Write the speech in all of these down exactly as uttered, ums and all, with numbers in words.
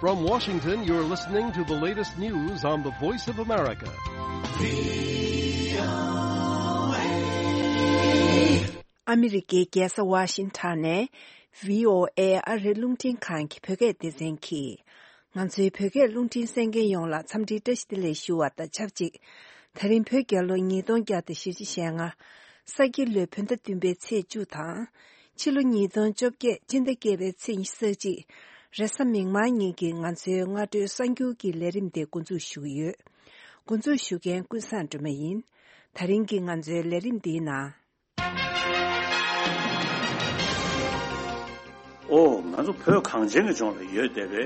From Washington, you're listening to the latest news on the Voice of America. ཨ་མི་རི་ཀའི་རྒྱལ་ས་ཝ་ཤིང་ཊོན་ནས་བྷི་ཨོ་ཨེ་ཨ་རིའི་རླུང་འཕྲིན་ཁང་གི་བོད་སྐད་སྡེ་ཚན་གྱིས། ང་ཚོའི་བོད་སྐད་རླུང་འཕྲིན་གསན་མཁན་ཡོངས་ལ་འཚམས་འདྲིའི་བཀྲ་ཤིས་བདེ་ལེགས་ཞུ་བ་དང་ཆབས་ཅིག་ད་རིང་བོད་རྒྱལ་ལོ་ཉིས་སྟོང་བརྒྱ་དང་བཞི་བཅུ་ཞེ་ལྔ། ས་ཁྱི་ལོའི་བོད་ཟླ་བདུན་པའི་ཚེས་བཅུ་དང་། ཕྱི་ལོ་ཉིས་སྟོང་བཅོ་བརྒྱད་སྤྱི་ཟླ་བརྒྱད་པའི་ཚེས་ཉི་ཤུ་རྩ་གཅིག་རེས་གཟའ་མིག་དམར་ཉིན་གྱི་ང་ཚོའི་སྔ་དྲོའི་གསར་འགྱུར་གྱི་ལས་རིམ་དེ་འགོ་འཛུགས་ཞུ་གི་ཡོད། འགོ་འཛུགས་ཞུ་མཁན་ཀུན་བཟང་སྒྲོལ་མ་ཡིན། ད་རིང་གི་ང་ཚོའི་ལས་རིམ་འདིའི་ནང་། ཨོ། ང་ཚོ་བོད་གངས་ཅན་གྱི་ལྗོངས་ལ་ཡོད་བསྡད་པའི།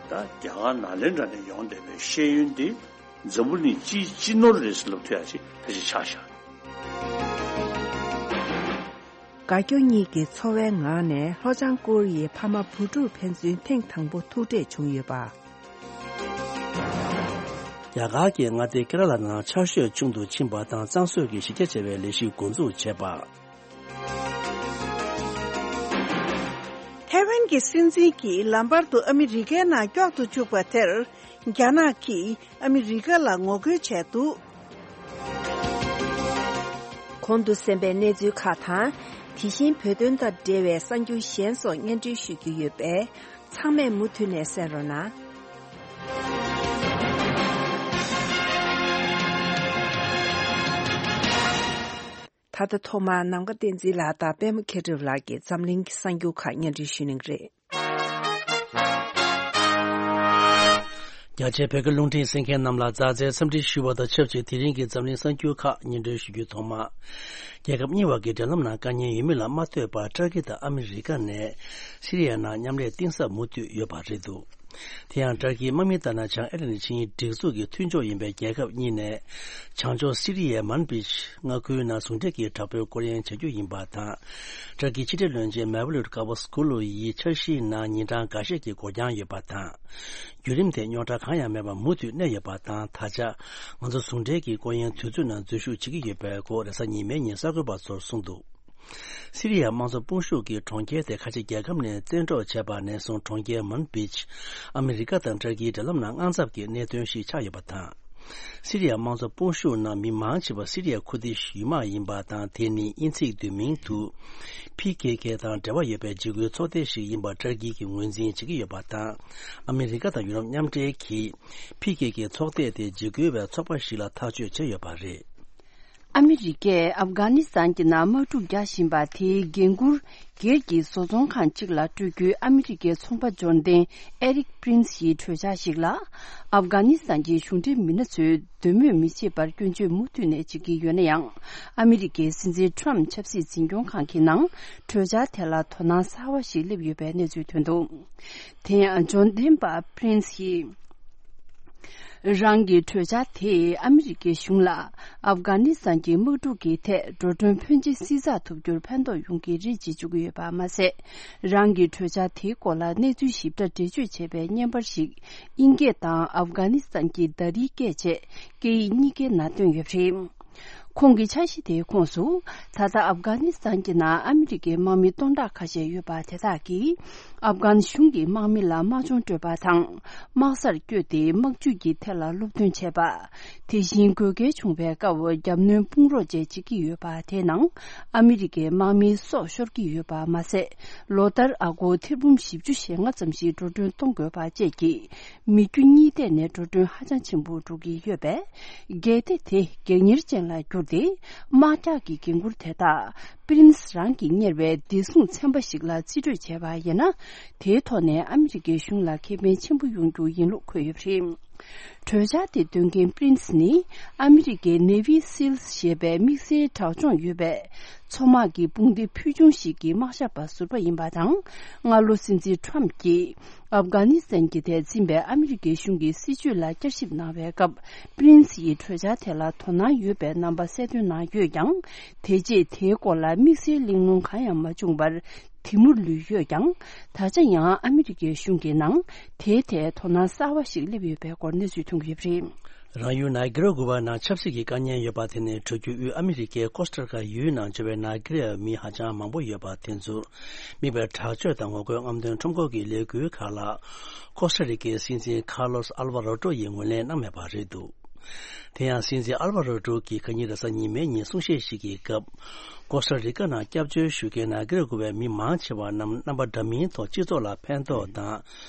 ད་རྒྱ་གར་ནཱ་ལེནྡྲ་ནས་ཡོང་བསྡད་པའི་ཤེས་ཡོན་འདི་འཛམ་བུ་གླིང་སྤྱིའི་སྤྱི་ནོར་རེད་ཟེར་ལབ་ཐུབ་ཡ་ཅིག་ད་ཅིག་ཆགས་བཞག་དགའ་སྐྱོ་གཉིས་ཀྱི་འཚོ་བའི་ངང་ནས་ལྷོ་བྱང་ཀོ་རི་ཡའི་ཕ་མ་བུ་ཕྲུག་ཕན་ཚུན་ཐེངས་དང་པོ་ཐུག་འཕྲད་བྱུང་ཡོད་པ། རྒྱ་གར་གྱི་མངའ་སྡེ་ཀེ་ར་ལ་ནང་ཆར་ཞོད་ཆུང་དུ་ཕྱིན་པ་དང་གཙང་བཟོ་གི་གཞི་རྒྱ་ཆེ་བའི་ལས་གཞི་འགོ་འཛུགས་བྱས་པ། ཐའེ་ཝན་གྱི་སྲིད་འཛིན་གྱིས་ལམ་བར་དུ་ཨ་མི་རི་ཀའི་ནང་སྐྱོད་དུ་བཅུག་པ་དེར། རྒྱ་ནག་གིས་ཨ་མི་རི་ཀ་ལ་ངོ་རྒོལ་བྱས་འདུག་གོང་དུ་གསན་པའི་གནས་ཚུལ་ཁག་དང་། དེ་བཞིན་བོད་དོན་དང་འབྲེལ་བའི་གསར་འགྱུར་གཞན་སོགས་སྙན་སྒྲོན་ཞུ་རྒྱུ་ཡོད་པས། ཚང་མས་མུ་མཐུད་ནས་གསན་རོགས་གནང་། ད་ལྟ་ཐོག་མར་ནམ་མཁའ་བསྟན་འཛིན་ལགས་དང་པད་མ་མཁས་གྲུབ་ལགས་ཀྱིས་འཛམ་གླིང་གི་གསར་འགྱུར་ཁག་སྙན་སྒྲོན་ཞུ་གནང་གི་རེད། རྒྱ་ཆེའི་བོད་སྐད་རླུང་འཕྲིན་གསན་མཁན་རྣམས་ལ་མཛའ་བརྩེའི་འཚམས་འདྲི་ཞུ་བ་དང་ཆབས་ཅིག་དེ་རིང་གི་འཛམ་གླིང་གསར་འགྱུར་ཁག་སྙན་སྒྲོན་ཞུ་རྒྱུའི་ཐོག་མ། རྒྱལ་ཁབ་གཉིས་བར་གྱི་འབྲེལ་ལམ་ནང་དཀའ་ངལ་ཡོད་མེད་ལ་མ་ལྟོས་པར་ཏྲ་ཀི་དང་ཨ་མི་རི་ཀ་ནས་སི་རི་ཡ་ནང་མཉམ་ལས་གཏིང་ཟབ་མུ་མཐུད་ཡོད་པ་རེད་འདུག་དེ་ཡང་ཏྲ་ཀིའི་དམག་མི་ལྟར་ན་བྱང་ཨེ་ལན་ཆིངས་ཡིག་སྒྲིག་འཛུགས་ཀྱི་མཐུན་ཕྱོགས་ཡིན་པའི་རྒྱལ་ཁབ་གཉིས་ནས་བྱང་ཕྱོགས་སི་རི་ཡའི་མན་བིཇ་མངའ་ཁུལ་ནང་ཟུང་འབྲེལ་གྱིས་དྲག་པོའི་སྐོར་གཡེང་བྱ་རྒྱུ་ཡིན་པ་དང་། ཏྲ་ཀིའི་ཕྱི་འབྲེལ་བློན་ཆེན་མེ་ཝ་ལུད་ཀ་ཝ་སྐུ་ལུ་ཡིས་འཆར་གཞིའི་ནང་ཉིན་གྲངས་འགའ་ཤས་ཀྱི་འགོར་འགྱངས་ཡོད་པ་དང་། བརྒྱུད་རིམ་དེ་རྙོག་དྲ་གང་ཡང་མེད་པར་མུ་མཐུད་གནས་ཡོད་པ་དང་། ད་ཆ་ང་ཚོ་ཟུང་འབྲེལ་གྱི་སྐོར་གཡེང་དུས་ཚོད་ནང་འཛུལ་ཞུགས་བྱེད་ཀྱི་ཡོད་པའི་སྐོར་རེས་གཟའ་ཉི་མའི་ཉིན་གསར་འགོད་པ་ཚོར་གསུངས་འདུག་སི་རི་ཡ་དམངས་གཙོ་དཔུང་ཤུགས་ཀྱིས་གྲོང་ཁྱེར་དེ་ཁ་ཆེ་རྒྱལ་ཁབ་ནས་བཙན་འཕྲོག་བྱས་པ་ནས་བཟུང་གྲོང་ཁྱེར་མན་བིཇ་ཨ་མི་རི་ཀ་དང་ཏུར་ཀིའི་འབྲེལ་ལམ་ནང་དངངས་འཚབ་ཀྱི་གནད་དོན་ཞིག་ཆགས་ཡོད་པ་དང་། སི་རི་ཡ་དམངས་གཙོ་དཔུང་ཤུགས་ནང་མི་མང་ཆེ་བ་སི་རི་ཡ་ཁུར་དིཤ་ཡུལ་དམག་ཡིན་པ་དང་། དེ་ནི་དབྱིན་ཚིག་བསྡུས་མིང་དུ་ཕི་ཁེ་ཁེ་དང་འབྲེལ་བ་ཡོད་པའི་འཇིགས་སྐུལ་ཚོགས་སྡེ་ཞིག་ཡིན་པ་ཏུར་ཀི་གིས་ངོས་འཛིན་བྱེད་ཀྱི་ཡོད་པ་དང་། ཨ་མི་རི་ཀ་དང་ཡུ་རོབ་མཉམ་འབྲེལ་གྱིས་ཕི་ཁེ་ཁེ་ཚོགས་སྡེ་དེ་འཇིགས་སྐུལ་བའི་ཚོགས་པ་ཞིག་ལ་ཐག་གཅོད་བྱས་ཡོད་པ་རེད། ཨ་མི་རི་ཀས་ཨབ་གྷ་ནི་སི་ཐན་གྱི་ནང་དམག་འཁྲུག་རྒྱག་བཞིན་པ་དེའི་འགན་འཁུར། སྒེར་གྱི་བཟོ་ཚོང་ཁང་གཅིག་ལ་སྤྲོད་རྒྱུའི་ཨ་མི་རི་ཀའི་ཚོང་པ་འབྱོར་ལྡན་ཨེ་རིག་པི་རིན་སི་ཡི་གྲོས་འཆར་ཞིག་ལ། ཨབ་གྷ་ནི་སི་ཐན་གྱི་གཞུང་འབྲེལ་མི་སྣ་ཚོས་འདོད་མོས་མི་བྱེད་པར་སྐྱོན་བརྗོད་མུ་མཐུད་ནས་བྱེད་ཀྱི་ཡོད་ན་ཡང་། ཨ་མི་རི་ཀའི་སྲིད་འཛིན་ཊམ་ཆབ་སྲིད་འཛིན་སྐྱོང་ཁང་གི་ནང་གྲོས་འཆར་དེ་ལ་དོ་སྣང་གསར་བ་ཞིག་སླེབས་ཡོད་པའི་གནས་ཚུལ་ཐོན་འདུག་དེ་ཡང་འབྱོར་ལྡན་པ་པི་རིན་སི་ཡིས། རང་གི་གྲོས་འཆར་དེས་ཨ་མི་རི་ཀའི་གཞུང་ལ་ཨབ་གྷ་ནི་སི་ཐན་གྱི་དམག་འཁྲུག་གི་ཐད་འགྲོ་གྲོན་ཕོན་ཆེ་བསྲི་ཚགས་ཐུབ་རྒྱུར་ཕན་ཐོགས་ཡོང་གི་རེད་ཅེས་བརྗོད་ཀྱི་ཡོད་པ་མ་ཟད། རང་གི་གྲོས་འཆར་དེའི་སྐོར་ལ་གནས་ཚུལ་ཞིབ་ཕྲ་འགྲེལ་བརྗོད་བྱས་པའི་བརྙན་པར་ཞིག་དབྱིན་སྐད་དང་ཨབ་གྷ་ནི་སི་ཐན་གྱི་ད་རིའི་སྐད་བཅས་སྐད་ཡིག་གཉིས་ཀའི་ནང་བཏོན་ཡོད་པ་རེད། ཁོང་གི་འཆར་གཞི་དེའི་ཁོངས་སུ། ད་ལྟ་ཨབ་གྷ་ནི་སི་ཐན་གྱི་ནང་ཨ་མི་རི་ཀའི་དམག་མི་སྟོང་ཕྲག་ཁ་ཤས་ཡོད་པ་དེ་དག་གིས། ཨབ་གྷན་གཞུང་གི་དམག་མི་ལ་དམག་སྦྱོང་སྤྲོད་པ་དང་། དམག་སར་བསྐྱོད་དེ་དམག་ཇུས་ཀྱི་ཐད་ལ་སློབ་སྟོན་བྱས་པ། དེ་བཞིན་དགོས་གལ་བྱུང་བའི་སྐབས་རྒྱབ་གནོན་དཔུང་རོགས་བཅས་བྱེད་ཀྱི་ཡོད་པ་དེའི་ནང་ཨ་མི་རི་ཀའི་དམག་མིའི་སྲོག་ཤོར་གྱི་ཡོད་པ་མ་ཟད། ལོ་ལྟར་ཨ་སྒོར་ཐེར་འབུམ་བཞི་བཅུ་ཞེ་ལྔ་ཙམ་ཞིག་འགྲོ་གྲོན་གཏོང་དགོས་པ་བཅས་ཀྱི་མི་རྒྱུ་གཉིས་ཐད་ནས་འགྲོ་གྲོན་ཧ་ཅང་ཆེན་པོ་འགྲོ་གི་ཡོད་པས། གལ་ཏེ་དེ་སྒེར་གཉེར་ཅན་ལ་གྱུར་ཏེ། དམག་རྒྱག་གི་འགན་འཁུར་དེ་དག་པི་རིན་སི་རང་གིས་གཉེར་བའི་བདེ་སྲུང་ཚན་པ་ཞིག་ལ་རྩིས་སྤྲོད་བྱས་པ་ཡིན་ན། དེའི་ཐོག་ནས་ཨ་མི་རི་ཀའི་གཞུང་ལ་ཁེ་ཕན་ཆེན་པོ་ཡོང་རྒྱུ་ཡིན་ལུགས་འཁོད་ཡོད་པ་རེད། གྲོས་འཆར་དེ་འདོན་མཁན་པི་རིན་སི་ནི། ཨ་མི་རི་ཀའི་ནེ་ཝི་སིལ་ཞེས་པའི་དམིགས་བསལ་དྲག་སྦྱོང་ཡོད་པའི། མཚོ་དམག་གི་དཔུང་སྡེ་ཕུལ་བྱུང་ཞིག་གི་དམག་ཞབས་པ་ཟུར་པ་ཡིན་པ་དང་། སྔ་ལོ་སྲིད་འཛིན་ཁྲོམ་གྱིས། ཨབ་གྷ་ནི་སི་ཐན་གྱི་ཐད་འཛིན་པའི་ཨ་མི་རི་ཀའི་གཞུང་གི་སྲིད་བྱུས་ལ་བསྐྱར་ཞིབ་གནང་བའི་སྐབས། པི་རིན་སི་ཡིས་གྲོས་འཆར་དེ་ལ་དོ་སྣང་ཡོད་པའི་རྣམ་པ་གསལ་སྟོན་གནང་ཡོད་ཀྱང་། དེ་རྗེས་དེའི་སྐོར་ལ་དམིགས་བསལ་གླེང་སློང་གང་ཡང་མ་བྱུང་བར། དེ་མུར་ལུས་ཡོད་ཀྱང་། ད་ཆ་ཡང་ཨ་མི་རི་ཀའི་གཞུང་གི་ནང་དེའི་ཐད་དོ་སྣང་གསར་བ་ཞིག་སླེབས་ཡོད་པའི་སྐོར་གནས་ཚུལ་ཐོན་གྱི་ཡོད་པ་རེད། རང་ཡུལ་ནཱི་ཀི་ར་གུ་ཝ་ནང་ཆབ་སྲིད་ཀྱི་དཀའ་ངལ་ཡོད་པ་དེ་ནི་བྲག་རྒྱུད་དབུས་ཨ་མི་རི་ཀའི་ཀོ་སྟ་རི་ཀ་ཡུལ་ནང་འབྱོར་བའི་ནཱི་ཀི་ར་མི་ཧ་ཅང་མང་པོ་ཡོད་པ་དེ་ཚོར་དམིགས་པའི་དྲག་སྤྱོད་དང་ངོ་རྒོལ་རྔམ་སྟོན་ཁྲོམ་སྐོར་གྱི་ལས་འགུལ་ཁག་ལ་ཀོ་སྟ་རི་ཀའི་སྲིད་འཛིན་ཁཱར་ལོ་སི་ཨལ་ཝ་རོ་ཏྲོ་ཡིས་ངོས་ལེན་གནང་མེད་པ་རེད་འདུག་དེ་ཡང་སྲིད་འཛིན་ཨལ་ཝ་རོ་ཏྲོ་གིས་ཁ་ཉིན་རེས་གཟའ་ཉི་མའི་ཉིན་གསུང་བཤད་ཞིག་གི་སྐབས། ཀོ་སྟ་རི་ཀ་ནང་སྐྱབས་བཅོལ་ཞུ་མཁན་ནཱི་ཀི་ར་གུ་ཝའི་མི་མང་ཆེ་བ་རྣམས་རྣམ་པ་འདྲ་མིན་ཐོག་སྤྱི་ཚོགས་ལ་ཕན་ཐོགས་དང་།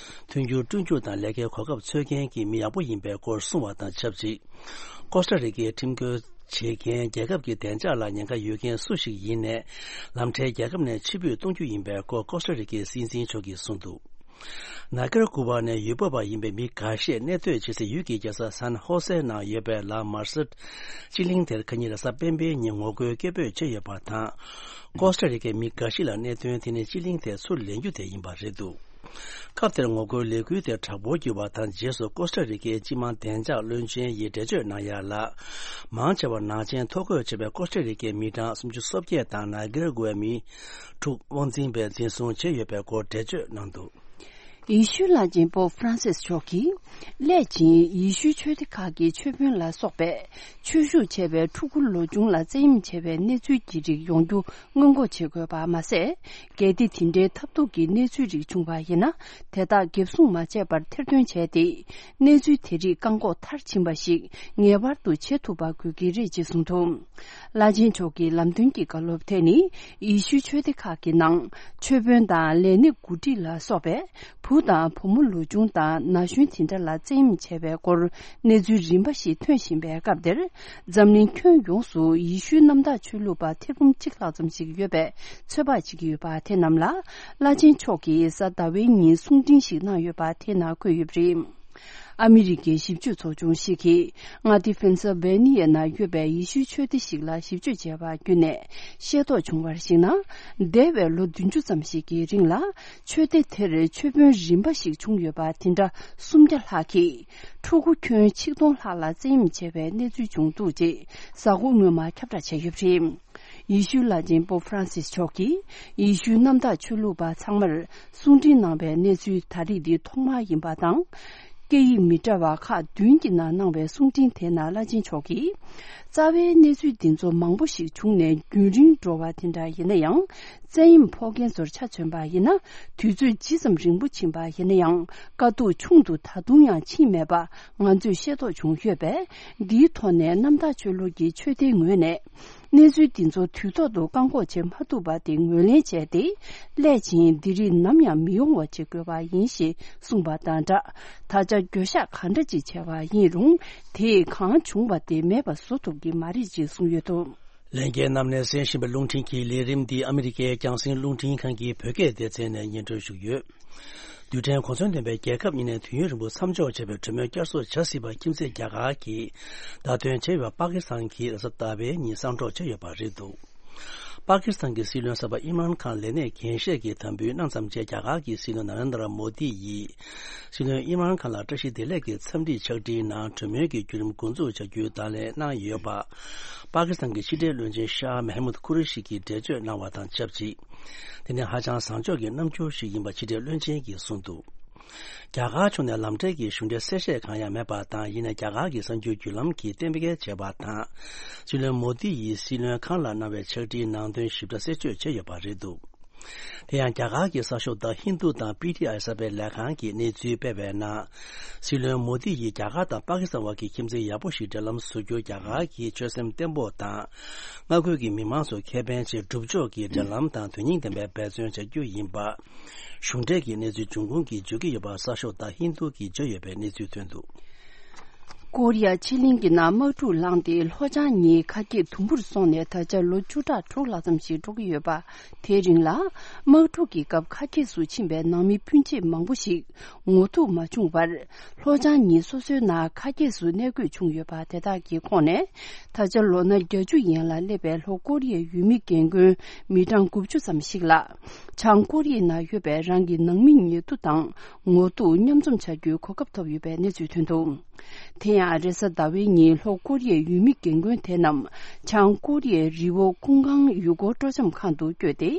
མཐུན་འགྱུར་བསྐྲུན་རྒྱུ་དང་ལས་ཀའི་གོ་སྐབས་འཚོལ་མཁན་གྱི་མི་ཡག་པོ་ཡིན་པའི་སྐོར་གསུངས་པ་དང་ཆབས་ཅིག་ཀོ་སྟ་རི་ཀའི་ཁྲིམས་བཀོད་བྱེད་མཁན་རྒྱལ་ཁབ་ཀྱི་བདེ་འཇགས་ལ་ཉེན་ཁ་ཡོད་མཁན་སུ་ཞིག་ཡིན་ནའི། ལམ་འཕྲལ་རྒྱལ་ཁབ་ནས་ཕྱིར་འབུད་གཏོང་རྒྱུ་ཡིན་པའི་སྐོར་ཀོ་སྟ་རི་ཀའི་སྲིད་འཛིན་མཆོག་གིས་གསུངས་འདུག་ནཱི་ཀི་ར་གུ་ཝ་ནས་ཡུལ་སྤོས་པ་ཡིན་པའི་མི་འགའ་ཤས་གནས་སྡོད་བྱེད་སའི་ཡུལ་གྱི་རྒྱལ་ས་སན་ཧོ་སེ་ནང་ཡོད་པའི་ལ་མར་སེ་སྤྱི་གླིང་དེར་ཁ་ཉིན་རེས་གཟའ་སྤེན་པའི་ཉིན་ངོ་རྒོལ་སྐད་འབོད་བྱས་ཡོད་པ་དང་། ཀོ་སྟ་རི་ཀའི་མི་འགའ་ཞིག་ལ་གནད་དོན་དེ་ནི་སྤྱི་གླིང་དེ་ཚུར་ལེན་རྒྱུ་དེ་ཡིན་པ་རེད་འདུག་སྐབས་དེར་ངོ་རྒོལ་ལས་འགུལ་དེ་དྲག་པོར་གྱུར་བ་དང་རྗེས་སུ་ཀོ་སྟ་རི་ཀའི་སྤྱི་དམངས་བདེ་འཇགས་བློན་ཆེན་ཡིས་འགྲེལ་བརྗོད་གནང་ཡ་ལ། མང་ཆེ་བ་ནག་ཅན་ཐོ་འགོད་བྱས་པའི་ཀོ་སྟ་རི་ཀའི་མི་གྲངས་སུམ་ཅུ་སོ་བརྒྱད་དང་ནཱི་ཀི་ར་གུ་ཝའི་མི་དྲུག་དབང་འཛིན་པས་འཛིན་བཟུང་བྱས་ཡོད་པའི་སྐོར་འགྲེལ་བརྗོད་གནང་འདུག་ཡེ་ཤུའི་བླ་ཆེན་པོབ་ཧྥ་རན་སིས་མཆོག་གིས་སླད་ཕྱིན་ཡེ་ཤུའི་ཆོས་སྡེ་ཁག་གི་ཆོས་དཔོན་ལ་སོགས་པས་ཆོས་ཞུགས་བྱས་པའི་ཕྲུ་གུ་ལོ་ཆུང་ལ་བཙན་གཡེམ་བྱས་པའི་གནས་ཚུལ་གྱི་རིགས་ཡོང་རྒྱུ་སྔོན་འགོག་བྱེད་དགོས་པ་མ་ཟད། གལ་ཏེ་དེ་འདྲའི་ཐབས་སྡུག་གི་གནས་ཚུལ་རིགས་བྱུང་བ་ཡིན་ན། དེ་དག་འགེབས་སྲུང་མ་བྱས་པར་ཐེར་འདོན་བྱས་ཏེ། གནས་ཚུལ་དེ་རིགས་བཀག་འགོག་མཐར་ཕྱིན་པ་ཞིག་ངེས་པར་དུ་བྱེད་ཐུབ་པ་དགོས་ཀྱི་རེད་ཅེས་གསུངས་འདུག་བླ་ཆེན་མཆོག་གི་ལམ་སྟོན་གྱི་བཀའ་སློབ་དེ་ནི། ཡེ་ཤུའི་ཆོས་སྡེ་ཁག་གི་ནང་ཆོས་དཔོན་དང་ལས་སྣེ་འགོ་ཁྲིད་ལ་སོགས་པས། བུ་དང་བུ་མོ་ལོ་ཆུང་དང་ན་གཞོན་དེ་འདྲ་ལ་བཙན་གཡེམ་བྱས་པའི་སྐོར་གནས་ཚུལ་རིམ་པ་ཞིག་ཐོན་བཞིན་པའི་སྐབས་འདིར། འཛམ་གླིང་ཁྱོན་ཡོངས་སུ་ཡེ་ཤུའི་གནམ་བདག་ཆོས་ལུགས་པ་ཐེར་འབུམ་གཅིག་ལྷག་ཙམ་ཞིག་ཡོད་པའི་ཚོད་དཔག་བྱེད་ཀྱི་ཡོད་པ་དེ་རྣམས་ལ། བླ་ཆེན་མཆོག་གིས་གཟའ་ཟླ་བའི་ཉིན་གསུང་འཕྲིན་ཞིག་གནང་ཡོད་པ་དེ་ནང་འཁོད་ཡོད་པ་རེད། ཨ་མི་རི་ཀའི་ཞིབ་དཔྱོད་ཚོགས་ཆུང་ཞིག་གིས། མངའ་སྡེ་ཕེན་སིལ་ཝེ་ནི་ཡ་ནང་ཡོད་པའི་ཡེ་ཤུའི་ཆོས་སྡེ་ཞིག་ལ་ཞིབ་དཔྱོད་བྱས་པ་བརྒྱུད་ནས་ཤེས་རྟོགས་བྱུང་བར་གཞིགས་ན། འདས་པའི་ལོ་བདུན་ཅུ་ཙམ་ཞིག་གི་རིང་ལ། ཆོས་སྡེ་དེར་ཆོས་དཔོན་རིམ་པ་ཞིག་བྱུང་ཡོད་པ་དེ་འདྲ་སུམ་བརྒྱ་ལྷག་གིས། ཕྲུ་གུ་ཁྱོན་ཆིག་སྟོང་ལྷག་ལ་བཙན་གཡེམ་བྱས་པའི་གནས་ཚུལ་བྱུང་འདུག་ཅེས་གཟའ་འཁོར་སྔོན་མ་ཁྱབ་བསྒྲགས་བྱས་ཡོད་པ་རེད། ཡེ་ཤུའི་བླ་ཆེན་པོབ་ཧྥ་རན་སིས་མཆོག་གིས་ཡེ་ཤུའི་གནམ་བདག་ཆོས་ལུགས་པ་ཚང་མར་གསུང་འཕྲིན་གནང་བའི་གནས་ཚུལ་ད་རེས་འདི་ཐོག་མ་ཡིན་པ་དང་། སྐད་ཡིག་མི་འདྲ་བ་ཁག་བདུན་གྱི་ནང་གནང་བའི་གསུང་འཕྲིན་དེ་ནང་བླ་ཆེན་མཆོག་གིས། རྩ་བའི་གནས་ཚུལ་འདི་ཚོ་མང་པོ་ཞིག་བྱུང་ནས་རྒྱུན་རིང་འགྲོ་བ་དེ་འདྲ་ཡིན་ན་ཡང་། བཙན་གཡེམ་ཕོག་མཁན་ཚོར་ཆ་མཚོན་པ་ཡིན་ན། དུས་ཚོད་ཇི་ཙམ་རིང་པོ་ཕྱིན་པ་ཡིན་ན་ཡང་། དཀའ་སྡུག་ཆུང་དུ་ད་དུང་ཡང་ཕྱིན་མེད་པ་ང་ཚོས་ཤེས་རྟོགས་བྱུང་ཡོད་པས། འདིའི་ཐོག་ནས་གནམ་བདག་ཆོས་ལུགས་ཀྱི་ཆོས་སྡེའི་ངོས་ནས། གནས་ཚུལ་འདི་ཚོ་དུས་ཐོག་ཏུ་བཀག་འགོག་བྱེད་མ་ཐུབ་པ་དེ་ངོས་ལེན་བྱས་ཏེ། སླད་ཕྱིན་འདི་རིགས་ནམ་ཡང་མི་ཡོང་བ་བྱེད་དགོས་པ་ཡིན་ཞེས་གསུངས་པ་དང་སྦྲགས། ད་ཆ་འགྱོད་བཤགས་གང་འདྲ་ཅིག་བྱས་པ་ཡིན་རུང་། དེས་གང་བྱུང་བ་དེ་མེད་པ་བཟོ་ཐུབ་ཀྱི་མ་རེད་ཅེས་གསུངས་ཡོད་འདུག་ལྷན་རྒྱས་རྣམས་ནས་གསན་བཞིན་པའི་རླུང་འཕྲིན་གྱི་ལས་རིམ་འདི་ཨ་མི་རི་ཀའི་རྒྱང་སྲིང་རླུང་འཕྲིན་ཁང་གི་བོད་སྐད་སྡེ་ཚན་ནས་སྙན་སྒྲོན་ཞུས་ཡོད། རྡུལ་ཕྲན་གོ་མཚོན་ལྡན་པའི་རྒྱལ་ཁབ་གཉིས་ནས་དུས་ཡུན་རིང་པོ་མཚམས་འཇོག་བྱས་པའི་གྲོས་མོལ་བསྐྱར་གསོ་བྱ་སྲིད་པ་ཁྱིམ་མཚེས་རྒྱ་གར་གྱིས་བརྡ་སྟོན་བྱས་ཡོད་པ་པ་ཀི་སི་ཐན་གྱིས་རེས་གཟའ་ཟླ་བའི་ཉིན་གསང་སྒྲོག་བྱས་ཡོད་པ་རེད་འདུག་པ་ཀི་སི་ཐན་གྱི་སྲིད་བློན་གསར་པ་ཨིམ་རཱན་ཁཱན་ལས་གནས་འགན་བཞེས་ཀྱི་དམ་འབུལ་གནང་ཙམ་རྗེས་རྒྱ་གར་གྱི་སྲིད་བློན་ན་རེན་དྲ་མོ་དི་ཡིས། སྲིད་བློན་ཨིམ་རཱན་ཁཱན་ལ་བཀྲ་ཤིས་བདེ་ལེགས་ཀྱི་འཚམས་འདྲི་ཕྱག་བྲིས་ནང་གྲོས་མོལ་གྱི་བརྒྱུད་རིམ་འགོ་འཛུགས་བྱ་རྒྱུའི་བརྡ་ལན་གནང་ཡོད་པ། པ་ཀི་སི་ཐན་གྱི་ཕྱི་འབྲེལ་བློན་ཆེན་ཤཱ་མེ་མུད་ཁུ་རེ་ཤི་གིས་འགྲེལ་བརྗོད་གནང་བ་དང་ཆབས་ཅིག་དེ་ནི་ཧ་ཅང་བཟང་ཕྱོགས་ཀྱི་རྣམ་འགྱུར་ཞིག་ཡིན་པ་ཕྱི་འབྲེལ་བློན་ཆེན་གྱིས་གསུངས་འདུག་རྒྱ་གར་ཕྱོགས་ནས་ལམ་འབྲས་ཀྱི་གཞུང་འབྲེལ་གསལ་བཤད་གང་ཡང་མེད་པ་དང་། ཡིན་ནའི་རྒྱ་གར་གྱི་གསར་འགྱུར་བརྒྱུད་ལམ་གྱིས་གཏན་འཁེལ་བྱས་པ་དང་། སྲིད་བློན་མོ་དི་ཡིས་སྲིད་བློན་ཁཱན་ལ་གནང་བའི་ཕྱག་བྲིས་ནང་དོན་ཞིབ་ཕྲ་གསལ་བརྗོད་བྱས་ཡོད་པ་རེད་འདུག་དེ་ཡང་རྒྱ་གར་གྱི་གསར་ཤོག་The Hindu་དང་པི་ཊི་ཨའི་གསར་སྤེལ་ལས་ཁང་གིས་གནས་ཚུལ་སྤེལ་བའི་ནང་། སྲིད་བློན་མོ་དི་ཡིས་རྒྱ་གར་དང་པ་ཀི་སི་ཐན་བར་གྱི་ཁྱིམ་མཚེས་ཡག་པོ་ཞིག་འབྲེལ་ལམ་བཟོ་རྒྱུར་རྒྱ་གར་གྱིས་ཆོད་སེམས་བརྟན་པོ་དང་། མངའ་ཁུལ་གྱི་མི་མང་ཚོ་ཁེ་ཕན་ཆེད་སྒྲུབ་ཕྱོགས་ཀྱི་འབྲེལ་ལམ་དང་དོན་སྙིང་ལྡན་པའི་འབད་བརྩོན་བྱ་རྒྱུ་ཡིན་པ། གཞུང་འབྲེལ་གྱི་གནས་ཚུལ་འབྱུང་ཁུངས་ཀྱིས་བརྗོད་ཀྱི་ཡོད་པ་གསར་ཤོག་The Hindu་གིས་བརྗོད་ཡོད་པའི་གནས་ཚུལ་ཐོན་འདུག་ཀོ་རི་ཡ་ཕྱེད་གླིང་གི་ནང་དམག་འཁྲུག་ལངས་ཏེ་ལྷོ་བྱང་གཉིས་ཁ་གྱེས་དུམ་བུར་སོང་ནས་ད་ཆ་ལོ་བཅུ་ཕྲག་དྲུག་ལྷག་ཙམ་ཞིག་འགྲོ་གི་ཡོད་པ། དེའི་རིང་ལ། དམག་འཁྲུག་གི་སྐབས་ཁ་གྱེས་སུ་ཕྱིན་པའི་ནང་མི་སྤུན་མཆེད་མང་པོ་ཞིག་ངོ་ཐུག་མ་བྱུང་བར། ལྷོ་བྱང་གཉིས་སོ་སོའི་ནང་ཁ་གྱེས་སུ་གནས་དགོས་བྱུང་ཡོད་པ་དེ་དག་གི་ཁོངས་ནས། ད་ཆ་ལོ་ན་བརྒྱད་ཅུ་ཡན་ལ་སླེབས་པའི་ལྷོ་ཀོ་རི་ཡའི་ཡུལ་མི་རྒན་རྒོན་མི་གྲངས་དགུ་བཅུ་ཙམ་ཞིག་ལ། བྱང་ཀོ་རི་ཡའི་ནང་ཡོད་པའི་རང་གི་ནང་མི་ཉེ་དུ་དང་ངོ་ཐུག་མཉམ་འཛོམས་བྱ་རྒྱུའི་གོ་སྐབས་ཐོབ་ཡོད་པའི་གནས་ཚུལ་ཐོན་འདུག་དེ་ཡང་རེས་གཟའ་ཟླ་བའི་ཉིན་ལྷོ་ཀོ་རི་ཡའི་ཡུལ་མི་རྒན་རྒོན་དེ་རྣམས་བྱང་ཀོ་རི་ཡའི་རི་བོ་ཀུང་ཀང་ཡུལ་སྐོར་སྤྲོ་འཆམ་ཁང་དུ་བསྐྱོད་དེ།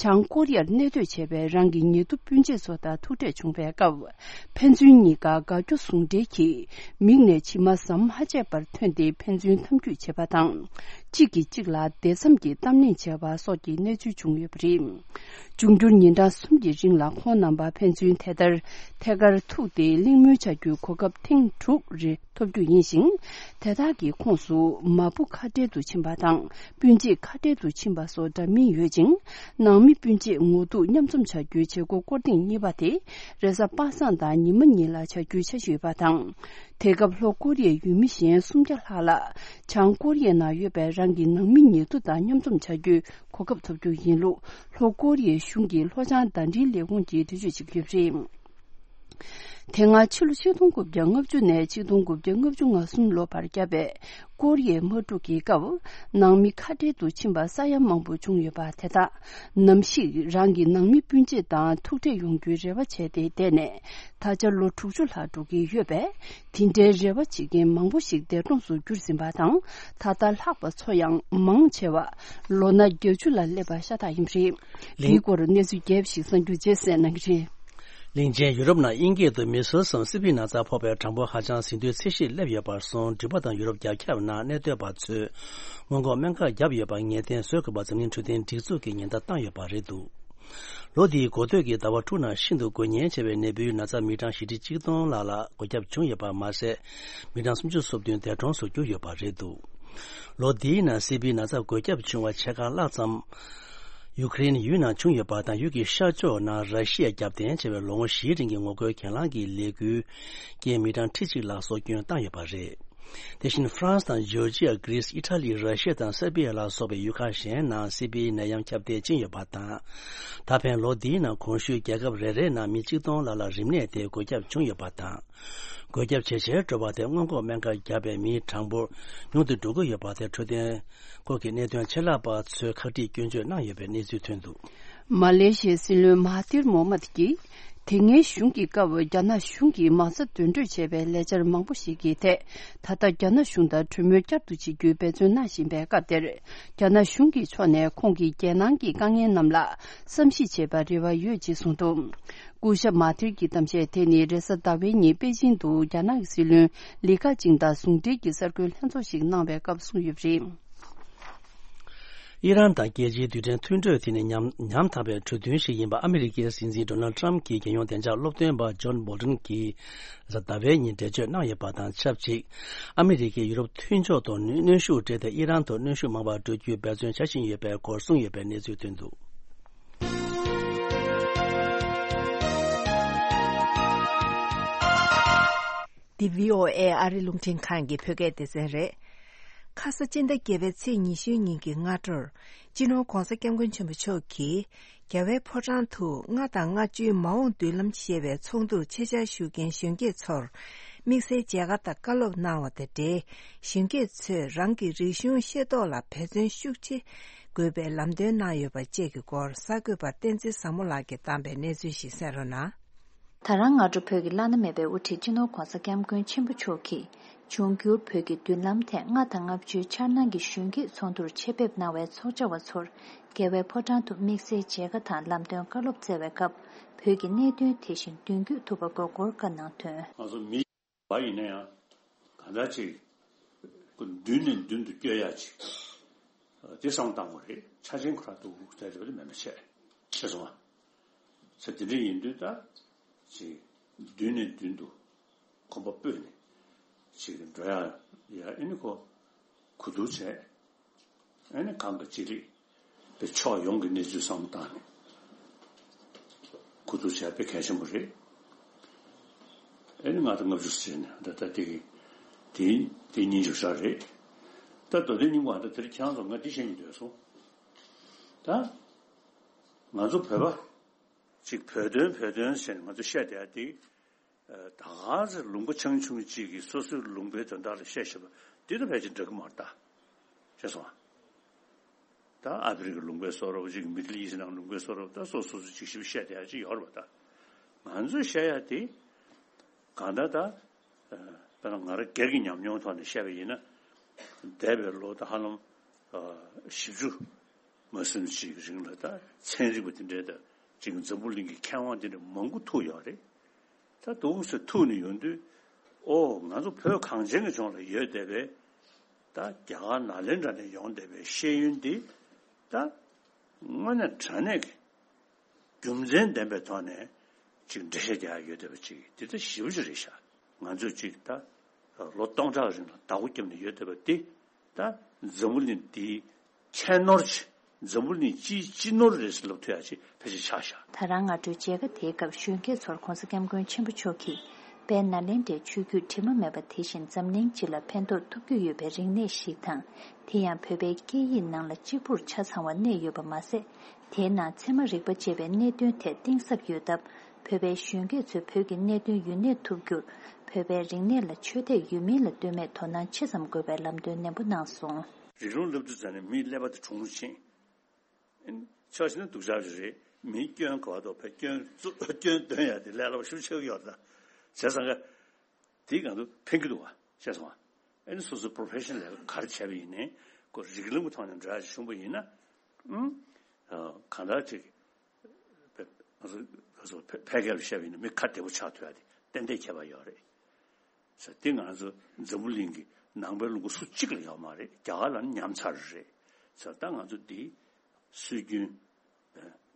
བྱང་ཀོ་རི་ཡར་གནས་སྡོད་བྱས་པའི་རང་གི་ཉེ་དུ་སྤུན་མཆེད་ཚོ་དང་ཐུག་འཕྲད་བྱུང་བའི་སྐབས། ཕན་ཚུན་གཉིས་ཀ་དགའ་སྐྱོ་ཟུང་འབྲེལ་གྱིས་མིག་ནས་མཆི་མ་ཟམ་མ་ཆད་པར་ཐོན་ཏེ་ཕན་ཚུན་འཐམ་འཁྱུད་བྱེད་པ་དང་། གཅིག་གིས་གཅིག་ལ་བདེ་འཚམས་ཀྱི་གཏམ་གླེང་བྱས་པ་སོགས་ཀྱི་གནས་ཚུལ་བྱུང་ཡོད་པ་རེད། འབྱུང་འགྱུར་ཉིན་གྲངས་གསུམ་གྱི་རིང་ལ་ཁོང་རྣམ་པ་ཕན་ཚུན་དེ་ལྟར་ཐད་ཀར་ཐུག་སྟེ་གླེང་མོལ་བྱ་རྒྱུའི་གོ་སྐབས་ཐེངས་དྲུག་རེ་ཐོབ་རྒྱུ་ཡིན་ཞིང་། དེ་དག་གི་ཁོངས་སུ་མ་བུ་ཁ་བྲལ་དུ་ཕྱིན་པ་དང་སྤུན་མཆེད་ཁ་བྲལ་དུ་ཕྱིན་པ་སོགས་འདྲ་མིན་ཡོད་ཅིང་། ནང་མི་སྤུན་མཆེད་ངོ་ཐུག་མཉམ་འཛོམས་བྱ་རྒྱུའི་བྱེད་སྒོ་སྐོར་ཐེངས་གཉིས་པ་དེ་རེས་གཟའ་པ་སངས་དང་ཉི་མ་གཉིས་ལ་བྱ་རྒྱུའི་འཆར་གཞི་ཡོད་པ་དང་། དེ་སྐབས་ལྷོ་ཀོ་རི་ཡའི་ཡུལ་མི་གཞན་སུམ་བརྒྱ་ལྷག་ལ་བྱང་ཀོ་རི་ཡའི་ནང་ཡོད་པའི་རང་གི་ནང་མི་ཉེ་དུ་དང་མཉམ་འཛོམས་བྱ་རྒྱུའི་གོ་སྐབས་ཐོབ་རྒྱུ་ཡིན་ལུགས་ལྷོ་ཀོ་རི་ཡའི་གཞུང་གི་ལྷོ་བྱང་ཟླ་སྒྲིལ་ལས་ཁུངས་ཀྱིས་འགྲེལ་བརྗོད་བྱེད་ཀྱི་ཡོད་པ་རེད། དེ་སྔ་ཕྱི་ལོ་ཆིག་སྟོང་དགུ་བརྒྱ་ལྔ་བཅུ་ནས་ཆིག་སྟོང་དགུ་བརྒྱ་ལྔ་བཅུ་ང་གསུམ་ལོ་བར་བརྒྱབ་པའི་ཀོ་རི་ཡའི་དམག་འཁྲུག་གི་སྐབས་ནང་མི་ཁ་བྲལ་དུ་ཕྱིན་པ་ས་ཡ་མང་པོ་བྱུང་ཡོད་པ་དེ་དག་ནམ་ཞིག་རང་གི་ནང་མི་སྤུན་མཆེད་དང་ཐུག་འཕྲད་ཡོང་རྒྱུའི་རེ་བ་བྱས་ཏེ་བསྡད་ནས་ད་ཆ་ལོ་དྲུག་ཅུ་ལྷག་འགྲོ་གི་ཡོད་པས། དེ་འདྲའི་རེ་བ་བྱེད་མཁན་མང་པོ་ཞིག་འདས་གྲོངས་སུ་གྱུར་ཟིན་པ་དང་། ད་ལྟ་ལྷག་པ་ཚོ་ཡང་མང་ཆེ་བ་ལོ་ན་བརྒྱད་ཅུ་ལ་སླེབས་པ་ཤ་སྟག་ཡིན་པ་རེད། དེའི་སྐོར་གནས་ཚུལ་རྒྱས་པ་ཞིག་གསར་འགྱུར་རྗེས་གསན་གནང་གི་རེད། གླིང་ཆེན་ཡུ་རོབ་ནང་དབྱིན་སྐད་དུ་མི་སེལ་སམ་སི་པི་ན་ཚ་ཕོག་པའི་གྲངས་འབོར་ཧ་ཅང་ཟིན་ཐོའི་ཚད་གཞིར་སླེབས་ཡོད་པར་སོང་འགྲིག་པ་དང་ཡུ་རོབ་རྒྱ་ཁྱབ་ནང་གནས་སྡོད་པ་ཚོས་སྔོན་འགོག་སྨན་ཁབ་བརྒྱབ་ཡོད་པར་ངེས་གཏན་བཟོ་དགོས་པ་འཛམ་གླིང་འཕྲོད་བསྟེན་སྒྲིག་འཛུགས་ཀྱིས་ཉེན་བརྡ་བཏང་ཡོད་པ་རེད་འདུག་ལོ་འདིའི་འགོ་སྟོད་ཀྱི་ཟླ་བ་དྲུག་ནང་ཤིན་ཏུ་འགོས་ཉེན་ཆེ་བའི་ནད་འབུའི་ན་ཚ་མི་གྲངས་བཞི་ཁྲི་གཅིག་སྟོང་ལྷག་ལ་འགོས་ཁྱབ་བྱུང་ཡོད་པ་མ་ཟད། མི་གྲངས་སུམ་ཅུ་སོ་བདུན་འདས་གྲོངས་སུ་གྱུར་ཡོད་པ་རེད་འདུག་ལོ་འདིའི་ནང་སི་པིའི་ན་ཚ་འགོས་ཁྱབ་བྱུང་བ་ཕྱེད་ཀ་ལྷག་ཙམ། ཡུ་ཀེ་རེན་ཡུལ་ནང་བྱུང་ཡོད་པ་དང་ཡུལ་གྱི་ཤར་ཕྱོགས་ནང་ར་ཤི་ཡའི་རྒྱབ་རྟེན་བྱས་པའི་ལོ་ངོ་བཞིའི་རིང་གི་ངོ་རྒོལ་གྱེན་ལངས་ཀྱི་ལས་འགུལ་རྐྱེན་མི་གྲངས་ཁྲི་གཅིག་ལྷག་སྲོག་སྐྱོན་བཏང་ཡོད་པ་རེད། དེ་བཞིན་ཧྥ་རན་སི་དང་ཇོར་ཇི་ཡ། གྷི་རིས། ཨི་ཊ་ལི། ར་ཤི་ཡ་དང་སེར་བྷི་ཡ་ལ་སོགས་པའི་ཡུལ་ཁག་གཞན་ནང་སི་པིའི་ནད་ཡམས་ཁྱབ་གདལ་ཕྱིན་ཡོད་པ་དང་། ད་ཕན་ལོ་འདིའི་ནང་གོང་ཞུས་རྒྱལ་ཁབ་རེ་རེའི་ནང་མི་གཅིག་སྟོང་ལྷག་ལ་རིམས་ནད་དེ་འགོས་ཁྱབ་བྱུང་ཡོད་པ་དང་། འགོས་ཁྱབ་ཇེ་ཆེར་འགྲོ་བ་དེ་སྔོན་འགོག་སྨན་ཁབ་བརྒྱབ་པའི་མིའི་གྲངས་འབོར་ཉུང་དུ་འགྲོ་གི་ཡོད་པ་དེ་འཕྲོད་བསྟེན་སྐོར་གྱི་གནད་དོན་ཆེད་ལས་པ་ཚོས་ཁག་དཀྲིས་སྐྱོན་བརྗོད་གནང་ཡོད་པའི་གནས་ཚུལ་ཐོན་འདུག་མ་ལེ་ཤི་ཡའི་སྲིད་བློན་མ་ཧ་ཐིར་མོ་ཧམ་མད་ཀྱིས། དེ་སྔའི་གཞུང་གི་སྐབས་རྒྱ་ནག་གཞུང་གིས་མ་རྩ་འདོན་སྤྲོད་བྱས་པའི་ལས་འཆར་མང་པོ་ཞིག་གི་ཐད། ད་ལྟ་རྒྱ་ནག་གཞུང་དང་གྲོས་མོལ་བསྐྱར་དུ་བྱེད་རྒྱུའི་འབད་བརྩོན་གནང་བཞིན་པའི་སྐབས་དེར། རྒྱ་ནག་གཞུང་གི་ཕྱོགས་ནས་ཁོང་གིས་རྒྱལ་ནང་གི་དཀའ་ངལ་རྣམས་ལ་བསམ་གཞིག་བྱེད་པར་རེ་བ་ཡོད་ཅེས་གསུངས་འདུག་སྐུ་ཞབས་མ་ཐིར་གྱི་གཏམ་བཤད་དེ་ནི་རེས་གཟའ་ཟླ་བའི་ཉིན་པེ་ཅིང་དུ་རྒྱ་ནག་གི་སྲིད་བློན་ལི་ཁ་ཆིང་དང་ཟུང་འབྲེལ་གྱི་གསར་འགོད་ལྷན་ཚོགས་ཤིག་གནང་བའི་སྐབས་གསུངས་ཡོད་པ་རེད། ཨི་རན་དང་རྒྱལ་སྤྱིའི་རྡུལ་ཕྲན་མཐུན་གྲོས་དེ་ནི་ཉམ་ཉམ་ཐག་པའི་གྲོས་མཐུན་ཞིག་ཡིན་པ་ཨ་མི་རི་ཀའི་སྲིད་འཛིན་ཌོ་ནལ་ཊམ་གྱི་རྒྱལ་ཡོངས་བདེ་འཇགས་སློབ་སྟོན་པ་ཇོན་བོལ་ཊོན་གྱིས་གཟའ་ཟླ་བའི་ཉིན་འགྲེལ་བརྗོད་གནང་ཡོད་པ་དང་ཆབས་ཅིག་ཨ་མི་རི་ཀས་ཡུ་རོབ་མཐུན་ཕྱོགས་ཐོག་གནོན་ཤུགས་སྤྲད་དེ་ཨི་རན་དུ་གནོན་ཤུགས་མང་བ་སྤྲོད་རྒྱུའི་འབད་བརྩོན་བྱ་བཞིན་ཡོད་པའི་སྐོར་གསུངས་ཡོད་པའི་གནས་ཚུལ་ཐོན་འདུག་འདི་བྷི་ཨོ་ཨེ་ཨ་རི་རླུང་འཕྲིན་ཁང་གི་བོད་སྐད་སྡེ་ཚན་རེད། ཁ་ས་སྤྱི་ཟླ་བརྒྱད་པའི་ཚེས་ཉི་ཤུའི་ཉིན་གྱི་སྔ་དྲོར། སྤྱི་ནོར་༧གོང་ས་༧སྐྱབས་མགོན་ཆེན་པོ་མཆོག་གིས། རྒྱལ་བའི་ཕོ་བྲང་དུ་ལྔ་དང་ལྔ་བཅུའི་མ་འོངས་མདུན་ལམ་ཞེས་པའི་ཚོགས་འདུར་ཆེད་བཅར་ཞུ་མཁན་གཞོན་སྐྱེས་ཚོར། དམིགས་བསལ་མཇལ་ཁ་དང་བཀའ་སློབ་གནང་བ་དང་འབྲེལ། གཞོན་སྐྱེས་ཚོས་རང་གི་རིག་གཞུང་ཤེས་རྟོགས་ལ་འབད་བརྩོན་ཤུགས་ཆེ་དགོས་པའི་ལམ་སྟོན་གནང་ཡོད་པ་བཅས་ཀྱི་སྐོར་གསར་འགོད་པ་བསྟན་འཛིན་བཟང་མོ་ལགས་ཀྱིས་བཏང་པའི་གནས་ཚུལ་ཞིག་གསན་རོགས་གནང་། ད་རང་སྔ་དྲོ་བོད་ཀྱི་བླ་ན་མེད་པའི་དབུ་ཁྲིད་སྤྱི་ནོར་༧གོང་ས་༧སྐྱབས་མགོན་ཆེན་པོ་མཆོག་གིས། འབྱུང་འགྱུར་བོད་ཀྱི་མདུན་ལམ་ཐད་ལྔ་དང་ལྔ་བཅུའི་འཆར་སྣང་གི་གཞོན་སྐྱེས་ཚོགས་འདུར་ཆེད་ཕེབས་གནང་བའི་ཚོགས་བཅར་བ་ཚོར། རྒྱལ་བའི་ཕོ་བྲང་དུ་དམིགས་བསལ་མཇལ་ཁ་དང་ལམ་སྟོན་བཀའ་སློབ་སྩལ་བའི་སྐབས། བོད་ཀྱི་གནད་དོན་དེ་བཞིན་མདུན་སྐྱོད་ཐུབ་པ་དགོས་སྐོར་བཀའ་གནང་དོན། ང་ཚོ་མི་བ་ཡིན་ན་ཡང་གང་འདྲ་ཅིག་མདུན་ནས་མདུན་དུ་སྐྱོད་ཡ་ཅིག་དེ་བསམ་བཏང་དགོས་རེད། ཆ་ཆེན་ཁོ་རང་དུ་དགོས་ཀྱི་རེད་མེད་མ་བྱས་ཤེས་སོང་ང་། ཚེ་འདི་འདྲ་ཡིན་དུས་ད་ཅིག་མདུན་ནས་མདུན་དུ་གོམ་པ་སྤོས་ནས་ཅིག་འགྲོ་ཡ་ཡ་ཨེ་ནི་ཁོ་གོ་བསྡུར་བྱས། ཨེ་ནི་གང་གི་ཅི་རིགས་པའི་ཕྱོགས་ཡོངས་ཀྱི་གནས་ཚུལ་བསམ་བློ་བཏང་ནས་གོ་བསྡུར་བྱས་པའི་གལ་ཆེན་པོ་རེད། ཨེ་ནི་ང་ཚོ་ལྔ་བཅུ་ཟེར་ནས་ད་ལྟ་དེ་གི་དེ་དེ་གཉིས་འཇོག་བྱ་རེད། ད་མདོ་དོན་སྙིང་པོ་ཨ་ད་དེར་ཁྱེད་རང་ཚོ་ང་འདི་བཤད་སྙིང་འདོད་སོང་། ད་ང་ཚོ་བོད་པ་ཅིག་བོད་དོན་བོད་དོན་ཟེར་ནས་ང་ཚོ་བཤད་བསྡད་ཡ་དེ། ད་ག་ཚོད་ལུང་པ་ཆུང་ཆུང་གཅིག་གིས་སོ་སོའི་ལུང་པའི་དོན་དག་ལ་བཤད་བཞིན་པ་འདི་དང་ཕལ་ཆེར་འདྲ་གི་མ་རེད་ད། ཤེས་སོང་ཨ། ད་ཨ་ཕི་རི་ཀའི་ལུང་པའི་བཟོ་འདྲ་པོ་ཅིག་མི་ཌལ་ཨི་སི་ནང་ལུང་པའི་བཟོ་འདྲ་པོ་ད་སོ་སོ་སོ་ཅིག་ཞིབ་བཤད་བསྡད་ཡ་ཅིག་ཡོད་རེད་པ། ད་ང་ཚོས་བཤད་ཡ་དེ་གང་ལྟར་ད་དཔེར་ན་ང་རང་སྒེར་གྱི་ཉམས་མྱོང་ཐོག་ནས་བཤད་པ་ཡིན་ན། འདས་པའི་ལོ་ད་ཧ་ལམ་བཞི་བཅུ་མ་ཟིན་ཅིག་རིང་ལ་ད་ཚན་རིག་པ་དེ་འདྲས་ད་ཅིག་འཛམ་བུ་གླིང་གི་མཁས་དབང་དེ་འདྲ་མང་པོ་ཐུག་ཡོད་རེད། ད་འདུག་སེ་ཐུག་ནས་ཡོང་དུས། ཨོ་ང་ཚོ་བོད་གངས་ཅན་གྱི་ལྗོངས་ལ་ཡོད་བསྡད་པའི་ད་རྒྱ་གར་ནཱ་ལེནྡྲ་ནས་ཡོང་བསྡད་པའི་ཤེས་ཡོན་འདི་ད་དངོས་གནས་དྲང་གནས་ཀྱི་རྒྱུ་མཚན་ལྡན་པའི་ཐོག་ནས་ཅིག་འགྲེལ་བཤད་རྒྱག་ཡ་ཡོད་བསྡད་པ་ཅིག་འདི་ད་ཞེ་པོ་ཅིག་རེད་ཤག་ང་ཚོས་ཅིག་ད་ལོ་སྟོང་ཕྲག་རིང་ལ་བདག་པོ་བརྒྱབ་ནས་ཡོད་བསྡད་པ་འདི་ད་འཛམ་བུ་གླིང་འདིའི་ཁྱད་ནོར་ཆེ། འཛམ་བུ་གླིང་སྤྱིའི་སྤྱི་ནོར་རེད་ཟེར་ལབ་ཐུབ་ཡ་ཅིག་ཕལ་ཆེར་ཆགས་ཤག་ད་རང་སྔ་དྲོའི་མཇལ་ཁ་དེའི་སྐབས་གཞོན་སྐྱེས་ཚོར་༧གོང་ས་༧སྐྱབས་མགོན་ཆེན་པོ་མཆོག་གིས་དཔལ་ནཱ་ལེནྡྲའི་ཆོས་བརྒྱུད་དྲི་མ་མེད་པ་དེ་བཞིན་འཛམ་གླིང་སྤྱི་ལ་ཕན་ཐོགས་ཐུབ་རྒྱུ་ཡོད་པའི་རིག་གནས་ཤིག་དང་། དེ་ཡང་བོད་པའི་སྐད་ཡིག་ནང་ལ་གཅིག་པུར་ཆ་ཚང་བ་གནས་ཡོད་པ་མ་ཟད། དེའི་ནང་ཚད་མ་རིག་པ་བཅས་པའི་གནད་དོན་ཐད་གཏིང་ཟབ་ཡོད་སྟབས། བོད་པའི་གཞོན་སྐྱེས་ཚོས་བོད་ཀྱི་གནད་དོན་ཡུན་གནས་ཐུབ་རྒྱུར། བོད་པའི་རིག་གནས་ལ་ཆོས་དད་ཡོད་མིན་ལ་ལྟོས་མེད་དོ་སྣང་ཆེ་ཙམ་དགོས་པའི་ལམ་སྟོན་ནན་པོ་གནང་སོང་། རིགས་ལམ་སློབ་ཁྲིད་ཙམ་ནས་མིའི་ཀླད་པ་དེ་གྲུང་རུ་ཕྱིན། ཨིན། ཆོག་ཤེས་ན་སྡུག་ཅག་ཅིག་རེད། མིའི་སྐྱོན་ག་བ་དོ་བས་སྐྱོན་རྩུབ་སྐྱོན་འདོན་ཡ་དེ་ལས་སླ་པོ་ཞེ་པོ་ཆགས་ཀྱི་ཡོད་རེད་ད། བྱས་ཙང་ག་དེ་གང་དུ་ཕན་གྱི་འདུག་བ། ཤེས་སོང་བ། ཨ་ནི་སོ་སོའི་པོ་རོ་ཕེ་ཤོན་ལས་ཀ་ག་རེ་བྱས་པ་ཡིན་ནའི་ཁོ་རིགས་ལམ་གྱི་ཐོག་ནས་འགྲོ་ཡ་ཅིག་བྱུང་པ་ཡིན་ན། ཨུམ། གང་ལྟར་ཅིག་ཕ་ཕ་ཕ་གི་ལ་བཤད་པ་ཡིན་ན་མི་ཁ་བདེ་པོ་ཆགས་ཐུབ་ཡ་དེ་ཏན་ཏན་ཁྱད་པར་ཡོད་རེད། ཟེར་དེ་ང་ཚོ་འཛམ་བུ་གླིང་གི་ནང་པའི་ལུང་པ་སུ་གཅིག་ལ་ཡོད་མ་རེད། རྒྱ་གར་ལ་ནི་ཉམས་ཚར་རེད། ཟེར་ད་ང་ཚོ་འདི་སྲོལ་རྒྱུན་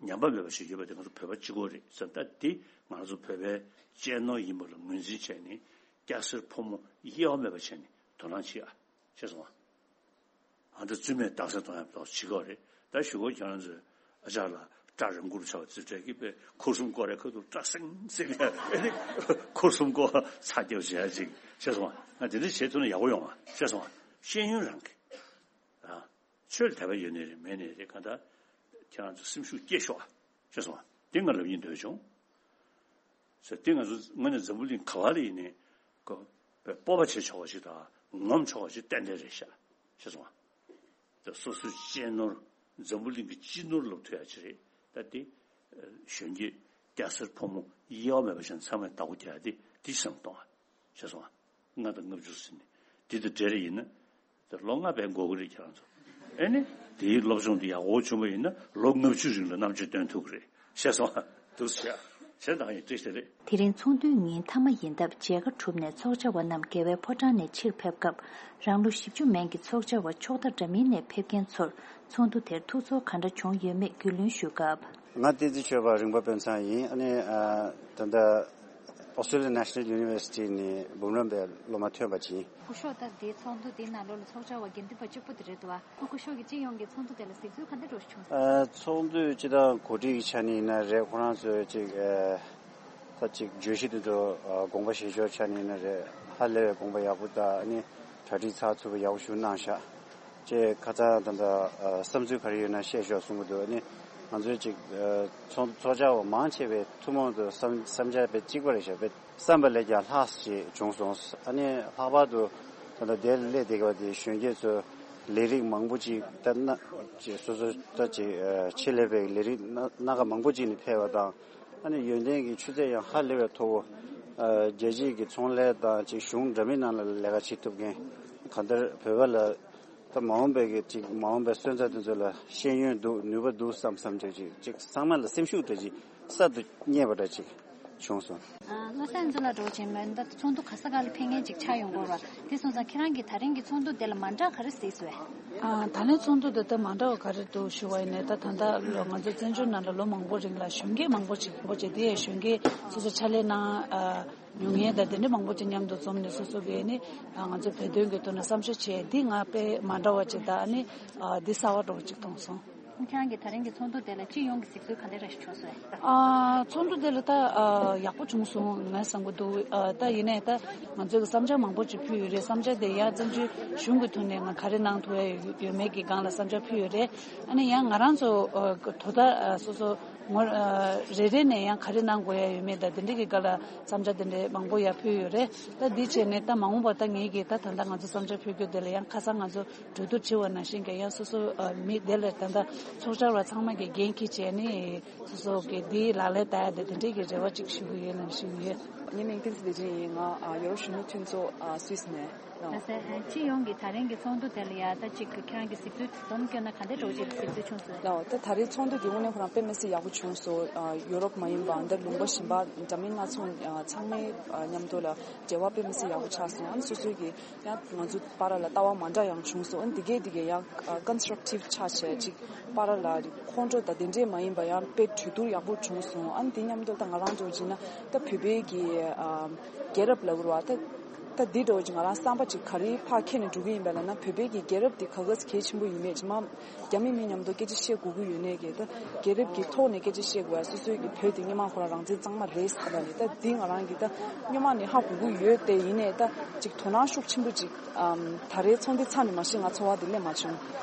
ཉམས་པ་མེད་པ་ཞིག་ཡོད་པ་དེ་ང་ཚོ་བོད་པ་གཅིག་པོ་རེད། ཟེར་ད་འདི་ང་ཚོ་བོད་པའི་གཅེས་ནོར་ཡིན་པ་ལ་ངོས་འཛིན་བྱས་ནས་སྐྱ་སེར་ཕོ་མོ་དབྱེ་བ་མེད་པ་བྱས་ནས་དོ་སྣང་བྱེད་ཨ། ཤེས་སོང་ཨ། ཨ་ད་བཙུན་མས་རྟགས་གསལ་གཏོང་ཡག་ཏོག་བྱེད་ཀྱི་ཡོད་རེད། ད་ཞུ་སྒོ་ཁྱེད་རང་ཚོས་ཨ་ཅག་ལ་སྐྲ་རིང་པོ་ཆགས་པ་ཙི་སྤྲད་ཀྱི་པས་ཁུ་སུམ་སྐོར་རེ་ཁ་ཐུག་སྐྲ་སེང་སེང་ཡ་ཨེ་ནི་ཁུ་སུམ་སྐོར་ཚ་རྒྱབ་བྱེད་ཡ་ཅིག་ཤེས་སོང་ཨ། ང་དེ་འདྲ་བྱེད་ཐུབ་ན་ཡག་པོ་ཡོང་ཨ། ཤེས་སོང་ཨ། ཤེས་ཡོན་རང་གི་ཨ་ཆོས་ལ་དད་པ་ཡོད་ནའི་རེད་མེད་ནའི་རེད། གང་ལྟར་ཁྱེད་རང་ཚོ་སེམས་ཤུགས་སྐྱེད་ཤོག་ཨ། ཤེས་སོང་ཨ། དེ་ང་ལབ་སྙིང་འདོད་བྱུང་། ཟེར་དེ་ང་ཚོ་དངོས་གནས་འཛམ་བུ་གླིང་ག་བ་ལ་ཡིན་ནའི་ཀོ་སྤོབས་པ་བྱེད་ཆོག་པ་ཞིག་དང་ངོམ་ཆོག་པ་ཞིག་ཏན་ཏན་རེད་ཤག་ཤེས་སོང་ཨ། ད་སོ་སོའི་གཅེས་ནོར་འཛམ་བུ་གླིང་གི་སྤྱི་ནོར་ལབ་ཐུབ་ཡ་ཅིག་རེད། ད་དེ་གཞོན་སྐྱེས་སྐྱ་སེར་ཕོ་མོ་དབྱེ་བ་མེད་པ་བཞིན་ཚང་མས་བདག་པོ་རྒྱག་ཡ་དེ་དེ་བསམ་གཏོང་ཨ། ཤེས་སོང་ཨ། ལྔ་དང་ལྔ་བཅུ་ཟིན་ནས་དེ་དང་འབྲེལ་རེ་ཡིན་ན། དེ་ལོ་ལྔ་བས་འགོར་གི་རེད་ཁྱེད་རང་ཚོ། ཨེ་ནི། དེའི་སློབ་སྦྱོང་དེ་ཡག་པོ་བྱུང་བ་ཡིན་ན་ལོ་ལྔ་བཅུ་རིང་ལ་རྣམ་དཔྱོད་སྟོན་ཐུབ་ཀྱི་རེད། ཤེས་སོང་ཨ། འདུག་སེ་བྱས་ན་ད་ཡིན་བཀྲ་ཤིས་བདེ་ལེགས། དེ་རིང་ཚོགས་འདུའི་ཉིན་མཐའ་མ་ཡིན་སྟབས་མཇལ་ཁ་གྲུབ་ནས་ཚོགས་བཅར་བ་རྣམས་རྒྱལ་བའི་ཕོ་བྲང་ནས་ཕྱིར་ཕེབས་སྐབས། རང་ལོ་བཞི་བཅུ་མན་གྱི་ཚོགས་བཅར་བ་ཕྱོགས་མཐའ་འདྲ་མིན་ནས་ཕེབས་མཁན་ཚོར་ཚོགས་འདུ་དེར་ཐུགས་ཚོར་ག་འདྲ་བྱུང་ཡོད་མེད་རྒྱུས་ལོན་ཞུ་སྐབས། ང་བསྟན་འཛིན་ཆོས་པ་རིང་པ་དཔོན་ཚང་ཡིན། ཨ་ནི་ཨ་ད་ལྟ་Australian National University ནས་འབུམ་རམས་པའི་སློབ་མ་ཐོན་པ་ཅིག་ཡིན། སྐུ་ཞབས་ད་ལྟའི་ཚོགས་འདུ་འདིའི་ནང་ལོགས་ལ་ཚོགས་བཅར་བ་དགེ་འདུན་པ་གཅིག་པུ་དེ་རེད་འདུག་ཨ། སྐུ་ཞབས་ཀྱིས་སྤྱི་ཡོངས་ཀྱི་ཚོགས་འདུ་དེ་ལ་གཟིགས་ཚུལ་ག་འདྲ་འདྲ་ཞིག་བྱུང་སོང་། ཨ་ཚོགས་འདུ་སྤྱི་བཏང་གོ་སྒྲིག་གི་ཆ་ནས་ཡིན་ན་རེད། ཁོ་རང་ཚོས་ཅིག་ཨ་ད་ཅིག་བརྗོད་གཞི་དེ་ཚོ་ཨ་དགོངས་པ་བཞེས་ཕྱོགས་ཆ་ནས་ཡིན་ན་རེད། ཧ་ལས་པའི་དགོངས་པ་ཡག་པོ་དང་ཨ་ནི་གྲ་སྒྲིག་ཚགས་ཚུད་པོ་ཡག་པོ་ཞིག་གནང་ཤག་ཅེས་ཁ་སང་ད་ལྟ་ཨ་བསམ་ཚུལ་ག་རེ་ཡོད་ན་བཤད་ཤོག་གསུང་གི་འདུག་ཨ་ནི་ང་ཚོའི་ཅིག་ཨ་ཚོགས་ཚོགས་བཅར་བ་མང་ཆེ་བའི་ཐུན་མོང་དུ་བསམ་བསམ་འཆར་དཔེ་གཅིག་པ་རེད་ཤག་དཔེ་བསམ་པ་ལས་ཀྱང་ལྷག་ཅིག་བྱུང་སོང་། ཨ་ནི་ལྷག་པར་དུ་ད་ལྟ་དེར་སླེབས་བསྡད་པ་དེ་གཞོན་སྐྱེས་ཚོས་ལས་རིགས་མང་པོ་ཅིག་ད་སྣ་ཅིག་སོ་སོ་ད་ཅིག་ཨ་ཆེད་ལས་པའི་ལས་རིགས་སྣ་སྣ་ཁ་མང་པོ་ཅིག་ནས་ཕེབས་པ་དང་། ཨ་ནི་ཡོན་ཏན་གྱི་ཆུ་ཚད་ཡང་ཧ་ལས་པའི་མཐོ་བོ། ཨ་རྒྱལ་སྤྱིའི་གི་ཚོང་ལས་དང་ཅིག་གཞུང་འདྲ་མིན་ནང་ལ་ལས་ཀ་བྱེད་ཐུབ་མཁན། གང་ལྟར་བོད་པ་ལ་ད་མ་འོངས་པའི་གི་ཅིག་མ་འོངས་པའི་སོན་རྩ་དེ་ཚོ་ལ་ཤེས་ཡོན་འདུག་ནུས་པ་འདུག་བསམ་བསམ་ཅིག་ཅིག་ཅིག་ཚང་མ་ལ་སེམས་ཤུགས་འདྲ་ཅིག་གསར་དུ་རྙེད་པ་འདྲ་ཅིག་བྱུང་སོང་། ཨ་བློ་བཟང་ཚོ་ལ་འགྲོ་ཆེན་མོན་ད་ཚོགས་འདུ་ག་ས་ག་ལ་ཕེབས་མཁན་ཅིག་ཆགས་ཡོང་གི་རེད་བ། དེ་སོང་ཙང་ཁྱེད་རང་གིས་ད་རིང་གི་ཚོགས་འདུ་དེ་ལ་མ་འདྲ་ག་རེ་གཟིགས་སོང་། ཨ་ད་ལན་ཚོགས་འདུ་དེ་ད་མ་འདྲ་བ་ག་རེ་འདུག་ཞུ་བ་ཡིན་ནའི་ད་ད་ལྟ་ལོ་ང་ཚོ་བཙན་བྱོལ་ནང་ལ་ལོ་མང་པོ་རིང་ལ་གཞོན་སྐྱེས་མང་པོ་ཅིག་མང་པོ་ཅིག་དེ་ཡང་གཞོན་སྐྱེས་སོ་སོ་ཕྱག་ལས་གནང་ཨ། མྱོང་མཁན་དང་དེ་འདྲ་མང་པོ་ཅིག་མཉམ་དུ་འཛོམས་ནས་སོ་སོ་གིས་ནི་ང་ཚོའི་བོད་དོན་གྱི་ཐོག་ནས་བསམ་ཤེས་བྱས་འདི་ང་དཔེ་མ་འདྲ་བ་ཅིག་དང་ནི་འདི་གསར་བ་འདྲ་བོ་ཅིག་མཐོང་སོང་། ཁྱེད་རང་གི་ད་རིང་གི་ཚོགས་འདུ་དེ་ལ་སྤྱི་ཡོངས་ཀྱི་གཟིགས་ཚུལ་ག་འདྲ་རེ་ཞིག་བྱུང་སོང་། ཨ། ཚོགས་འདུ་དེ་ལ་ད་ཨ་ཡག་པོ་བྱུང་སོང་ངས་བསམ་གྱི་འདུག་ཨ། ད་ཡིན་ནའི་ད་ང་ཚོས་ཀྱི་བསམ་འཆར་མང་པོ་ཅིག་ཕུལ་ཡོད་རེད། བསམ་འཆར་དེ་ཡང་བཙན་བྱོལ་གཞུང་གི་ཐོག་ནས་ང་ག་རེ་གནང་ཐུབ་ཡ་ཡོད་མེད་ཀྱི་སྒང་ལ་བསམ་འཆར་ཕུལ་ཡོད་རེད། ཨ་ནི་ཡང་ང་རང་ཚོ་ཨ་དོ་བདག་ཨ་སོ་སོ་ངོ་ཨ་རེ་རེ་ནས་ཡང་ག་རེ་གནང་དགོས་ཡ་ཡོད་མེད་དང་དེ་འདྲའི་གི་སྒང་ལ་བསམ་འཆར་དེ་འདྲའི་མང་པོ་ཡང་ཕུལ་ཡོད་རེད། ད་འདི་བྱས་ནས་ད་མ་འོངས་པར་ད་ངེད་ཀྱིས་ད་ད་ལྟ་ང་ཚོ་བསམ་འཆར་ཕུལ་རྒྱུ་དེ་ལ་ཡང་ཁ་སང་ང་ཚོ་གྲོས་བསྡུར་བྱས་པ་ནང་བཞིན་གྱི་ཡང་སོ་སོ་ཨ་མི་དེ་ལ་ད་ལྟ་ཚོགས་བཅར་བ་ཚང་མ་གི་འགན་འཁྱེར་བྱས་ནས་སོ་སོ་གི་འདིའི་ལག་ལེན་བསྟར་ཡ་དེ་དེ་འདྲའི་གི་རེ་བ་ཅིག་ཞུ་གི་ཡོད་ནང་བཞིན་ཡོད། ངའི་མིང་བསྟན་འཛིན་བདེ་ཆེན་ཡིན། ང་ཨ་ཡོ་རོབ་གཞོན་ནུ་མཐུན་ཚོགས་ཨ་སུད་སི་ནས་ལགས། ལགས་སེ། སྤྱི་ཡོངས་ཀྱི་ད་རིང་གི་ཚོགས་འདུ་དེ་ལ་ཡ་ད་ཅིག་ཁྱེད་རང་གི་གཟིགས་ཚུལ་འདོམས་བསྐྱོན་ན་ག་འདྲ་འདྲ་བོ་ཅིག་གཟིགས་ཚུལ་བྱུང་སོང་། ལགས། ད་ད་རེས་ཚོགས་འདུ་འདི་དངོས་གནས་ཁོ་རང་དཔེ་མི་སྲིད་ཡག་པོ་བྱུང་སོང་། ཨ་ཡོ་རོབ་མ་ཡིན་པ་འདིར་ལུང་པ་གཞན་པ་འདྲ་མིན་སྣ་ཚོགས་ཨ་ཚང་མའི་ཨ་མཉམ་དུ་ལ་འབྲེལ་བ་དཔེ་མི་སྲིད་ཡག་པོ་ཆགས་སོང་། ཨ་ནི་སོ་སོའི་གི་ཡང་ང་ཚོ་བར་ལ་ལྟ་བ་མ་འདྲ་ཡང་བྱུང་སོང་། ཨ་ནི་འདི་གས་འདི་གས་ཡང་ཀོན་སི་ཊྲག་ཊིབ་ཆགས་བྱས་ཅིག་བར་ལ་ཁོང་ཁྲོ་དང་དེ་འདྲས་མ་ཡིན་པ་ཡང་དཔེ་གྲོས་བསྡུར་ཡག་པོ་བྱུང་སོང་། ཨ་ནི་དེ་མཉམ་དུ་ད་ང་རང་ཚོ་བྱས་ན་ད་བོད་པའི་གི་ཨ་རྒྱལ་རབས་ལབ་དགོས་རེད་བ། ད་ད་འདི་འདྲ་བོ་ཅིག་ང་རང་བསམ་པ་ཅིག་ག་རེ་ཕར་འཁྱེར་ནས་འགྲོ་གི་ཡིན་པ་ལབ་ན་བོད་པའི་གི་རྒྱལ་རབས་འདི་ག་ག་ཟེ་གལ་ཆེན་པོ་ཡིན་མེད་ཅིག་མ། རྒྱ་མི་མི་མཉམ་དུ་སྐད་ཆ་བཤད་དགོས་ཀྱི་ཡོད་ནའི་གི་ད་རྒྱལ་རབས་ཀྱི་ཐོག་ནས་སྐད་ཆ་བཤད་དགོས་ཡ། སོ་སོའི་གི་བོད་དེ་སྔོན་མ་ཁོ་རང་རང་བཙན་གཙང་མ་རེད་ཟེར་ལབ་ནས་ད་འདི་ང་རང་གི་ད་སྔོན་མ་ནས་ཧ་གོ་གི་ཡོད་དེ། ཡིན་ནའི་ད་ཅིག་དོ་སྣང་ཤུགས་ཆེན་པོ་ཅིག་ཨམ་ད་རེས་ཚོགས་འདུ་ཚར་ནས་མ་གཞི་ང་ཚོར་བ་དེ་སླེབས་མ་བྱུང་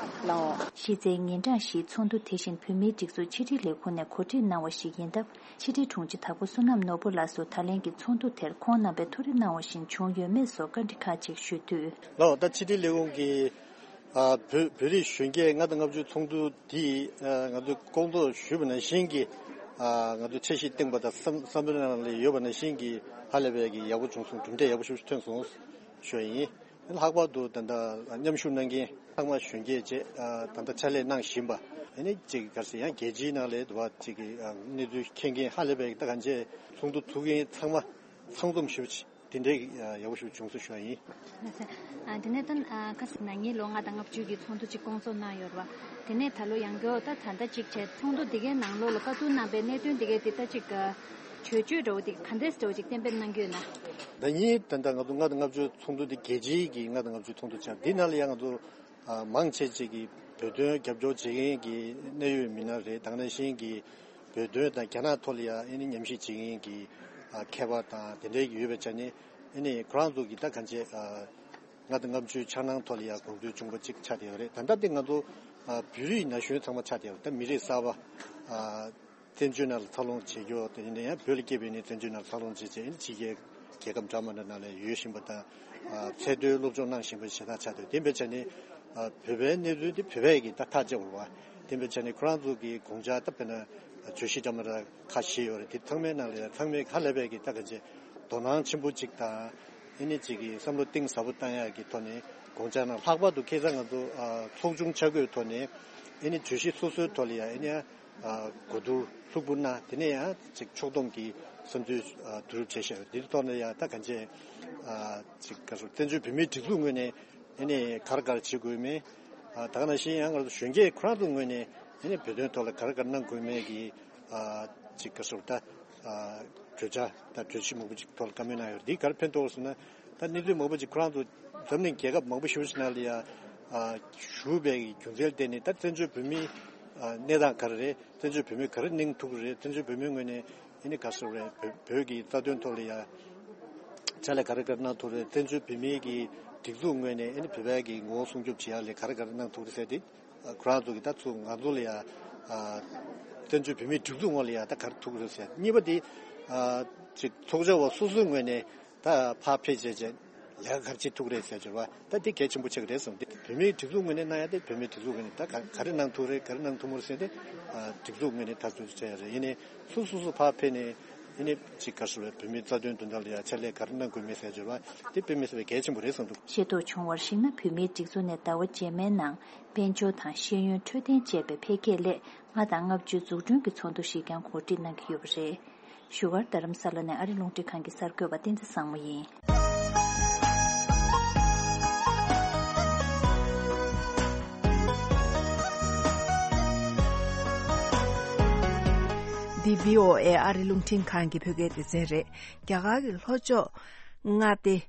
ལགས། གཞི་རྩའི་ཉིན་གྲངས་བཞིའི་ཚོགས་འདུ་དེ་བཞིན་བོད་མིའི་སྒྲིག་འཛུགས་ཕྱི་དྲིལ་ལས་ཁུངས་ནས་གོ་སྒྲིག་གནང་བ་ཞིག་ཡིན་སྟབས། ཕྱི་དྲིལ་དྲུང་ཆེ་དྭགས་པོ་བསོད་ནམས་ནོར་བུ་ལགས་སུ་ད་ལན་གྱི་ཚོགས་འདུ་དེར་ཁོང་རྣམ་པས་ཐུགས་རེ་གནང་བ་བཞིན་བྱུང་ཡོད་མེད་སོགས་བཀའ་འདྲི་ཁག་ཅིག་ཞུས་དུས། ལགས། ད་ཕྱི་དྲིལ་ལས་ཁུངས་ཀྱིས། ཨ། བོད་བོད་རིགས་གཞོན་སྐྱེས་ལྔ་དང་ལྔ་བཅུ་ཚོགས་འདུ་འདི། ཨ། ང་ཚོས་སྐོང་ཚོགས་ཞུས་པ་ནང་བཞིན་གྱི། ཨ། ང་ཚོས་འཆར་གཞི་བཏིང་པ་དང་བསམ་བསམ་བློའི་ནང་ལ་ཡོད་པ་ནང་བཞིན་གྱི་ཧ་ལས་པའི་གི་ཡག་པོ་བྱུང་སོང་། གྲུབ་འབྲས་ཡག་པོ་ཞིག་ཐོན་སོང་ཞུ་བ་ཡིན། ལྷག་པར་དུ་ད་ལྟ་མཉམ་ཞུགས་གནང་མཁན་ཚང་མ་གཞོན་སྐྱེས་བཅས། ཨ། ད་ལྟ་ཕྱག་ལས་གནང་བཞིན་པ་ཨ་ནི་གཅིག་ག་རེ་ཟེར་ཡང་རྒྱལ་སྤྱིའི་ནང་ལ་དུ་བ་གཅིག་གི་གནས་ཚུལ་མཁྱེན་མཁན་ཧ་ལས་པའི་ད་གང་ཅི་ཚོགས་འདུ་ཚུགས་མཁན་ཚང་མ་ཚང་འཛོམས་ཞུ། དེ་འདྲའི་ཡག་པོ་ཞིག་བྱུང་སོང་ཞུ་བ་ཡིན། ཨ། དེ་ནས་ད་ཨ་ཁ་སང་ན་ནིང་ལོ་ལྔ་དང་ལྔ་བཅུ་གི་ཚོགས་འདུ་གཅིག་སྐོང་ཚོགས་གནང་ཡོད་རེད་བ། དེ་ནས་ད་ལོ་ཡང་བསྐྱར་ད་ད་ལྟ་གཅིག་བྱས་ཚོགས་འདུ་འདི་གའི་ནང་ལོགས་ལ་བཀའ་བསྡུར་གནང་པའི་གནད་དོན་འདི་གའི་འདི་ལྟ་གཅིག་ག་བརྗོད་བརྗོད་འདྲ་བོ་འདི་ག་འདྲས་འདྲ་བོ་ཅིག་གཏན་འབེབས་གནང་གི་ཡོད་ན། ཟླ་ཉིན་ད་ལྟ་ང་ཚོ་ལྔ་དང་ལྔ་བཅུ་ཚོགས་འདུ་འདི་རྒྱལ་སྤྱིའི་གི་ལྔ་དང་ལྔ་བཅུ་ཚོགས་འདུ་ཆགས། འདི་ནང་ལ་ཡང་ང་ཚོ་ཨ་མང་ཆེ་ཅིག་གིས་བོད་དོན་རྒྱབ་སྐྱོར་བྱེད་མཁན་གྱི་གནད་ཡོད་མི་སྣ་རེད། དེ་ནང་བཞིན་གྱི་བོད་དོན་དང་རྒྱ་ནག་ཐོག་ལ་ཡང་ཨ་ནི་ཉམས་ཞིབ་བྱེད་མཁན་གྱི་ཨ་མཁས་པ་དང་དེ་འདྲའི་ཡོད་པའི་ཆ་ནས་ཨ་ནི་ཁོ་རང་ཚོ་གིས་ད་གང་བྱས་ཨ་ལྔ་དང་ལྔ་བཅུའི་འཆར་སྣང་ཐོག་ལ་ཡང་དགོངས་ཚུལ་བྱུང་པ་ཅིག་ཆགས་བསྡད་ཡོད་རེད། ད་ལྟ་དེ་ང་ཚོ་ཨ་བོད་རིགས་ན་གཞོན་ཚང་མ་ཆགས་བསྡད་ཡོད་རེད། ད་མི་རིགས་གསར་པ་ཨ་བཙན་བྱོལ་ནང་ལ་འཚར་ལོངས་བྱེད་རྒྱུ་དེ་ཡིན་ན་ཡང་བོད་ལ་སྐྱེས་པའི་ནས་བཙན་བྱོལ་ནང་འཚར་ལོངས་བྱས་བྱས་ཨ་ནི་ཕྱི་རྒྱལ་རྒྱལ་ཁབ་འདྲ་མི་འདྲ་ནང་ལ་ཡོད་བཞིན་པ་དང་། ཨ་ཚད་མཐོའི་སློབ་སྦྱོང་གནང་བཞིན་པ་ཞེ་དྲག་ཆགས་འདུག་དེ་འབད་བྱས་ནས་ཨ་བོད་པའི་གནས་ཚུལ་དེ་བོད་པས་ཀྱིས་ད་ཐག་བཅད་དགོས་པ། དེ་འབད་བྱས་ནས་ཁོ་རང་ཚོ་གི་དགོངས་འཆར་ད་དཔེར་ན་བརྗོད་གཞི་འདྲ་མི་འདྲ་ཁ་ཤས་ཡོད་རེད། དེ་ཚང་མའི་ནང་ལ་ཡང་ཚང་མས་ཧ་ལས་པའི་གི་ད་ག་ཅེ་དོ་སྣང་ཆེན་པོ་ཅིག་དང་ཨ་ནི་ཅིག་གི་བསམ་བློ་གཏིང་ཟབ་པོ་བཏང་ཡག་གི་ཐོག་ནས་དགོངས་འཆར་གནང་། ལྷག་པར་དུ་ཁ་སང་ང་ཚོ་ཨ་ཚོགས་ཆུང་ཆ་བགོས་ཐོག་ནས་ཨ་ནི་བརྗོད་གཞི་སོ་སོའི་ཐོག་ལ་ཡང་ཨ་ནི་ཨ་གོ་བསྡུར་ལྷུག་པོ་གནང་། དེ་ནས་ཡང་ཅིག་ཕྱོགས་བསྡོམས་ཀྱི་བསམ་ཚུལ་ཨ་བསྡུ་རུབ་བྱས་ཤག་དེའི་ཐོག་ནས་ཡང་ད་གང་ཅི་ཨ་ཅིག་ག་ཚོད་བཙན་བྱོལ་བོད་མིའི་སྒྲིག་འཛུགས་ངོས་ནས་ཨ་ནི་ག་རེ་ག་རེ་བྱེད་དགོས་མིན། ཨ་ད་ག་ནང་བཞིན་ཡང་ང་ཚོ་གཞོན་སྐྱེས་ཁོ་རང་ཚོའི་ངོས་ནས་ཨ་ནི་བོད་དོན་ཐོག་ལ་ག་རེ་ག་རེ་གནང་དགོས་མིན་གྱི་ཨ་ཅིག་ག་ཚོད་ད་ཨ་བརྗོད་བྱ་དང་གྲོས་གཞི་མང་པོ་ཅིག་ཐོག་ལ་བཀའ་མོལ་གནང་ཡོད་རེད། འདིས་ག་རེ་ཕན་ཐོགས་ཟེར་ན། ད་གནས་ཚུལ་མང་པོ་ཅིག་ཁོ་རང་ཚོ་འཛམ་གླིང་རྒྱལ་ཁབ་མང་པོ་ཞེ་པོ་ཅིག་ནང་ལ་ཡང་ཨ་བཞུགས་པའི་རྒྱུ་མཚན་ལ་བརྟེན་ནས་ད་བཙན་བྱོལ་བོད་མིའི་ཨ་གནས་སྟངས་ག་རེ་རེད། བཙན་བྱོལ་བོད་མི་ག་རེ་གནང་ཐུབ་ཀྱི་རེད། བཙན་བྱོལ་བོད་མིའི་ངོས་ནས་ཨ་ནི་ག་ཚོད་རེད། བོད་བོད་ཀྱི་རྩ་དོན་ཐོག་ལ་ཡང་ཕྱག་ལས་ག་རེ་ག་རེ་གནང་ཐུབ་རེད། བཙན་བྱོལ་བོད་མིའི་གི་སྒྲིག་འཛུགས་ངོས་ནས་ཨ་ནི་བོད་པའི་གི་ངོ་བོ་སྲུང་སྐྱོབ་བྱེད་ཡག་ལ་ག་རེ་ག་རེ་གནང་ཐུབ་རེད་ཟེར་ཏེ། ཁོ་རང་ཚོ་གིས་ད་ཚུར་ང་ཚོ་ལ་ཡང་ཨ་བཙན་བྱོལ་བོད་མིའི་སྒྲིག་འཛུགས་ངོས་ལ་ཡང་ད་ག་རེ་ཐུག་རེད་ཟེར། གཉིས་པ་དེ་ཨ་ཅིག་ཚོགས་བཅར་བ་སོ་སོའི་ངོས་ནས་ད་ཕར་ཕེབས་བྱས་བྱས་ལས་ཀ་ག་རེ་བྱེད་ཐུབ་རེད་ཟེར་གྱུར་བ། ད་དེ་གལ་ཆེན་པོ་ཆགས་ཀྱི་རེད་བསམ་སྟེ། བོད་མིའི་སྒྲིག་འཛུགས་ངོས་ནས་གནང་ཡ་དེ་བོད་མིའི་སྒྲིག་འཛུགས་ངོས་ནས་ད་ག་ག་རེ་གནང་ཐུབ་རེད། ག་རེ་གནང་ཐུབ་མ་རེད་ཟེར་ཏེ་ཨ་སྒྲིག་འཛུགས་ངོས་ནས་ད་ཚོད་བྱས་ཡ་རེད། ཡིན་ནའི་སོ་སོ་སོ་ཕར་ཕེབས་ནས་ཡིན་ནའི་ཅིག་ག་རེ་ཟེར་བའི་བོད་མིའི་རྩ་དོན་དོན་དག་ལ་ཡང་ཕྱག་ལས་ག་རེ་གནང་དགོས་མིན་ཟེར་གྱུར་བ་དེ་དཔེ་མི་སྲིད་པའི་གལ་ཆེན་པོ་རེད་བསམ་འདུག་ཤེས་རྟོགས་བྱུང་བར་གཞིགས་ན། བོད་མིའི་སྒྲིག་འཛུགས་ནས་ཟླ་བ་རྗེས་མའི་ནང་དཔལ་འབྱོར་དང་ཤེས་ཡོན་འཕྲོད་བསྟེན་བཅས་པའི་འཕེལ་རྒྱས་སླད་ལྔ་དང་ལྔ་བཅུའི་འཛུགས་སྐྲུན་གྱི་ཚོགས་འདུ་ཞིག་ཀྱང་གོ་སྒྲིག་གནང་གི་ཡོད་པ་རེད། བཞུགས་སྒར་རྡ་རམ་ས་ལ་ནས་ཨ་རི་རླུང་འཕྲིན་ཁང་གི་གསར་འགོད་པ་བསྟན་འཛིན་བཟང་མོ་ཡིན། འདི་བྷི་ཨོ་ཨེ་ཨ་རི་རླུང་འཕྲིན་ཁང་གི་བོད་སྐད་སྡེ་ཚན་རེད། རྒྱ་གར་གྱི་ལྷོ་ཕྱོགས་མངའ་སྡེ་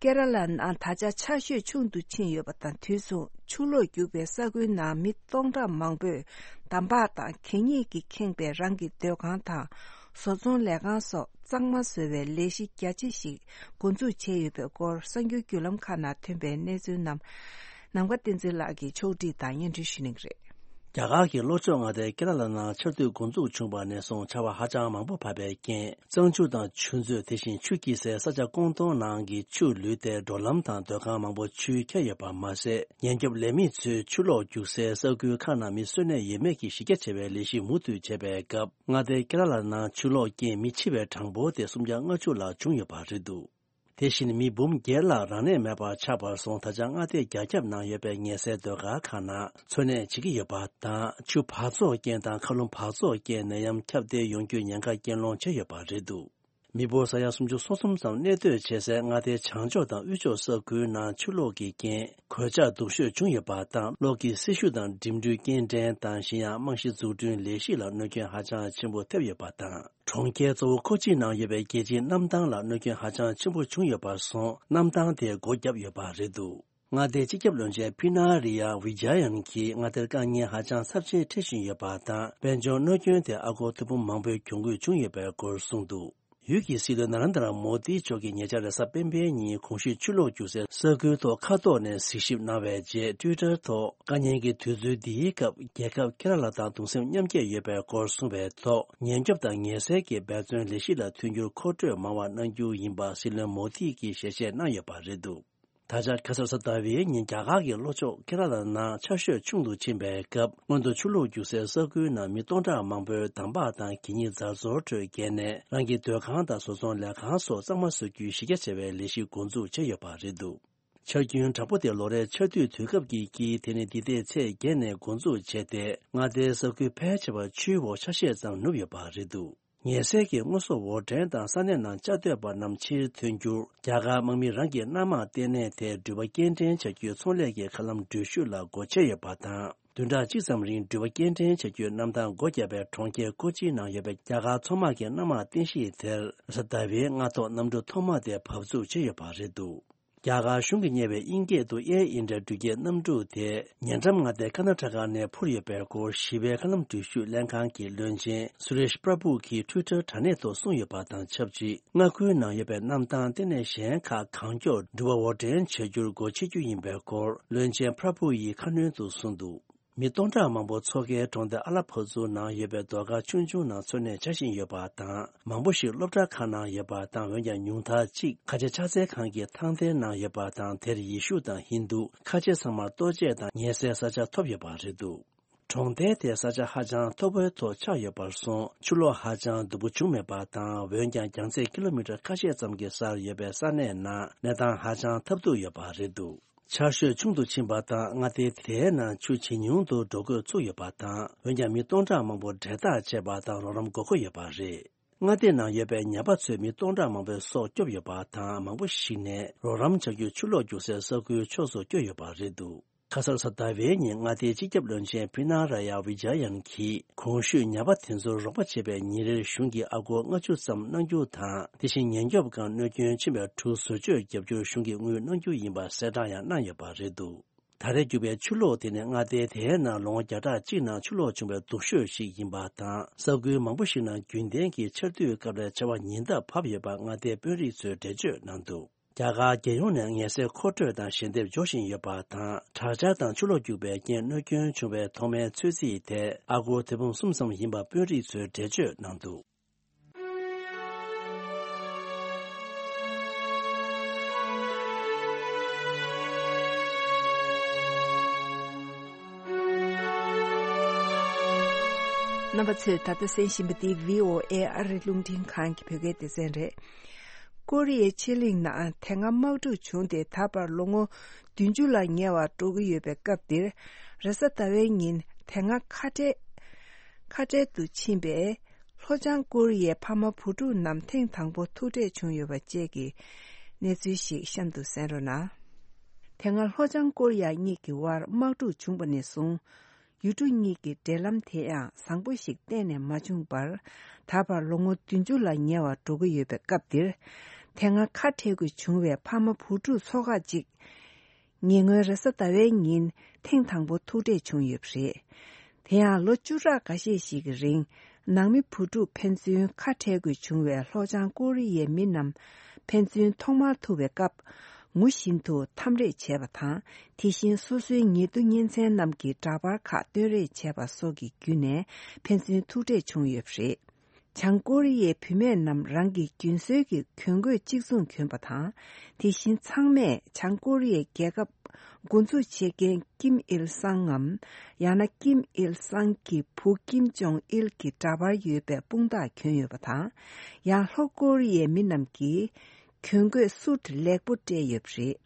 ཀེ་ར་ལ་ནང་ད་ཆ་ཆར་ཞོད་ཆུང་དུ་ཕྱིན་ཡོད་པ་དང་། དུས་མཚུངས་ཆུ་ལོག་རྒྱུག་པའི་ས་ཁུལ་ནང་མི་སྟོང་ཕྲག་མང་པོས་འདམ་བག་དང་གད་སྙིགས་ཀྱིས་ཁེངས་པའི་རང་གི་སྡོད་ཁང་དང་། བཟོ་ཚོང་ལས་ཁང་སོགས་གཙང་མ་བཟོ་བའི་ལས་གཞི་རྒྱ་ཆེ་ཞིག་འགོ་འཛུགས་བྱས་ཡོད་པའི་སྐོར། གསར་འགྱུར་བརྒྱུད་ལམ་ཁག་ནང་ཐོན་པའི་གནས་ཚུལ་རྣམས་ནམ་མཁའ་བསྟན་འཛིན་ལགས་ཀྱིས་ཕྱོགས་སྒྲིག་དང་སྙན་སྒྲོན་ཞུ་གནང་གི་རེད། རྒྱ་གར་གྱི་ལྷོ་ཕྱོགས་མངའ་སྡེ་ཀེ་ར་ལ་ནང་ཆར་དུས་འགོ་འཛུགས་བྱུང་བ་ནས་བཟུང་ཆར་བ་ཧ་ཅང་མང་པོ་བབས་པའི་རྐྱེན། གཙང་ཆུ་དང་ཆུ་མཛོད། དེ་བཞིན་ཆུ་སྐྱིལ་སའི་ས་ཆ་ཀོང་ཏུང་ནང་གི་ཆུ་ལུད་དེ་འགྲོ་ལམ་དང་སྡོད་ཁང་མང་པོ་ཆུས་ཁྱེར་ཡོད་པ་མ་ཟད། ཉེན་སྐྱོབ་ལས་མི་ཚོས་ཆུ་ལོག་རྒྱུག་སའི་ས་ཁུལ་ཁག་ནང་མི་གསོད་རྨས་ཡོད་མེད་ཀྱི་གཞི་རྒྱ་ཆེ་བའི་ལས་གཞི་མུ་མཐུད་བྱས་པའི་སྐབས། མངའ་སྡེ་ཀེ་ར་ལ་ནང་ཆུ་ལོག་རྐྱེན་མི་འཆི་བའི་གྲངས་འབོར་དེ་སུམ་བརྒྱ་ལྔ་བཅུ་ལྷག་བྱུང་ཡོད་པ་རེད་འདུག་དེ་བཞིན་མི་འབུམ་བརྒྱད་ལྷག་རང་གནས་མེད་པར་ཆགས་པར་སོང་། ད་ཆ་མངའ་སྡེ་རྒྱ་ཁྱབ་ནང་ཡོད་པའི་ཉལ་སའི་སྡོད་སྒར་ཁག་ནང་འཚོ་གནས་བྱེད་ཀྱི་ཡོད་པ་དང་། ཆུ་འབག་བཙོག་རྐྱེན་དང་མཁའ་རླུང་འབག་བཙོག་རྐྱེན་ནད་ཡམས་ཁྱབ་གདལ་ཡོང་རྒྱུའི་ཉེན་ཁ་རྐྱེན་སློང་བྱས་ཡོད་པ་རེད་འདུག་མི་འབོར་ས་ཡ་སུམ་ཅུ་སོ་གསུམ་ཙམ་གནས་སྡོད་བྱེད་སའི་མངའ་སྡེ་བྱང་ཕྱོགས་དང་དབུས་ཕྱོགས་ས་ཁུལ་ནང་ཆུ་ལོག་གི་རྐྱེན་གོད་ཆག་སྡུག་ཤོས་བྱུང་ཡོད་པ་དང་། གློག་གི་སྲི་ཞུ་དང་འགྲིམ་འགྲུལ་སྐྱེལ་འདྲེན་དང་། གཞན་ཡང་རྨང་གཞི་འཛུགས་སྐྲུན་ལས་གཞི་ལ་གནོད་སྐྱོན་ཧ་ཅང་ཆེན་པོ་ཐེབས་ཡོད་པ་དང་། གྲོང་ཁྱེར་གཙོ་བོ་ཀོ་ཅི་ནང་ཡོད་པའི་རྒྱལ་སྤྱིའི་གནམ་ཐང་ལ་གནོད་སྐྱོན་ཧ་ཅང་ཆེན་པོ་བྱུང་ཡོད་པར་སོང་། གནམ་ཐང་དེ་སྒོ་བརྒྱབ་ཡོད་པ་རེད་འདུག་མངའ་སྡེའི་སྤྱི་ཁྱབ་བློན་ཆེན་པི་ན་རི་ཡ་ཝི་ཇ་ཡན་གྱིས་མངའ་སྡེར་དཀའ་ངལ་ཧ་ཅང་ཚབས་ཆེན་འཕྲད་བཞིན་ཡོད་པ་དང་། དཔལ་འབྱོར་གནོད་སྐྱོན་དེ་ཨ་སྒོར་ཐེར་འབུམ་མང་པོའི་གྱོང་གུད་བྱུང་ཡོད་པའི་སྐོར་གསུངས་འདུག་ཡུལ་གྱི་སྲིད་བློན་ན་རན་དྲ་མོ་དི་མཆོག་གིས་ཉེ་ཆར་རེས་གཟའ་སྤེན་པའི་ཉིན་གོང་ཞུས་ཆུ་ལོག་རྒྱུག་སའི་ས་ཁུལ་ཐོག་མཁའ་ཐོག་ནས་གཟིགས་ཞིབ་གནང་བའི་རྗེས། ཊུའི་ཊར་ཐོག་དཀའ་ཉེན་གྱི་དུས་ཚོད་འདིའི་སྐབས་རྒྱལ་ཁབ་ཀེ་ར་ལ་དང་གདུང་སེམས་མཉམ་སྐྱེད་ཡོད་པའི་སྐོར་གསུངས་པའི་ཐོག་ཉེན་སྐྱོབ་དང་ཉེན་སེལ་གྱི་འབད་བརྩོན་ལས་གཞི་ལ་མཐུན་འགྱུར་མཁོ་སྤྲོད་མང་བ་གནང་རྒྱུ་ཡིན་པ་སྲིད་བློན་མོ་དི་གིས་ཞལ་བཞེས་གནང་ཡོད་པ་རེད་འདུག་ད་ཆ་ཁ་སང་གཟའ་ཟླ་བའི་ཉིན་རྒྱ་གར་གྱི་ལྷོ་ཕྱོགས་ཀེ་ར་ལ་ནང་ཆར་ཞོད་ཆུང་དུ་ཕྱིན་པའི་སྐབས། སྔོན་དུ་ཆུ་ལོག་རྒྱུག་སའི་ས་ཁུལ་ནང་མི་སྟོང་ཕྲག་མང་པོས་འདམ་བག་དང་གད་སྙིགས་རྫ་བཟོ་ཁྲོད་བརྒལ་ནས། རང་གི་སྡོད་ཁང་དང་བཟོ་ཚོང་ལས་ཁང་སོགས་གཙང་མ་བཟོ་རྒྱུའི་གཞི་རྒྱ་ཆེ་བའི་ལས་གཞི་འགོ་འཛུགས་བྱས་ཡོད་པ་རེད་འདུག་ཆར་རྒྱུན་དྲག་པོ་དེ་ལོ་རེའི་ཆར་དུས་དུས་སྐབས་ཀྱི་དཀྱིལ། དེ་ནི་འདི་ཟླའི་ཚེས་བརྒྱད་ནས་འགོ་འཛུགས་བྱས་ཏེ། མངའ་སྡེའི་ས་ཁུལ་ཕལ་ཆེ་བར་ཆུའི་འོག་ཆ་ཤས་ཙམ་ནུབ་ཡོད་པ་རེད་འདུག་ཉེན་སེལ་གྱི་དངོས་ཟོག་འོར་འདྲེན་དང་ས་གནས་ནང་བཅའ་སྡོད་པ་རྣམས་ཕྱིར་ཐོན་རྒྱུར། རྒྱ་གར་དམག་མི་རང་གི་གནམ་དམག་ལྟེ་གནས་དེ་འགྲུལ་པ་སྐྱེལ་འདྲེན་བྱ་རྒྱུའི་ཚོང་ལས་ཀྱི་མཁའ་ལམ་འགྲུལ་བཞུད་ལ་སྒོ་ཕྱེ་ཡོད་པ་དང་། བདུན་ཕྲག་གཅིག་ཙམ་རིང་འགྲུལ་པ་སྐྱེལ་འདྲེན་བྱ་རྒྱུའི་གནམ་ཐང་སྒོ་བརྒྱབ་པའི་གྲོང་ཁྱེར་ཀོ་ཅི་ནང་ཡོད་པའི་རྒྱ་གར་མཚོ་དམག་གི་གནམ་དམག་རྟེན་གཞི་དེར། གཟའ་ཟླ་བའི་སྔ་ཐོག་གནམ་གྲུ་ཐོག་མ་དེ་བབས་ཚུགས་བྱས་ཡོད་པ་རེད་འདུག་རྒྱ་གར་གཞུང་གིས་གཉེར་བའི་དབྱིན་སྐད་དུ་ཨེར་ཨིན་ཌི་ཡ་འགྲུལ་སྐྱེལ་གནམ་གྲུ་དེ་ཉེ་འགྲམ་མངའ་སྡེ་ཀར་ནཱ་ཊ་ཀ་ནས་འཕུར་ཡོད་པའི་སྐོར། ཞི་བའི་མཁའ་ལམ་འགྲུལ་བཞུད་ལྷན་ཁང་གི་བློན་ཆེན་སུ་རེཤ་པྲ་བྷུ་གིས་ཊུའི་ཊར་དྲ་གནས་ཐོག་གསུངས་ཡོད་པ་དང་ཆབས་ཅིག་མངའ་ཁུལ་ནང་ཡོད་པའི་གནམ་ཐང་ལྟེ་གནས་གཞན་ཁག་གང་མགྱོགས་འགྲུལ་པ་འོར་འདྲེན་བྱ་རྒྱུར་སྒོ་ཕྱེ་རྒྱུ་ཡིན་པའི་སྐོར། བློན་ཆེན་པྲ་བྷུ་ཡིས་ཁ་སྣོན་དུ་གསུངས་འདུག་མི་སྟོང་ཕྲག་མང་པོ་མཚོ་ཁའི་གྲོང་སྡེ་ཨ་ལ་ཕ་ཛུ་ནང་ཡོད་པའི་སྡོད་སྒར་ཆུང་ཆུང་ནང་འཚོ་གནས་བྱ་བཞིན་ཡོད་པ་དང་། མང་པོ་ཞིག་སློབ་གྲྭ་ཁག་ནང་ཡོད་པ་དང་། འོན་ཀྱང་ཉུང་མཐར་གཅིག་ཁ་ཆེ་ཕྱག་འཚལ་ཁང་གི་ཐང་སྟེང་ནང་ཡོད་པ་དང་། དེར་ཡེ་ཤུ་དང་ཧིན་དུ། ཁ་ཆེ་ཚང་མར་ལྟོ་ཆས་དང་ཉལ་སའི་ས་ཆ་ཐོབ་ཡོད་པ་རེད་འདུག་གྲོང་རྡལ་དེ་ས་ཆ་ཧ་ཅང་མཐོ་པོའི་ཐོག་ཆགས་ཡོད་པར་སོང་། ཆུ་ལོག་ཧ་ཅང་སྡུག་པོ་བྱུང་མེད་པ་དང་། འོན་ཀྱང་རྒྱང་ཚད་ཀི་ལོ་མི་ཊར་ཁ་ཤས་ཙམ་གྱི་སར་ཡོད་པའི་ས་གནས་ནང་གནས་སྟངས་ཧ་ཅང་ཐབས་སྡུག་ཡོད་པ་རེད་འདུག་ཆར་ཞོད་ཆུང་དུ་ཕྱིན་པ་དང་། མངའ་སྡེ་དེའི་ནང་ཆུ་ཇེ་ཉུང་དུ་འགྲོ་འགོ་ཚུགས་ཡོད་པ་དང་། འོན་ཀྱང་མི་སྟོང་ཕྲག་མང་པོ་འབྲེལ་ཐག་ཆད་པ་དང་རོགས་རམ་དགོས་མཁོ་ཡོད་པ་རེད། མངའ་སྡེ་ནང་ཡོད་པའི་ཉ་པ་ཚོས་མི་སྟོང་ཕྲག་མང་པོའི་སྲོག་སྐྱོབ་ཡོད་པ་དང་། མང་པོ་ཞིག་ནས་རོགས་རམ་བྱ་རྒྱུར་ཆུ་ལོག་རྒྱུག་སའི་ས་ཁུལ་ཕྱོགས་སུ་བསྐྱོད་ཡོད་པ་རེད་འདུག་ཁ་སང་གཟའ་ཟླ་བའི་ཉིན་མངའ་སྡེའི་སྤྱི་ཁྱབ་བློན་ཆེན་པི་ན་ར་ཡ་ཝི་ཇ་ཡན་གྱིས། གོང་ཞུས་ཉ་པ་དེ་ཚོར་རོགས་པ་བྱེད་པའི་ཉིན་རེར་གཞུང་གིས་ཨ་སྒོར་ལྔ་བཅུ་ཙམ་གནང་རྒྱུ་དང་། དེ་བཞིན་ཉེན་སྐྱོབ་ཁང་གནོད་སྐྱོན་ཕྱིན་པའི་གྲུ་བཟོ་བཅོས་བརྒྱབ་རྒྱུར་གཞུང་གིས་དངུལ་གནང་རྒྱུ་ཡིན་པ་གསལ་བསྒྲགས་ཡང་གནང་ཡོད་པ་རེད་འདུག་ད་རེས་རྒྱུག་པའི་ཆུ་ལོག་དེ་ནི་མངའ་སྡེ་དེའི་ནང་ལོ་ངོ་བརྒྱ་ཕྲག་གཅིག་ནང་ཆུ་ལོག་བྱུང་བའི་སྡུག་ཤོས་ཤིག་ཡིན་པ་དང་། ས་ཁུལ་མང་པོ་ཞིག་ནང་རྒྱུན་ལྡན་གྱི་ཆར་དུས་སྐབས་ལས་ཆར་བ་ཉིན་ལྟར་བབས་ཡོད་པ་མངའ་སྡེའི་དཔོན་རིགས་ཚོས་འགྲེལ་བརྗོད་གནང་འདུག་རྒྱ་གར་རྒྱལ་ཡོངས་ནས་ངལ་སེལ་མཁོ་སྤྲོད་དང་ཞལ་འདེབས་འབྱོར་བཞིན་ཡོད་པ་དང་། དྲག་ཆར་དང་ཆུ་ལོག་རྒྱུག་པའི་རྐྱེན་གནོད་སྐྱོན་བྱུང་བའི་ཐོག་མའི་ཚོད་རྩིས་དེ་ཨ་སྒོར་ཐེར་འབུམ་གསུམ་ཙམ་ཡིན་པ་དཔོན་རིགས་ཚོས་འགྲེལ་བརྗོད་གནང་འདུག་རྣམ་པ་ཚོས་ད་ལྟ་གསན་བཞིན་པ་འདི་བྷི་ཨོ་ཨེ་ཨ་རི་རླུང་འཕྲིན་ཁང་གི་བོད་སྐད་སྡེ་ཚན་རེད། ཀོ་རི་ཡའི་ཕྱེད་གླིང་ནང་དེ་སྔ་དམག་འཁྲུག་བྱུང་སྟེ་ད་བར་ལོ་ངོ་བདུན་ཅུ་ལ་ཉེ་བར་འགྲོ་གི་ཡོད་པའི་སྐབས་འདིར། རེས་གཟའ་ཟླ་བའི་ཉིན་དེ་སྔ་ཁ་བྲལ་ཁ་བྲལ་དུ་ཕྱིན་པའི་ལྷོ་བྱང་ཀོ་རི་ཡའི་ཕ་མ་བུ་ཕྲུག་རྣམས་ཐེངས་དང་པོ་ཐུག་འཕྲད་བྱུང་ཡོད་པ་བཅས་ཀྱི་གནས་ཚུལ་ཞིག་གཤམ་དུ་གསན་རོགས་གནང་། དེ་སྔ་ལྷོ་བྱང་ཀོ་རི་ཡ་གཉིས་ཀྱི་དབར་དམག་འཁྲུག་བྱུང་བ་ནས་བཟུང་། ཡུལ་གྲུ་གཉིས་ཀྱི་འབྲེལ་ལམ་དེ་ཡང་བཟང་པོ་ཞིག་གཏན་ནས་མ་བྱུང་བར། ད་བར་ལོ་ངོ་བདུན་ཅུ་ལ་ཉེ་བར་འགྲོ་གི་ཡོད་པའི་སྐབས་འདིར། དེ་སྔ་ཁ་བྲལ་དགོས་བྱུང་བའི་ཕ་མ་བུ་ཕྲུག་ཚོ་ཁག་ཅིག་ཉེ་སྔོན་རེས་གཟའ་ཟླ་བའི་ཉིན་ཐེངས་དང་པོ་ཐུག་འཕྲད་བྱུང་ཡོད་པ་རེད། དེ་ཡང་ལོ་བཅུ་ཕྲག་འགའ་ཤས་ཤིག་གི་རིང་ནང་མི་བུ་ཕྲུག་ཕན་ཚུན་ཁ་བྲལ་དགོས་བྱུང་བའི་ལྷོ་བྱང་ཀོ་རི་ཡའི་མི་རྣམས་ཕན་ཚུན་ཐོག་མར་ཐུག་པའི་སྐབས་ངུ་བཞིན་དུ་འཐམ་རེས་བྱས་པ་དང་དེ་བཞིན་སོ་སོའི་ཉེ་དུ་གཉེན་ཚན་རྣམས་ཀྱི་འདྲ་པར་ཁག་སྟོན་རེས་བྱས་པ་སོགས་ཀྱི་བརྒྱུད་ནས་ཕན་ཚུན་ཐུག་འཕྲད་བྱུང་ཡོད་པ་རེད། བྱང་ཀོ་རི་ཡའི་བུད་མེད་རྣམས་རང་གི་རྒྱུན་སྲོལ་གྱི་གྱོན་གོས་གཅིག་མཚུངས་གྱོན་པ་དང་། དེ་བཞིན་ཚང་མས་བྱང་ཀོ་རི་ཡའི་རྒྱལ་ཁབ་འགོ་འཛུགས་བྱེད་མཁན་ཀིམ་ཨིལ་སང་ངམ། ཡང་ན་ཀིམ་ཨིལ་སང་གི་བུ་ཀིམ་ཇོང་ཨིལ་གྱི་འདྲ་པར་ཡོད་པའི་དཔུང་རྟགས་གྱོན་ཡོད་པ་དང་། ཡང་ལྷོ་ཀོ་རི་ཡའི་མི་རྣམས་ཀྱིས་གྱོན་གོས་སུད་ལེགས་པོ་སྤྲས་ཡོད་པ་རེད།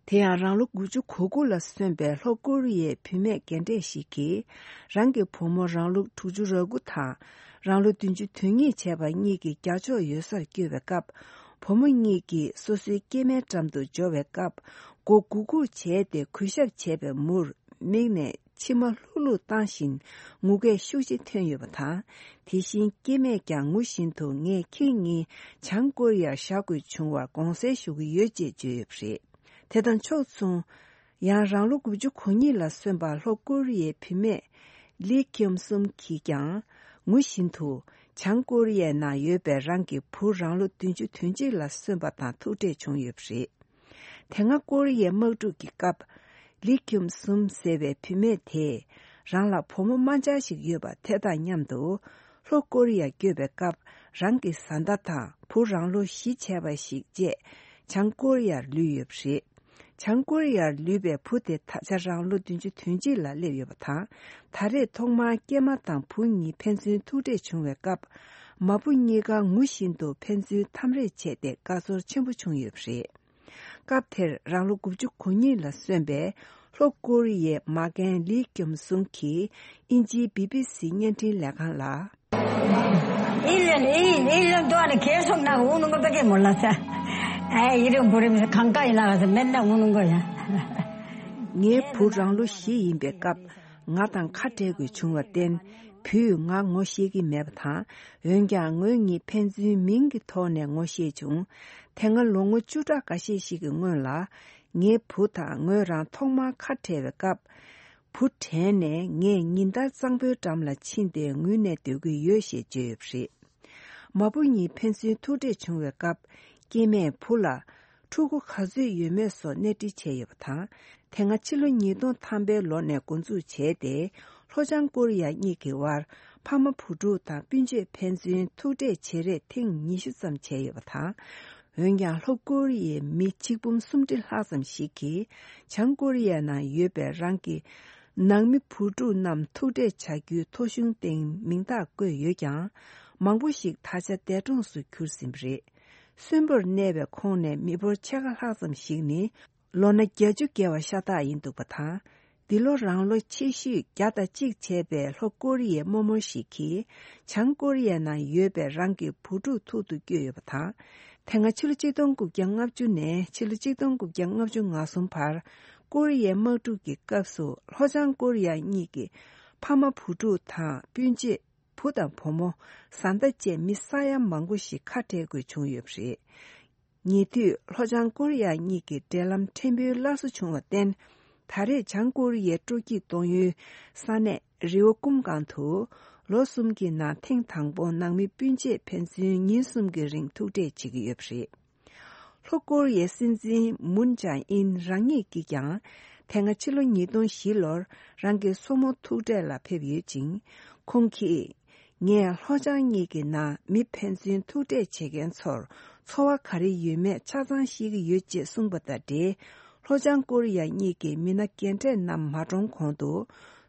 དེ་ཡང་རང་ལོ་དགུ་བཅུ་གོ་དགུ་ལ་སོན་པའི་ལྷོ་ཀོ་རི་ཡའི་བུད་མེད་རྒན་གྲས་ཤིག་གིས། རང་གི་བུ་མོ་རང་ལོ་དྲུག་ཅུ་རེ་དགུ་དང་རང་ལོ་བདུན་ཅུ་དོན་གཉིས་བྱས་པ་གཉིས་ཀྱི་རྒྱ་ཕྱོགས་ཡོད་སར་བསྐྱོད་པའི་སྐབས། བུ་མོ་གཉིས་ཀྱིས་སོ་སོའི་སྐྱེས་མའི་འགྲམ་དུ་འབྱོར་བའི་སྐབས། མགོ་སྒུར་སྒུར་བྱས་ཏེ་གུས་ཞབས་བྱས་པའི་མུར། མིག་ནས་མཆི་མ་ལྷུག་ལྷུག་བཏང་བཞིན་ངུ་སྐད་ཤུགས་ཆེ་ཐོན་ཡོད་པ་དང་། དེ་བཞིན་སྐྱེས་མས་ཀྱང་ངུ་བཞིན་དུ་ངས་ཁྱེད་གཉིས་བྱང་ཀོ་རི་ཡར་བཞག་དགོས་བྱུང་བར་དགོངས་སེལ་ཞུ་གི་ཡོད་ཅེས་བརྗོད་ཡོད་པ་རེད། དེ་དང་ཕྱོགས་མཚུངས། ཡང་རང་ལོ་དགུ་བཅུ་གོ་གཉིས་ལ་སོན་པ་ལྷོ་ཀོ་རི་ཡའི་བུད་མེད་ལི་ཁྱུམ་སུམ་གྱིས་ཀྱང་ངུ་བཞིན་དུ་བྱང་ཀོ་རི་ཡའི་ནང་ཡོད་པའི་རང་གི་བུ་རང་ལོ་བདུན་ཅུ་དོན་གཅིག་ལ་སོན་པ་དང་ཐུག་འཕྲད་བྱུང་ཡོད་པ་རེད། དེ་སྔ་ཀོ་རི་ཡའི་དམག་འཁྲུག་གི་སྐབས། ལི་ཁྱུམ་སུམ་ཟེར་བའི་བུད་མེད་དེས་རང་ལ་བུ་མོ་དམར་འབྱར་ཞིག་ཡོད་པ་དེ་དང་མཉམ་དུ་ལྷོ་ཀོ་རི་ཡར་བསྐྱོད་པའི་སྐབས་རང་གི་བཟའ་ཟླ་དང་བུ་རང་ལོ་བཞི་བྱས་པ་ཞིག་བཅས་བྱང་ཀོ་རི་ཡར་ལུས་ཡོད་པ་རེད། བྱང་ཀོ་རི་ཡར་ལུས་པའི་བུ་དེ་ད་ཆ་རང་ལོ་བདུན་ཅུ་དོན་གཅིག་ལ་སླེབས་ཡོད་པ་དང་། ད་རེས་ཐོག་མར་སྐྱེས་མ་དང་བུ་གཉིས་ཕན་ཚུན་ཐུག་འཕྲད་བྱུང་བའི་སྐབས། མ་བུ་གཉིས་ཀ་ངུ་བཞིན་དུ་ཕན་ཚུན་འཐམ་རེས་བྱས་ཏེ་དགའ་ཚོར་ཆེན་པོ་བྱུང་ཡོད་པ་རེད། སྐབས་དེར་རང་ལོ་དགུ་བཅུ་གོ་གཉིས་ལ་སོན་པའི་ལྷོ་ཀོ་རི་ཡའི་མ་རྒན་ལི་ཀྱོམ་སུང་གིས་དབྱིན་ཇིའི་བི་བི་སི་བརྙན་འཕྲིན་ལས་ཁང་ལ། ཨི་ལན་ཨི་ཨི་ལན་ཏོ་ཨ་ནི་ཁེ་སོང་ན་འུ་ནུ་གོ་པེ་ཀེ་མོ་ལ་ས། ཨ་ཨི་རི་བོ་རི་མི་ས་གང་ཀ་ཨི་ལ་ག་ས་མེད་ན་འུ་ནུ་གོ་ཡ། ངའི་བུ་རང་ལོ་བཞི་ཡིན་པའི་སྐབས་ང་དང་ཁ་བྲལ་དགོས་བྱུང་བར་བརྟེན། བུས་ང་ངོ་ཤེས་ཀྱི་མེད་པ་དང་། འོན་ཀྱང་ངོས་གཉིས་ཕན་ཚུན་མིང་གི་ཐོག་ནས་ངོ་ཤེས་བྱུང་། དེ་སྔ་ལོ་ངོ་བཅུ་ཕྲག་འགའ་ཤས་ཤིག་གི་སྔོན་ལ། ངའི་བུ་དང་ངོས་རང་ཐོག་མར་ཁ་བྲལ་བའི་སྐབས། བུ་དྲན་ནས་ངས་ཉིན་ལྟར་གཙང་པོའི་འགྲམ་ལ་ཕྱིན་ཏེ་ངུས་ནས་སྡོད་ཀྱི་ཡོད་ཞེས་བརྗོད་ཡོད་པ་རེད། མ་བུ་གཉིས་ཕན་ཚུན་ཐུག་འཕྲད་བྱུང་བའི་སྐབས། སྐྱེས་མས་བུ་ལ། ཕྲུ་གུ་ག་ཚོད་ཡོད་མེད་སོགས་གནས་འདྲི་བྱས་ཡོད་པ་དང་། དེ་སྔ་ཕྱི་ལོ་ཉིས་སྟོང་ཐམ་པའི་ལོ་ནས་འགོ་འཛུགས་བྱས་ཏེ། ལྷོ་བྱང་ཀོ་རི་ཡ་གཉིས་ཀྱི་དབར་ཕ་མ་བུ་ཕྲུག་དང་སྤུན་མཆེད་ཕན་ཚུན་ཐུག་འཕྲད་བྱེད་རེས་ཐེངས་ཉི་ཤུ་ཙམ་བྱས་ཡོད་པ་དང་། འོན་ཀྱང་ལྷོ་ཀོ་རི་ཡའི་མི་ཆིག་འབུམ་སུམ་ཁྲི་ལྷག་ཙམ་ཞིག་གིས་བྱང་ཀོ་རི་ཡའི་ནང་ཡོད་པའི་རང་གི་ནང་མི་བུ་ཕྲུག་རྣམས་ཐུག་འཕྲད་བྱ་རྒྱུའི་ཐོ་གཞུང་སྟེང་མིང་རྟགས་བཀོད་ཡོད་ཀྱང་། མང་པོ་ཞིག་ད་ཆ་འདས་གྲོངས་སུ་གྱུར་ཟིན་པ་རེད། གསོན་པོར་གནས་པའི་ཁོངས་ནས་མི་འབོར་ཕྱེད་ཀ་ལྷག་ཙམ་ཞིག་ནི། ལོ་ན་བརྒྱད་ཅུ་བརྒལ་བ་ཤ་སྟག་ཡིན་འདུག་པ་དང་། འདི་ལོ་རང་ལོ་ཆེ་ཤོས་བརྒྱ་དང་གཅིག་བྱས་པའི་ལྷོ་ཀོ་རི་ཡའི་རྨོ་མོ་ཞིག་གིས། བྱང་ཀོ་རི་ཡའི་ནང་ཡོད་པའི་རང་གི་བུ་ཕྲུག་ཐུག་ཏུ་བསྐྱོད་ཡོད་པ་དང་། དེ་སྔ་ཕྱི་ལོ་གཅིག་སྟོང་དགུ་བརྒྱ་ལྔ་བཅུ་ནས་ཕྱི་ལོ་གཅིག་སྟོང་དགུ་བརྒྱ་ལྔ་བཅུ་ང་གསུམ་བར། ཀོ་རི་ཡའི་དམག་འཁྲུག་གི་སྐབས་སུ་ལྷོ་བྱང་ཀོ་རི་ཡ་གཉིས་ཀྱི་ཕ་མ་བུ་ཕྲུག་དང་སྤུན་མཆེད། བུ་དང་བུ་མོ། བཟའ་ཟླ་བཅས་མི་ས་ཡ་མང་པོ་ཞིག་ཁ་བྲལ་དགོས་བྱུང་ཡོད་པ་རེད། ཉེ་དུས་ལྷོ་བྱང་ཀོ་རི་ཡ་གཉིས་ཀྱི་འབྲེལ་ལམ་ཕྲན་བུ་སླར་གསོ་བྱུང་བར་བརྟེན། ད་རེས་བྱང་ཀོ་རི་ཡའི་སྤྲོ་སྐྱིད་གཏོང་ཡུལ་ས་གནས་རི་བོ་ཀུམ་སྒང་དུ། ལོ་གསུམ་གྱི་ནང་ཐེངས་དང་པོ་ནང་མི་སྤུན་མཆེད་ཕན་ཚུན་ཉིན་གསུམ་གྱི་རིང་ཐུག་འཕྲད་བྱེད་ཀྱི་ཡོད་པ་རེད། ལྷོ་ཀོ་རི་ཡའི་སྲིད་འཛིན་མུན་ཇཱ་ཨིན་རང་ཉིད་ཀྱིས་ཀྱང་། དེ་སྔ་ཕྱི་ལོ་ཉིས་སྟོང་བཞི་ལོར་རང་གི་སྲུ་མོ་ཐུག་འཕྲད་ལ་ཕེབས་ཡོད་ཅིང་། ཁོང་གིས། ངས་ལྷོ་བྱང་གཉིས་ཀྱི་ནང་མི་ཕན་ཚུན་ཐུག་འཕྲད་བྱེད་མཁན་ཚོར་ཚོར་བ་ག་རེ་ཡོད་མེད་ཆ་ཚང་ཤེས་ཀྱི་ཡོད་ཅེས་གསུངས་པ་དང་འབྲེལ། ལྷོ་བྱང་ཀོ་རི་ཡ་གཉིས་ཀྱི་མི་སྣ་རྒན་གྲས་རྣམས་མ་གྲོངས་གོང་དུ།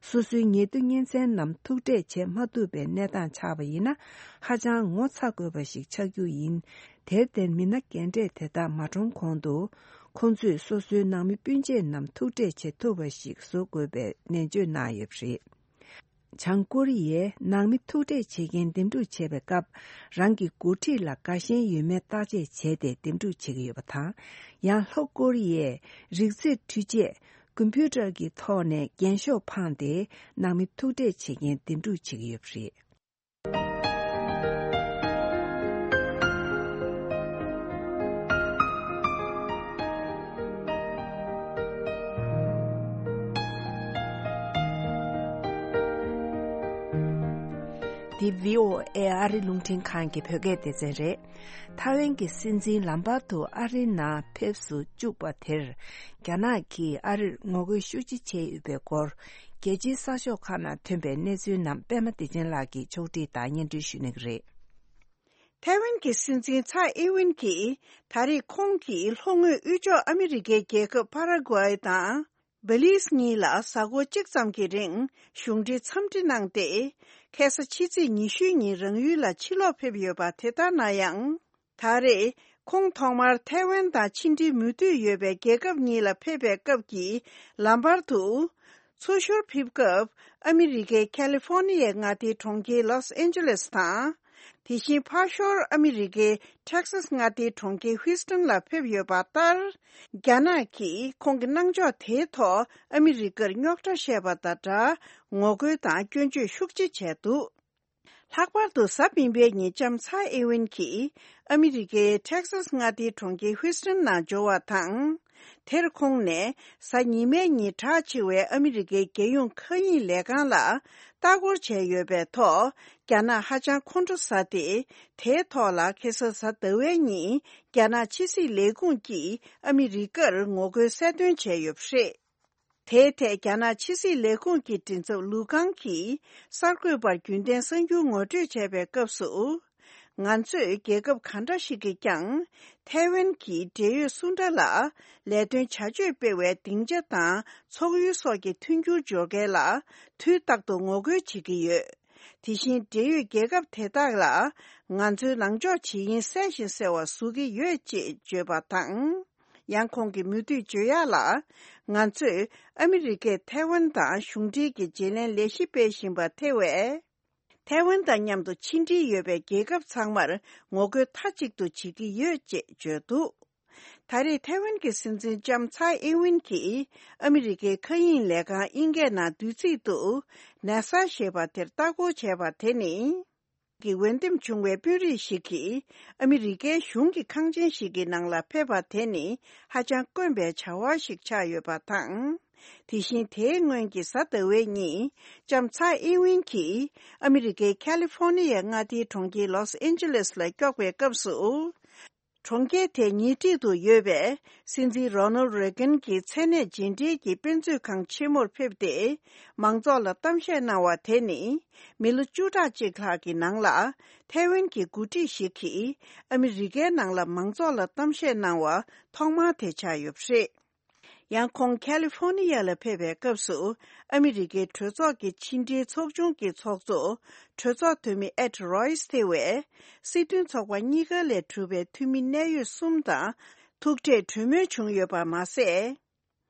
སོ་སོའི་ཉེ་དུ་གཉེན་ཚན་རྣམས་ཐུག་འཕྲད་བྱེད་མ་ཐུབ་པའི་གནས་སྟངས་ཆགས་པ་ཡིན་ན། ཧ་ཅང་ངོ་ཚ་དགོས་པ་ཞིག་ཆགས་རྒྱུ་ཡིན། དེར་བརྟེན་མི་སྣ་རྒན་གྲས་དེ་དག་མ་གྲོངས་གོང་དུ། ཁོང་ཚོས་སོ་སོའི་ནང་མི་སྤུན་མཆེད་རྣམས་ཐུག་འཕྲད་བྱེད་ཐུབ་པ་ཞིག་བཟོ་དགོས་པའི་ནན་བརྗོད་གནང་ཡོད་པ་རེད། བྱང་ཀོ་རི་ཡས་ནང་མི་ཐུག་འཕྲད་བྱེད་མཁན་འདེམས་སྒྲུག་བྱེད་པའི་སྐབས། རང་གི་འགོ་ཁྲིད་ལ་དགའ་ཞེན་ཡོད་མེད་བརྟག་དཔྱད་བྱས་ཏེ་འདེམས་སྒྲུག་བྱེད་ཀྱི་ཡོད་པ་དང་། ཡང་ལྷོ་ཀོ་རི་ཡས་རིག་རྩེད་འཕྲུལ་ཆས་ཀམ་པུ་ཊར་གྱི་ཐོག་ནས་རྒྱན་ཤོག་འཕངས་ཏེ་ནང་མི་ཐུག་འཕྲད་བྱེད་མཁན་འདེམས་སྒྲུག་བྱེད་ཀྱི་ཡོད་པ་རེད། འདི་བྷི་ཨོ་ཨེ་ཨ་རི་རླུང་འཕྲིན་ཁང་གི་བོད་སྐད་སྡེ་ཚན་རེད། ཐའེ་ཝན་གྱི་སྲིད་འཛིན་ལམ་བར་དུ་ཨ་རིའི་ནང་ཕེབས་སུ་བཅུག་པ་དེར། རྒྱ་ནག་གིས་ཨ་རིར་ངོ་རྒོལ་ཤུགས་ཆེ་བྱས་ཡོད་པའི་སྐོར། རྒྱལ་སྤྱིའི་གསར་ཤོག་ཁག་ནང་ཐོན་པའི་གནས་ཚུལ་རྣམས་པད་མ་བདེ་ཆེན་ལགས་ཀྱིས་ཕྱོགས་སྒྲིག་དང་སྙན་སྒྲོན་ཞུ་གནང་གི་རེད། ཐའེ་ཝན་གྱི་སྲིད་འཛིན་ཚའེ་ཨིན་ཝིན་གྱིས་ད་རེས་ཁོང་གིས་ལྷོ་ངོས་དབུས་ཕྱོགས་ཨ་མི་རི་ཀའི་རྒྱལ་ཁབ་ཕ་ར་གུ་ཨེ་དང་། བྷི་ལིས་གཉིས་ལ་གཟའ་འཁོར་གཅིག་ཙམ་གྱི་རིང་གཞུང་འབྲེལ་འཚམས་འདྲི་གནང་སྟེ། ཁ་སང་ཕྱི་ཚེས་ཉི་ཤུ་ཉིན་རང་ཡུལ་ལ་ཕྱིར་ལོག་ཕེབས་ཡོད་པ། དེ་ལྟར་ན་ཡང་། ད་རེས་ཁོང་ཐོག་མར་ཐའེ་ཝན་དང་ཕྱི་འབྲེལ་མུ་མཐུད་ཡོད་པའི་རྒྱལ་ཁབ་གཉིས་ལ་ཕེབས་པའི་སྐབས་ཀྱི་ལམ་བར་དུ། ཚུར་ཞོར་ཕེབས་སྐབས་ཨ་མི་རི་ཀའི་ཁ་ལི་ཧྥོ་ནི་ཡའི་མངའ་སྡེའི་གྲོང་ཁྱེར་ལོས་ཨན་ཇེ་ལེས་དང་། དེ་བཞིན་ཕར་ཞོར་ཨ་མི་རི་ཀའི་ཊེག་སཱས་མངའ་སྡེའི་གྲོང་ཁྱེར་ཧུའུ་སྟན་ལ་ཕེབས་ཡོད་པ་ལྟར། རྒྱ་ནག་གིས་ཁོང་གི་གནང་ཕྱོགས་དེའི་ཐོག་ཨ་མི་རི་ཀར་རྙོག་དྲ་བཤད་པ་དང་སྦྲགས་ངོ་རྒོལ་དང་སྐྱོན་བརྗོད་ཤུགས་ཆེ་བྱས་འདུག། ལྷག་པར་དུ་གཟའ་སྤེན་པའི་ཉིན་ལྕམ་ཚའེ་ཨིན་ཝིན་གྱིས་ཨ་མི་རི་ཀའི་ཊེག་སཱས་མངའ་སྡེའི་གྲོང་ཁྱེར་ཧུའུ་སྟན་ནང་འབྱོར་བ་དང་། དེར་ཁོང་ནས་གཟའ་ཉི་མའི་ཉིན་གྲགས་ཆེ་བའི་ཨ་མི་རི་ཀའི་རྒྱལ་ཡོངས་མཁའ་དབྱིངས་ལས་ཁང་ལ་ལྟ་སྐོར་བྱས་ཡོད་པའི་ཐོག་རྒྱ་ནག་ཧ་ཅང་ཁོང་ཁྲོ་ཟ་སྟེ། དེའི་ཐོག་ལ་ཁ་སང་གཟའ་ཟླ་བའི་ཉིན་རྒྱ་ནག་ཕྱི་སྲིད་ལས་ཁུངས་ཀྱིས་ཨ་མི་རི་ཀར་ངོ་རྒོལ་གསལ་སྟོན་བྱས་ཡོད་པ་རེད། དེའི་ཐད་རྒྱ་ནག་ཕྱི་སྲིད་ལས་ཁུངས་ཀྱི་མགྲིན་ཚབ་ལུའུ་ཀང་གིས་གསར་འགོད་པར་རྒྱུན་ལྡན་གསར་འགྱུར་ངོ་སྤྲོད་བྱས་པའི་སྐབས་སུ། ང་ཚོས་རྒྱལ་ཁབ་ག་འདྲ་ཞིག་གིས་ཀྱང་ཐའེ་ཝན་གྱི་འབྲེལ་ཡོད་སུ་འདྲ་ལ་ལས་དོན་བྱ་སྤྱོད་སྤེལ་བའི་སྡིངས་ཆ་དང་ཚོགས་ཡུལ་སོགས་ཀྱི་མཐུན་འགྱུར་སྦྱོར་མཁན་ལ་དུས་རྟག་ཏུ་ངོ་རྒོལ་བྱེད་ཀྱི་ཡོད། དེ་བཞིན་འབྲེལ་ཡོད་རྒྱལ་ཁབ་དེ་དག་ལ་ང་ཚོའི་ལངས་ཕྱོགས་ཇི་ཡིན་གསལ་ཞིང་གསལ་བ་བཟོ་གི་ཡོད་ཅེས་བརྗོད་པ་དང་། ཡང་ཁོང་གིས་མུ་མཐུད་བརྗོད་ཡག་ལ། ང་ཚོས་ཨ་མི་རི་ཀས་ཐའེ་ཝན་དང་གཞུང་འབྲེལ་གྱི་བརྗེ་ལེན་ལས་གཞི་སྤེལ་བཞིན་པ་ཐེ་བས། ཐའེ་ཝན་དང་མཉམ་དུ་ཕྱི་འབྲེལ་ཡོད་པའི་རྒྱལ་ཁབ་ཚང་མར་ངོ་རྒོལ་མཐའ་གཅིག་ཏུ་བྱེད་ཀྱི་ཡོད་ཅེས་བརྗོད་འདུག། ད་རེས་ཐའེ་ཝན་གྱི་སྲིད་འཛིན་ལྕམ་ཚའེ་ཨིན་ཝིན་གྱིས་ཨ་མི་རི་ཀའི་མཁའ་དབྱིངས་ལས་ཁང་དབྱིན་སྐད་ནང་བསྡུས་ཚིག་ཏུ་ནེ་ས་ཞེས་པ་དེར་ལྟ་སྐོར་བྱས་པ་དེ་ནི། གི་འོས་འདེམས་བྱུང་བའི་དཔོན་རིགས་ཤིག་གིས་ཨ་མི་རི་ཀའི་གཞུང་གི་ཁང་ཆེན་ཞིག་གི་ནང་ལ་ཕེབས་པ་དེ་ནི་ཧ་ཅང་དཀོན་པའི་བྱ་བ་ཞིག་ཆགས་ཡོད་པ་དང་། དེ་བཞིན་དེའི་སྔོན་གྱི་གཟའ་ཟླ་བའི་ཉིན་ལྕམ་ཚའེ་ཨིན་ཝིན་གྱིས་ཨ་མི་རི་ཀའི་ཁ་ལི་ཧྥོ་ནི་ཡའི་མངའ་སྡེའི་གྲོང་ཁྱེར་ལོས་ཨན་ཇེ་ལེས་ལ་དཀྱོགས་པའི་སྐབས་སུ། གྲོང་ཁྱེར་དེའི་ཉེ་འཁྲིས་དུ་ཡོད་པའི་སྲིད་འཛིན་རོ་ནལ་རེ་གན་གྱི་མཚན་གནས་རྗེས་འབྲེལ་གྱི་དཔེ་མཛོད་ཁང་ཆེན་མོར་ཕེབས་ཏེ། མང་ཚོགས་ལ་གཏམ་བཤད་གནང་བ་དེ་ནི། མི་ལོ་བཅུ་ཕྲག་གཅིག་ལྷག་གི་ནང་ལ། ཐའེ་ཝན་གྱི་འགོ་ཁྲིད་ཞིག་གིས་ཨ་མི་རི་ཀའི་ནང་ལ་མང་ཚོགས་ལ་གཏམ་བཤད་གནང་བ་ཐོག་མ་དེ་ཆགས་ཡོད་པ་རེད། ཡང་ཁོང་ཁ་ལི་ཧྥོ་ནི་ཡ་ལ་ཕེབས་པའི་སྐབས་སུ། ཨ་མི་རི་ཀའི་གྲོས་ཚོགས་ཀྱི་ཕྱི་འབྲེལ་ཚོགས་ཆུང་གི་ཚོགས་གཙོ། གྲོས་ཚོགས་འཐུས་མི་ཨེད་རོ་ཡིས་ཐེ་བས། སྲིད་དོན་ཚོགས་པ་གཉིས་ཀ་ལས་གྲུབ་པའི་འཐུས་མི་གནད་ཡོད་གསུམ་དང་ཐུག་འཕྲད་གྲོས་མོལ་བྱུང་ཡོད་པ་མ་ཟད།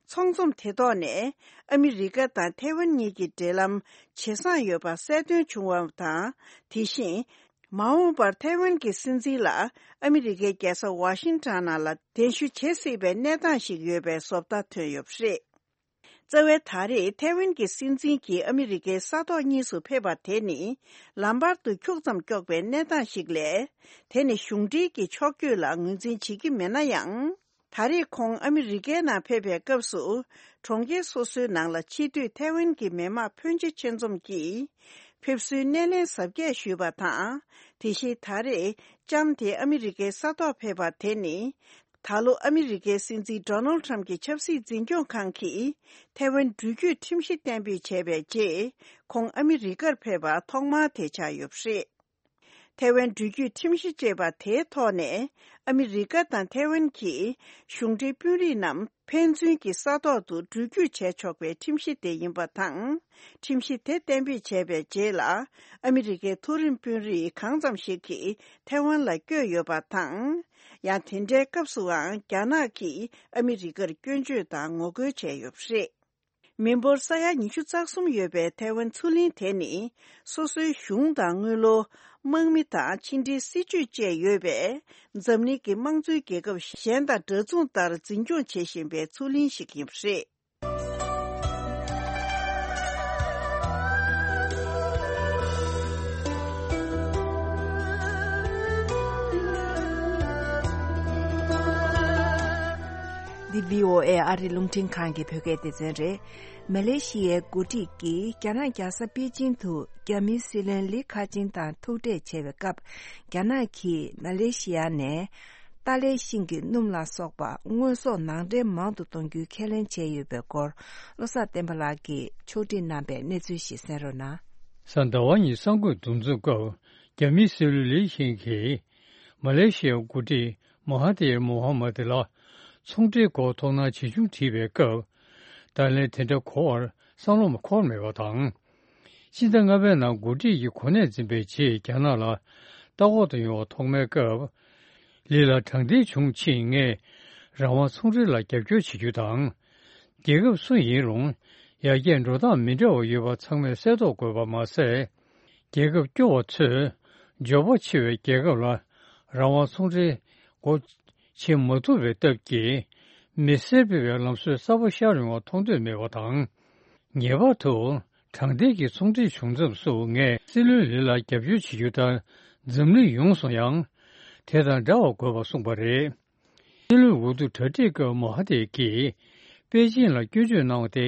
ཚོགས་འཛོམས་དེ་ཐོག་ནས་ཨ་མི་རི་ཀ་དང་ཐའེ་ཝན་གཉིས་ཀྱི་འབྲེལ་ལམ་ཇེ་བཟང་ཡོད་པ་གསལ་སྟོན་བྱུང་བ་དང་། དེ་བཞིན། མ་འོངས་པར་ཐའེ་ཝན་གྱི་སྲིད་འཛིན་ལ་ཨ་མི་རི་ཀའི་རྒྱལ་ས་ཝ་ཤིང་ཊོན་ནང་ལ་གདན་ཞུ་བྱེད་སྲིད་པའི་གནས་སྟངས་ཤིག་ཡོད་པའི་བཟོ་ལྟ་ཐོན་ཡོད་པ་རེད། རྩ་བའི་ད་རེས་ཐའེ་ཝན་གྱི་སྲིད་འཛིན་གྱིས་ཨ་མི་རི་ཀའི་ས་ཐོག་གཉིས་སུ་ཕེབས་པ་དེ་ནི། ལམ་བར་དུ་འཁྱུག་ཙམ་དཀྱོགས་པའི་གནས་སྟངས་ཤིག་ལས། དེ་ནི་གཞུང་འབྲེལ་གྱི་ཕྱོགས་བསྐྱོད་ལ་ངོས་འཛིན་བྱེད་ཀྱི་མེད་ན་ཡང་། ད་རེས་ཁོང་ཨ་མི་རི་ཀའི་ནང་ཕེབས་པའི་སྐབས་སུ། གྲོང་ཁྱེར་སོ་སོའི་ནང་ལ་ཕྱི་སྡོད་ཐའེ་ཝན་གྱི་མི་དམངས་ཕོན་ཆེ་ཆེད་འཛོམས་ཀྱིས། ཕེབས་བསུའི་སྣེ་ལེན་གཟབ་རྒྱས་ཞུས་པ་དང་། དེ་བཞིན་ད་རེས་ལྕམ་དེ་ཨ་མི་རི་ཀའི་ས་ཐོག་ཕེབས་པ་དེ་ནི། ད་ལོ་ཨ་མི་རི་ཀའི་སྲིད་འཛིན་ཌོ་ནལ་ཊམ་གྱི་ཆབ་སྲིད་འཛིན་སྐྱོང་ཁང་གིས་ཐའེ་ཝན་འགྲུལ་སྐྱོད་ཁྲིམས་གཞི་གཏན་འབེབས་བྱས་པའི་རྗེས། ཁོང་ཨ་མི་རི་ཀར་ཕེབས་པ་ཐོག་མ་དེ་ཆགས་ཡོད་པ་རེད། ཐའེ་ཝན་འགྲུལ་སྐྱོད་ཁྲིམས་གཞི་ཅེས་པ་དེའི་ཐོག་ནས། ཨ་མི་རི་ཀ་དང་ཐའེ་ཝན་གྱི་གཞུང་འབྲེལ་དཔོན་རིགས་རྣམས་ཕན་ཚུན་གྱི་ས་ཐོག་ཏུ་འགྲུལ་སྐྱོད་བྱས་ཆོག་པའི་ཁྲིམས་གཞི་དེ་ཡིན་པ་དང་། ཁྲིམས་གཞི་དེ་གཏན་འབེབས་བྱས་པའི་རྗེས་ལ། ཨ་མི་རི་ཀའི་མཐོ་རིམ་དཔོན་རིགས་གང་ཙམ་ཞིག་གིས་ཐའེ་ཝན་ལ་བསྐྱོད་ཡོད་པ་དང་། ཡང་དེ་འདྲའི་སྐབས་སུའང་རྒྱ་ནག་གིས་ཨ་མི་རི་ཀར་སྐྱོན་བརྗོད་དང་ངོ་རྒོལ་བྱས་ཡོད་པ་རེད། མི་འབོར་ས་ཡ་ཉི་ཤུ་རྩ་གསུམ་ཡོད་པའི་ཐའེ་ཝན་མཚོ་གླིང་དེ་ནི། སོ་སོའི་གཞུང་དང་དངུལ་ལོར། དམག་མི་དང་ཕྱི་འབྲེལ་སྲིད་ཇུས་བཅས་ཡོད་པས། འཛམ་གླིང་གི་དམངས་གཙོའི་རྒྱལ་ཁབ་གཞན་དང་འདྲ་མཚུངས་ལྟར་འཛིན་སྐྱོང་བྱེད་བཞིན་པའི་མཚོ་གླིང་ཞིག་ཡིན་པ་རེད། འདི་བྷི་ཨོ་ཨེ་ཨ་རི་རླུང་འཕྲིན་ཁང་གི་བོད་སྐད་སྡེ་ཚན་རེད། མ་ལེ་ཤི་ཡའི་འགོ་ཁྲིད་ཀྱིས་རྒྱ་ནག་རྒྱལ་ས་པེ་ཅིང་དུ་རྒྱ་མིའི་སྲིད་བློན་ལི་ཁ་ཆིང་དང་ཐུག་འཕྲད་བྱས་པའི་སྐབས། རྒྱ་ནག་གིས་མ་ལེ་ཤི་ཡ་ནས་ཏཱ་ལའི་ཤིང་གི་སྣུམ་ལ་སོགས་པ་དངོས་ཟོག་ནང་འདྲེན་མང་དུ་གཏོང་རྒྱུའི་ཁས་ལེན་བྱས་ཡོད་པའི་སྐོར། བློ་བཟང་བསྟན་པ་ལགས་ཀྱིས་ཕྱོགས་སྒྲིག་གནང་བའི་གནས་ཚུལ་ཞིག་གསན་རོགས་གནང་། གཟའ་ཟླ་བ་ཉིན་གསར་འགོད་འདུ་འཛོམས་སྐབས། རྒྱ་མིའི་སྲིད་བློན་ལི་ཤིང་གིས། མ་ལེ་ཤི་ཡའི་འགོ་ཁྲིད་མ་ཧ་ཐིར་མོ་ཧ་མ་ཏི་ལ་ཚོང་འབྲེལ་སྐོར་དོ་སྣང་ཇི་བྱུང་དྲིས་པའི་སྐབས། ད་ལན་དེ་འདྲ་གོ་བར་བསམ་བློ་མ་འཁོར་མེད་པ་དང་། སྤྱི་ཟླ་ལྔ་པའི་ནང་འགོ་ཁྲིད་ཀྱི་གོ་གནས་འཛིན་པའི་རྗེས་རྒྱ་ནག་ལ་ལྟ་སྐོར་དུ་ཡོང་བ་ཐོག་མའི་སྐབས། ལི་ལ་དྲང་བདེན་བྱུང་ཕྱིན་ངས་རང་དབང་ཚོང་འབྲེལ་ལ་རྒྱབ་སྐྱོར་བྱེད་རྒྱུ་དང་། རྒྱལ་ཁབ་སུ་ཡིན་རུང་ཡར་རྒྱས་འགྲོ་སྟངས་མི་འདྲ་བ་ཡོད་པ་ཚང་མས་གསལ་རྟོགས་དགོས་པ་མ་ཟད། རྒྱལ་ཁབ་སྐྱོ་བ་ཚོས་འབྱོར་པ་ཆེ་བའི་རྒྱལ་ཁབ་ལ་རང་དབང་ཚོང་འབྲེལ་སྒོ་ཕྱེ་མ་ཐུབ་པའི་སྟབས་ཀྱིས། མི་སེར་སྤེལ་བའི་ལམ་སྲོལ་གསར་པ་ཤར་ཡོང་བ་མཐོང་འདོད་མེད་པ་དང་། ངེས་པར་དུ་དྲང་བདེན་གྱི་ཚོང་འབྲེལ་བྱུང་མཚམས་སུ་ངས་སྲིད་བློན་ལི་ལ་རྒྱབ་སྐྱོར་བྱེད་རྒྱུ་ལྟར་འཛམ་གླིང་ཡོངས་སུ་ཡང་དེ་དང་འདྲ་བ་དགོས་པ་གསུངས་པ་རེད། སྲིད་བློན་འོས་བསྡུ་གྲ་སྒྲིག་སྐབས་མོ་ཧ་ཐེ་གིས་པེ་ཅིང་ལ་སྐྱོན་བརྗོད་གནང་བ་དེ།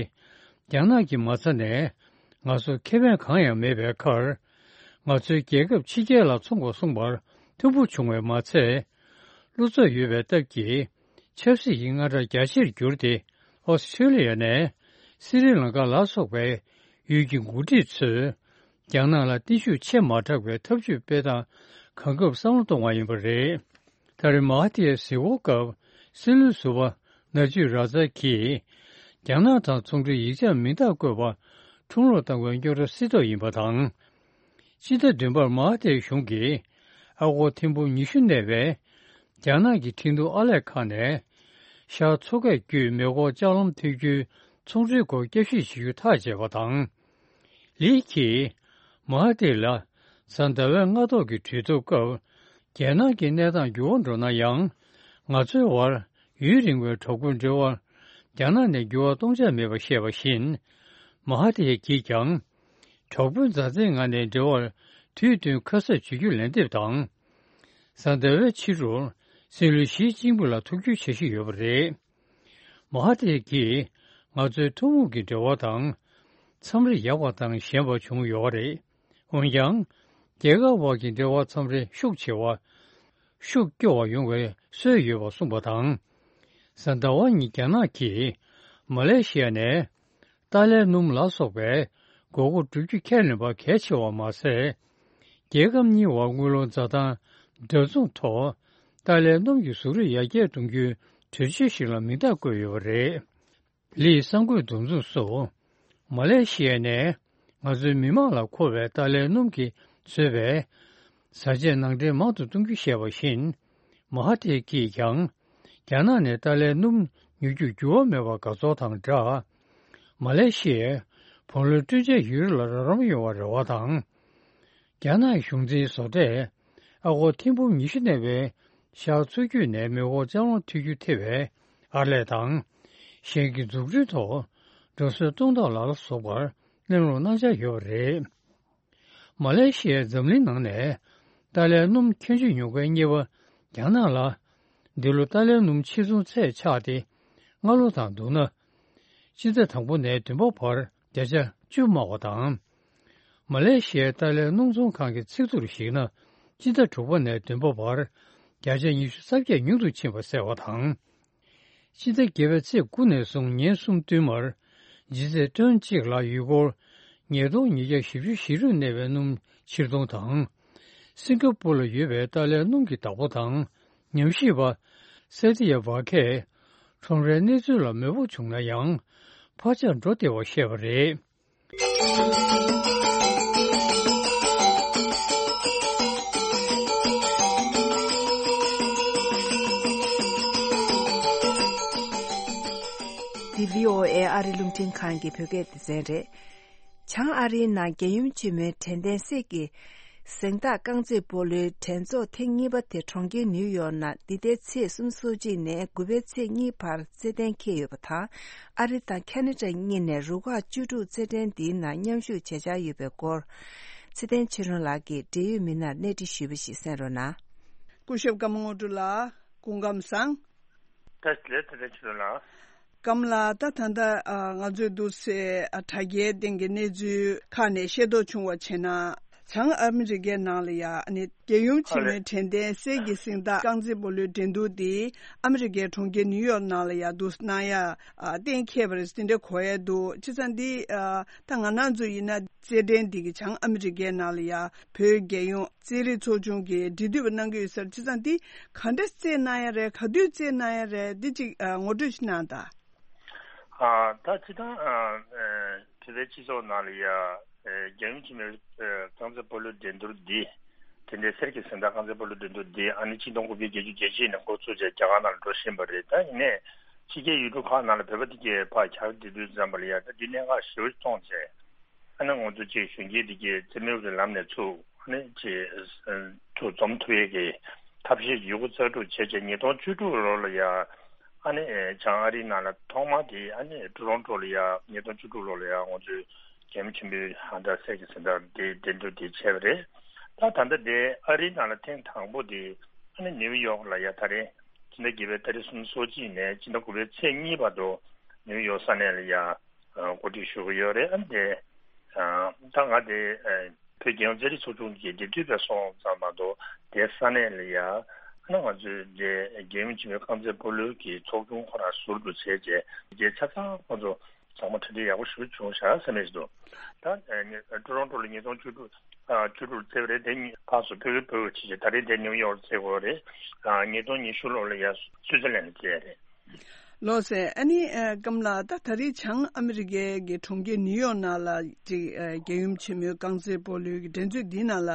རྒྱ་ནག་གི་མ་རྩ་ནས་ང་ཚོར་ཁེ་ཕན་གང་ཡང་མེད་པའི་ཁར། ང་ཚོའི་རྒྱལ་ཁབ་ཕྱི་རྒྱལ་ལ་འཚོང་དགོས་གསུངས་པར་མཐུན་པོ་བྱུང་བས་མ་ཚད། བློ་འཚབ་ཡོད་པའི་སྟབས་ཀྱིས་ཆབ་སྲིད་ཀྱི་དངངས་སྐྲག་རྒྱ་ཆེར་གྱུར་ཏེ། ཨོ་སི་ཁྲེ་ལི་ཡ་ནས་སི་རི་ལང་ཀ་ལ་སོགས་པའི་ཡུལ་གྱི་འགོ་ཁྲིད་ཚོས། རྒྱ་ནག་ལ་གཏིང་ཤུགས་ཆེ་མ་དྲགས་པའི་ཐབས་ཇུས་སྤེལ་སྟངས་གང་འགབ་བསམ་བློ་གཏོང་བ་ཡིན་པ་རེད། ད་རེས་མ་ཧ་ཐིར་གཟིགས་སྐོར་སྐབས་སྲིད་བློན་ཟུར་པ་ན་ཇུ་ར་ཛ་གིས། རྒྱ་ནག་དང་ཚོང་འབྲེལ་ཡིག་ཆར་མིང་རྟགས་བཀོད་པ་ཁྲོམ་རར་བཏང་བའི་རྙོག་དྲ་སེལ་ཐབས་ཡིན་པ་དང་། སྤྱི་ཟླ་བདུན་པར་མ་ཧ་ཐིར་གཞུང་གིས་ཨ་སྒོར་ཐེར་འབུམ་ཉི་ཤུ་གནས་པའི་རྒྱ་ནག་གི་ཁྲིན་ཏུའུ་ཨར་ལས་ཁང་ནས་ཤར་མཚོ་ཁ་བརྒྱུད་མེ་འཁོར་ལྕགས་ལམ་མཐུད་རྒྱུའི་ཚོང་འབྲེལ་སྐོར་བསྐྱར་ཞིབ་བྱེད་རྒྱུ་ཐག་བཅད་པ་དང་། ལི་གིས་མ་ཧ་ཐིར་ལ་གཟའ་ཟླ་བའི་སྔ་ཐོག་གི་གྲོས་བསྡུར་སྐབས། རྒྱལ་ནང་གི་གནས་སྟངས་འགྱུར་བ་འགྲོ་ན་ཡང་། ང་ཚོའི་བར་ཡུན་རིང་བའི་གྲོགས་པོའི་འབྲེལ་བར་རྒྱ་ནག་ནས་འགྱུར་བ་གཏོང་འཆར་མེད་པ་བཤད་པ་བཞིན། མ་ཧ་ཐིར་གྱིས་ཀྱང་། གྲོགས་པོའི་མཛའ་བརྩེའི་ངང་ནས་འབྲེལ་བར་དུས་བསྟུན་ཁ་གསབ་བྱེད་རྒྱུ་ལན་འདེབས་དང་། གཟའ་ཟླ་བའི་ཕྱི་དྲོར་སྲིད་བློན་ཞི་ཅིན་ཕིང་ལ་ཐུག་རྒྱུའི་འཆར་གཞི་ཡོད་པ་རེད། མ་ཧ་ཐིར་གྱིས་ང་ཚོའི་ཐུན་མོང་གི་འབྲེལ་བ་དང་། མཚམས་རེ་ཡག་པ་དང་ཞན་པ་བྱུང་ཡོད་རེད། འོན་ཀྱང་། རྒྱལ་ཁབ་དབར་གྱི་འབྲེལ་བ་མཚམས་རེ་ཤུགས་ཆེ་བ། ཤུགས་སྐྱོ་བ་ཡོང་བའི་སྲོལ་ཡོད་པ་གསུངས་པ་དང་། གཟའ་ཟླ་བ་ཉིན་རྒྱ་ནག་གིས་མ་ལེ་ཤི་ཡ་ནས་ཏཱ་ལའི་སྣུམ་ལ་སོགས་པའི་དགོས་མཁོ་བསྒྲུབ་རྒྱུ་ཁས་ལེན་པ་གལ་ཆེ་བ་མ་ཟད། རྒྱལ་ཁབ་གཉིས་བར་དངུལ་ལོར་འཛའ་ཐང་འདྲ་མཚུངས་ཐོག་ཏཱ་ལའི་སྣུམ་གྱི་བཟོ་རིགས་ཡར་རྒྱས་གཏོང་རྒྱུའི་གྲོས་ཆོད་ཞིག་ལ་མིང་རྟགས་བཀོད་ཡོད་པ་རེད། ལིས་གསར་འགོད་འདུ་འཛོམས་སུ། མ་ལེ་ཤི་ཡ་ནས་ང་ཚོའི་མི་དམངས་ལ་མཁོ་བའི་ཏཱ་ལའི་སྣུམ་གྱིས་བཟོས་པའི་བཟའ་ཆས་ནང་འདྲེན་མང་དུ་གཏོང་རྒྱུ་ཞེས་པ་བཞིན། མ་ཧ་ཐིར་གྱིས་ཀྱང་། རྒྱ་ནག་ནས་ཏཱ་ལའི་སྣུམ་ཉོ་རྒྱུར་འགྱུར་བ་མེད་པར་དགའ་ཚོར་དང་སྦྲགས། མ་ལེ་ཤི་ཡས་བུ་ལོན་སྤྲོད་འཇལ་ཡུལ་ལ་རོགས་རམ་ཡོང་བར་རེ་བ་དང་། རྒྱ་ནག་གཞུང་འཛིན་བཟོ་གྲྭས་ཨ་སྒོར་ཐེར་འབུམ་ཉི་ཤུ་གནས་པའི་ཤར་མཚོ་རྒྱུད་ནས་མེ་འཁོར་ལྕགས་ལམ་མཐུད་རྒྱུ་ཐེ་བའི་ཨར་ལས་དང་། གཞན་གྱི་འཛུགས་སྐྲུན་ཐོག་འགྲོ་སོན་གཏོང་ཐབས་ལ་ལ་སོགས་པར་གནང་རོགས་གནང་འཆར་ཡོད་པ་རེད། མ་ལེ་ཤི་ཡས་འཛམ་གླིང་ནང་ནས་ཏཱ་ལའི་སྣུམ་ཁྱད་ཆོས་ཉོ་མཁན་གཉིས་པ་རྒྱ་ནག་ལ། འདི་ལོ་ཏཱ་ལའི་སྣུམ་ཕྱིར་ཚོང་ཚད་ཆག་སྟེ། སྔ་ལོ་དང་བསྡུར་ན། སྤྱི་ཟླ་དང་པོ་ནས་བདུན་པ་བར་བརྒྱ་ཆ་བཅུ་དམའ་བ་དང་། མ་ལེ་ཤི་ཡའི་ཏཱ་ལའི་སྣུམ་ཚོང་ཁང་གི་ཚིག་ཐོར་གཞིགས་ན། སྤྱི་ཟླ་དྲུག་པ་ནས་བདུན་པ་བར་བརྒྱ་ཆ་ཉི་ཤུ་རྩ་བརྒྱད་ཉུང་དུ་ཕྱིན་པ་གསལ་བ་དང་། སྤྱི་ཟླ་བརྒྱད་པའི་ཚེས་དགུ་ནས་བཟུང་ཉིན་གསུམ་བསྟུད་མར། ལྗིད་ཚད་ཏོན་གཅིག་ལ་ཡུལ་སྒོར་ཉིས་སྟོང་ཉིས་བརྒྱ་བཞི་བཅུ་ཞེ་དྲུག་གནས་པའི་སྣུམ་ཕྱིར་གཏོང་དང་། སིང་ག་པུར་ལ་ཡོད་པའི་ཏཱ་ལའི་སྣུམ་གྱི་བདག་པོ་དང་། ཉམས་ཞིབ་པ། སེ་ཏི་ཡ་བྷ་ཁས། ཁྲོམ་རའི་གནས་ཚུལ་ལ་མོས་པོ་བྱུང་ན་ཡང་། འཕར་ཆག་འགྲོ་བདེ་བ་བཤད་པ་རེད། འདི་བྷི་ཨོ་ཨེ་ཨ་རི་རླུང་འཕྲིན་ཁང་གི་བོད་སྐད་སྡེ་ཚན་རེད། བྱང་ཨ་རིའི་ནང་རྒྱལ་ཡུམ་ཆེན་མོའི་དྲན་རྟེན་གསེར་གྱི་གཟེངས་རྟགས་རྐང་རྩེད་སྤོ་ལོའི་འགྲན་ཚོགས་ཐེངས་གཉིས་པ་དེ་གྲོང་ཁྱེར་ནིའུ་ཡོག་ནང་འདི་ཟླའི་ཚེས་སོ་གཅིག་ནས་དགུ་པའི་ཚེས་གཉིས་བར་རྩེད་གཏན་འཁེལ་ཡོད་པ་དང་། ཨ་རི་དང་ཁ་ན་ཌ་གཉིས་ནས་རུ་ཁག་བཅུ་དྲུག་རྩེད་འགྲན་འདིའི་ནང་མཉམ་ཞུགས་བྱེད་འཆར་ཡོད་པའི་སྐོར། ཚེ་བརྟན་ཆོས་སྒྲོན་ལགས་ཀྱིས་འབྲེལ་ཡོད་མི་སྣར་གནས་འདྲི་ཞུས་པ་ཞིག་གསན་རོགས་གནང་། སྐུ་ཞབས་ཀརྨ་དངོས་གྲུབ་ལགས། སྐུ་ཁམས་བཟང་། ལགས། ལགས་དེ་འདྲ་ཕྱི་ལོ་ལ། སྐམ་ལགས། ད་ད་ལྟ་ཨ་ང་ཚོས་འདུག་སེ་ཨ་དྲ་རྒྱའི་སྟེང་གི་གནས་ཚུལ་ཁག་ནས་ཤེས་རྟོགས་བྱུང་བ་བྱས་ན། བྱང་ཨ་མི་རི་ཀའི་ནང་ལ་ཡ་ཨ་ནི་རྒྱལ་ཡུམ་ཆེན་མོའི་དྲན་རྟེན་གསེར་གྱི་གཟེངས་རྟགས་རྐང་རྩེད་སྤོ་ལོའི་འགྲན་བསྡུར་འདི་ཨ་མི་རི་ཀའི་གྲོང་ཁྱེར་ནིའུ་ཡོག་ནང་ལ་ཡ་འདུག་གནང་ཡ་ཨ་གཏན་འཁེལ་བ་རེད། དེ་འདྲ་གོ་ཡ་འདུག་བྱས་ཙང་འདི་ཨ་ད་ང་རང་ཚོ་ཡིན་ན་རྩེད་འགྲན་འདི་གི་བྱང་ཨ་མི་རི་ཀའི་ནང་ལ་ཡ་བོད་རྒྱལ་ཡོངས་རྩེད་རིགས་ཚོགས་ཆུང་གིས་འབྲེལ་མཐུད་པ་གནང་གི་ཡོད་ས་རེད། བྱས་ཙང་འདི་ག་འདྲ་རྩེད་གནང་ཡ་རེད། ག་དུས་རྩེད་གནང་ཡ་རེད། འདི་ཅིག་ཨ་ངོ་སྤྲོད་ཅིག་གནང་དང་། ཨ་ད་སྤྱིར་བཏང་ཨ་ཨ་བོད་པའི་སྤྱི་ཚོགས་ནང་ལ་ཡ་ཨ་རྒྱལ་ཡུམ་ཆེན་མོའི་ཨ་རྐང་རྩེད་སྤོ་ལོའི་འགྲན་བསྡུར་འདི་དེ་འདྲའི་གསེར་གྱི་གཟེངས་རྟགས་རྐང་རྩེད་སྤོ་ལོའི་འགྲན་བསྡུར་འདི་ཨ་ནི་ཆིག་སྟོང་དགུ་བརྒྱ་བརྒྱད་ཅུ་གྱ་གཅིག་ནས་འགོ་བཙུགས་བྱས་རྒྱ་གར་ནང་ལ་འགྲོ་བཞིན་པ་རེད། ད་ཡིན་ནའི་ཕྱི་རྒྱལ་ཡུལ་གྲུ་ཁག་ནང་ལ་བོད་པ་དེ་གས་ཕར་གྱར་བསྡད་དུས་ཙམ་པ་ལ་ཡ་ད་འདི་གནད་འགག་ཞེ་པོ་ཅིག་མཐོང་བྱས། ཨ་ནི་ང་ཚོ་ཅིག་གཞོན་སྐྱེས་འདི་གས་རྩེད་མོའི་གི་ལམ་ནས་ཚུར་ཨ་ནི་ཅིག་ཚུར་འཛོམས་ཐུབ་ཡས་ཀྱི་ཐབས་ཤེས་ཡོད་རྒུ་རྩལ་སྤྲུགས་བྱས་བྱས་ཉིས་སྟོང་བཅུ་དྲུག་ལོ་ལ་ཡ་ཨ་ནི་བྱང་ཨ་རིའི་ནང་ལ་ཐོག་མ་དེ་ཨ་ནི་ཊོ་རོན་ཊོ་ལ་ཡ་ཉིས་སྟོང་བཅུ་དྲུག་ལོ་ལ་ཡ་ང་ཚོའི་རྒྱལ་ཡུམ་ཆེན་པོའི་ཧ་ད་གསེར་གྱི་གཟེངས་རྟགས་དེ་འགྲན་བསྡུར་དེ་བྱས་པ་རེད། ད་ད་ལྟ་དེ་ཨ་རིའི་ནང་ལ་ཐེངས་དང་པོ་དེ་ཨ་ནི་ནིའུ་ཡོག་ལ་ཡ་ད་རེས་སྤྱི་ཟླ་བརྒྱད་པའི་ཏ་རིག་སོ་གཅིག་ནས་སྤྱི་ཟླ་དགུ་པའི་ཚེས་གཉིས་བར་དུ་ནིའུ་ཡོག་ས་གནས་ལ་ཡ་གོ་སྒྲིག་ཞུ་གི་ཡོད་རེད། ཨ་ནི་དེ་ད་ང་དེ་བོད་རྒྱལ་ཡོངས་རྩེད་རིགས་ཚོགས་ཆུང་གི་འབྲེལ་མཐུད་པ་སོང་ཙང་མ་གཏོགས་དེ་ས་གནས་ལ་ཡ་ཨ་ནི་ང་ཚོའི་དེ་རྒྱལ་ཡུམ་ཆེན་མོའི་རྐང་རྩེད་སྤོ་ལོའི་གི་ཚོགས་ཆུང་ཁོ་རང་ཟུར་དུ་བྱས་རྗེས་རྗེས་ཆ་ཚང་ཁོ་ཚོ་ཚང་མ་གྲ་སྒྲིག་ཡག་པོ་ཞིག་བྱུང་ཤག་བསམ་ཡས་ཞིག་འདུག་ད་ཊོ་རོན་ཊོ་ལ་ཉིས་སྟོང་བཅུ་དྲུག་བཅུ་དྲུག་བརྩེ་བ་རེད། དེ་ཕར་ཚུར་སྤོ་བོ་སྤོ་བོ་བྱས་རྗེས་ད་རེས་དེ་ནིའུ་ཡོག་བརྩེ་དགོས་རེད། ཉིས་སྟོང་ཉི་ཤུ་ལོ་ལ་ཡ་སུའི་ཙི་ལན་ལ་བརྩེ་ཡ་རེད། ལགས་སེ། ཨ་ནི་ཨ་སྐམ་ལགས། ད་ད་རེས་བྱང་ཨ་མི་རི་ཀའི་གི་གྲོང་ཁྱེར་ནིའུ་ཡོག་ནང་ལ་ཅིག་ཨ་རྒྱལ་ཡུམ་ཆེན་མོའི་རྐང་རྩེད་སྤོ་ལོའི་གི་འགྲན་རྩོད་འདིའི་ནང་ལ་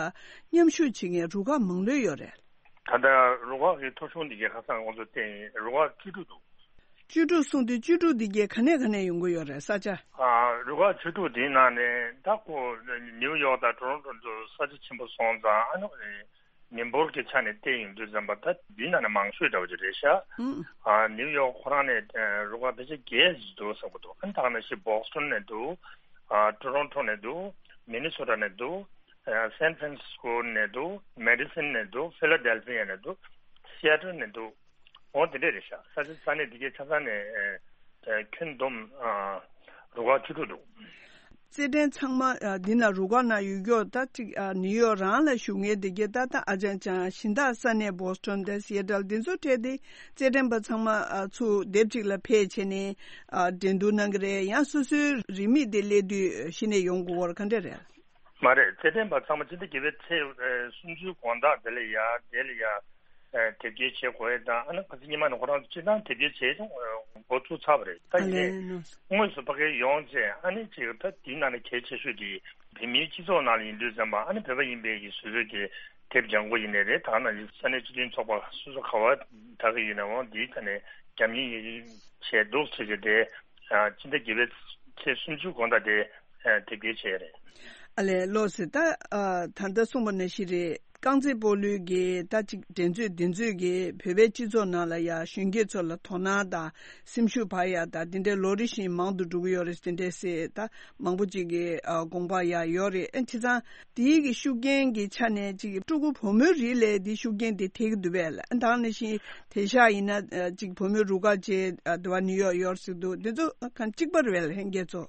མཉམ་ཞུགས་བྱེད་མཁན་རུ་ཁག་མང་ལོས་ཡོད་རེད། ད་ལྟ་རུ་ཁག་གི་ཐོ་གཞུང་འདི་གའི་ཁ་སང་ང་ཚོ་བལྟས་ཡིན། རུ་ཁག་བཅུ་དྲུག་འདུག་བཅུ་དྲུག་གསུངས་དུས་བཅུ་དྲུག་འདི་གའི་ག་ནས་ག་ནས་ཡོང་གི་ཡོད་རེད་ས་ཆ། ཨ་རུ་ཁག་བཅུ་དྲུག་འདིའི་ནང་ནས་ད་ཁོ་ནིའུ་ཡོག་དང་ཊོ་རོན་ཊོ་ཚོ་ས་ཆ་ཆེན་པོ་སོང་ཙང་ཨ་ནི། མི་འབོར་གྱི་ཆ་ནས་བལྟས་ཡོང་དུས་ཙམ་པ་ད་འདི་ནང་ནས་མང་ཤོས་འདྲ་བོ་ཅིག་རེད་ཤག་ཨུམ། ཨ་ནིའུ་ཡོག་ཁོ་རང་ནས་ཨ་རུ་ཁག་ཕལ་ཆེར་བརྒྱད་ཙམ་འདུག་བསམ་གྱི་འདུག་ཨ་ནི་ད་ག་ནང་བཞིན་བྷོ་སི་ཊོན་ནས་འདུག་ཨ་ཊོ་རོན་ཊོ་ནས་འདུག་མི་ནི་སོ་ཊ་ནས་འདུག་ཨ་སན་ཧྥ་རན་སི་སྐོ་ནས་འདུག་མེ་ཌི་སོན་ནས་འདུག་ཕི་ལ་ཌེལ་ཕི་ཡ་ནས་འདུག་སི་ཨེ་ཊལ་ནས་འདུག་འོ་དེ་འདྲས་རེད་ཤག་ས་ཆ་ས་གནས་འདི་གའི་ཆ་ཚང་ནས་ཨ་ཨ་ཁྱོན་བསྡོམས་ཨ་རུ་ཁག་བཅུ་དྲུག་འདུག་རྩེད་འགྲན་ཚང་མ་ཨ་འདི་ན་རུ་ཁག་ནང་ཡོད་ཀྱོག་ད་ཅིག་ཨ་ནིའུ་ཡོག་རང་ལ་བཞུགས་མཁན་དེ་གའི་ད་ལྟ་ཨ་ཅང་ཅང་གཞན་དག་ས་གནས་བྷོ་སི་ཊོན་དང་སི་ཨེ་ཊལ་འདི་ཚོ་འཕྲད་དེ་རྩེད་འགྲན་པ་ཚང་མ་ཨ་ཚུར་སྡེབ་གཅིག་ལ་ཕེབས་བྱས་ནས་ཨ་འགྲན་བསྡུར་གནང་གི་རེད། ཡང་སོ་སོའི་རིན་མེད་དེ་སླེབས་དུས་གཞི་ནས་ཡོང་དགོས་པར་ག་འདྲ་རེད། མ་རེད། རྩེད་འགྲན་པ་ཚང་མ་སྤྱི་ཟླ་བརྒྱད་པའི་ཚེས་ཨ་སུམ་ཅུའི་དགོང་དག་དེ་ལ་ཡ་དེ་ལ་ཡ། ཨ་དེབ་སྐྱེལ་བྱེད་དགོས་ཡས་དང་ཨ་ནི་ཁ་སང་ཉི་མ་ནས་ཁོ་རང་ཚོ་སྤྱིར་བཏང་དེབ་སྐྱེལ་བྱེད་འགོ་ཚུགས་ཚར་བ་རེད། ད་ཡིན་ནའི་དངོས་སུ་ཕ་གིར་ཡོང་བྱས་ཨ་ནི་ཅིག་ད་དེའི་ནང་ནས་གལ་ཆེ་ཤོས་དེ་བོད་མིའི་སྤྱི་ཚོགས་ནང་ལ་ཡིན་དུས་ཙམ་པ་ཨ་ནི་བོད་པ་ཡིན་པའི་གི་སོ་སོའི་གི་དེབ་ལྗང་གུ་ཡིན་ནའི་རེད། ད་ནང་བཞིན་ས་གནས་སྤྱི་མཐུན་ཚོགས་པ་སོ་སོ་ག་བ་ད་གི་ཡིན་ནའང་དེའི་ཐད་ནས་རྒྱབ་གཉེར་བྱས་འདུག་ཟེར་གྱི་དེ་ཨ་སྤྱི་ཟླ་བརྒྱད་པའི་ཚེས་སུམ་ཅུ་དགོང་དག་དེ་ཨ་དེབ་སྐྱེལ་བྱས་རེད། ཨ་ལས་ལགས་སེ། ད་ཨ་ད་ལྟ་གསུངས་པ་ནང་བཞིན་རེད། རྐང་རྩེད་སྤོ་ལོའི་གི་ད་ཅིག་འགྲན་རྩོད་འདི་ཚོས་གི་བོད་པའི་སྤྱི་ཚོགས་ནང་ལ་ཡ་གཞོན་སྐྱེས་ཚོ་ལ་དོ་སྣང་དང་སེམས་ཤུགས་འཕར་ཡ་དང་དེ་འདྲའི་ལོ་རེ་བཞིན་མང་དུ་འགྲོ་གི་ཡོད་རེད་དེ་འདྲའི་སེ་ད་མང་པོ་ཅིག་གི་ཨ་དགོངས་པ་ཡ་ཡོད་རེད། ཨ་བྱས་ཙང་དེའི་གི་ཤུགས་རྐྱེན་གི་ཆ་ནས་ཅིག་ཕྲུ་གུ་བུ་མོའི་རིགས་ལ་དེའི་ཤུགས་རྐྱེན་དེ་ཐེབས་ཀྱི་འདུག་པས་ལ། ཨ་ད་ག་ནང་བཞིན་དེང་སང་ཡིན་ན་ཨ་ཅིག་བུ་མོའི་རུ་ཁག་ཅིག་ཨ་དེ་བ་ནིའུ་ཡོག་ཡོད་ཟེར་འདུག་འདི་ཚོ་གང་གཅིག་པ་རེད་པས་ལ་ལྷན་རྒྱས་ཚོ།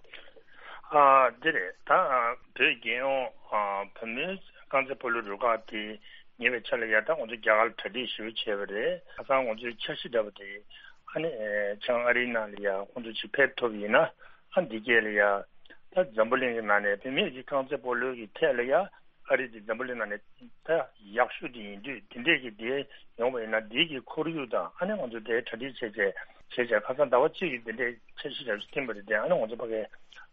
ཨ་འདི་རེད། ད་བོད་རྒྱལ་ཡོངས་ཨ་བུ་མོའི་རྐང་རྩེད་སྤོ་ལོའི་རུ་ཁག་དེ་ཉེ་བའི་ཆར་ལ་ཡ་ད་ང་ཚོ་རྒྱ་གར་ལ་གྲ་སྒྲིག་ཞེ་པོ་བྱས་པ་རེད། ཁ་སང་ང་ཚོའི་འཆར་གཞི་འདྲ་པོ་དེ་ཨ་ནི་ཨེ་བྱང་ཨ་རིའི་ནང་ལ་ཡ་ཁོང་ཚོ་ཅིག་ཕེབས་ཐུབ་ཡིན་ན་ཨ་འདི་གས་ལ་ཡ་ད་འཛམ་བུ་གླིང་གི་ནང་ནས་བུད་མེད་ཀྱི་རྐང་རྩེད་སྤོ་ལོའི་གི་ཐད་ལ་ཡ་ཨ་རི་དེ་འཛམ་བུ་གླིང་ནང་ནས་ད་ཡག་ཤོས་དེ་ཡིན་དུས་དེ་འདྲས་ཀྱི་དེ་ཡོང་བ་ཡིན་ན་དེའི་གི་ཁོར་ཡུག་དང་ཨ་ནི་ང་ཚོ་དེ་གྲ་སྒྲིག་བྱས་བྱས་བྱས་བྱས་ཁ་སང་ཟླ་བ་གཅིག་གི་དེ་འདྲས་འཆར་གཞི་རྒྱབ་བསྟན་པ་རེད་དེ། ཨ་ནི་ང་ཚོ་ཕ་གིར་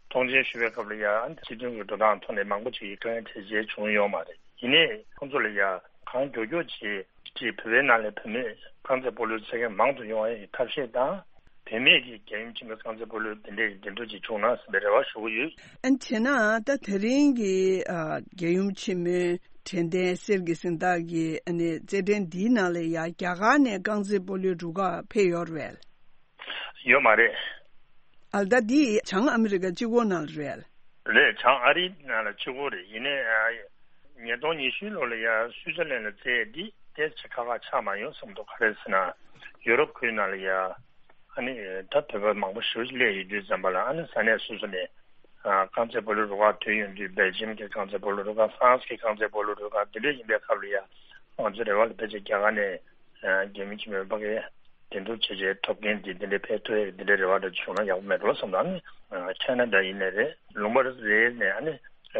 མཐོང་མཆན་ཞུ་བའི་སྐབས་ལ་ཡ་ཨ་ནི་སྤྱི་མཐུན་གྱི་འགྲོ་སྟངས་ཐོག་ནས་མང་པོ་ཅིག་གི་དཀའ་ངལ་འཕྲད་བྱས་བྱུང་ཡོད་མ་རེད། ཡིན་ནའི་ཁོང་ཚོ་ལ་ཡ་གང་མགྱོགས་མགྱོགས་བྱས་ཅིག་བོད་པའི་ནང་ལ་བུད་མེད་རྐང་རྩེད་སྤོ་ལོའི་ཚད་བརྒལ་མང་དུ་ཡོང་བའི་ཐབས་ཤེས་དང་། བུད་མེད་ཀྱི་རྒྱལ་ཡུམ་ཆེན་མོའི་རྐང་རྩེད་སྤོ་ལོའི་དེ་འདྲའི་འགྲན་བསྡུར་ཅིག་བྱུང་ན་ཟེར་བའི་རེ་བ་ཞུ་གི་ཡོད། ཨ་ནི་བྱས་ན་ད་དེ་རིང་གི་ཨ་རྒྱལ་ཡུམ་ཆེན་མོའི་དྲན་རྟེན་གསེར་གྱི་གཟེངས་རྟགས་ཀྱི་ཨ་ནི་རྩེད་འགྲན་འདིའི་ནང་ལ་ཡ་རྒྱ་གར་ནས་རྐང་རྩེད་སྤོ་ལོའི་རུ་ཁག་ཕེབས་ཡོད་རེད། ཡོད་མ་རེད། ཨ་ད་འདི་བྱང་ཨ་མི་རི་ཀ་གཅིག་པོ་ནང་ལ་རེད། རེད། བྱང་ཨ་རིའི་ནང་ལ་གཅིག་པོ་རེད། ཡིན་ནའི་ཨ་ཉིས་སྟོང་ཉི་ཤུ་ལོ་ལ་ཡ་སུའི་ཙར་ལན་ལ་རྩེད་འདི་ དེ་ཆེ་ཁག་ཁག་ཆགས་མ་ཡོང་བསམ་འདུག་ག་རེ་ཟེར་ན། ཡུ་རོབ་ཁུལ་ནང་ལ་ཡ་ཨ་ནི་ད་བོད་པ་མང་པོ་ཞེ་པོ་ཅིག་སླེབས་ཡོད་དུས་ཙམ་པ་ལ། ཨ་ནི་ས་གནས་སོ་སོ་ནས་ཨ་རྐང་རྩེད་སྤོ་ལོའི་རུ་ཁག་ཐོན་ཡོང་དུས། སྦེལ་ཇམ་གྱི་རྐང་རྩེད་སྤོ་ལོའི་རུ་ཁག། ཧྥ་རན་སི་གི་རྐང་རྩེད་སྤོ་ལོའི་རུ་ཁག་འདི་འདྲ་ཡིན་པའི་སྐབས་ལ་ཡ། ང་ཚོའི་རེ་བ་ལ་ཕལ་ཆེར་རྒྱ་གར་ནས་རྒྱལ་ཡུམ་ཆེན་མོའི་ཕ་གིར་འདེམས་སྒྲུག་བྱས་བྱས་ཐོབ་མཁན་འདི་འདི་འདྲའི་ཕེབས་ཐུབ་ཡས་འདི་འདྲའི་རེ་བ་འདྲ་བྱུང་ན་ཡག་པོ་མེད་འགྲོ་བསམ། ད་ནི་ཁ་ན་ཌ་ཡིན་ནའི་རེད། ལུང་པ་རེ་རེ་ནས་ཨ་ནི་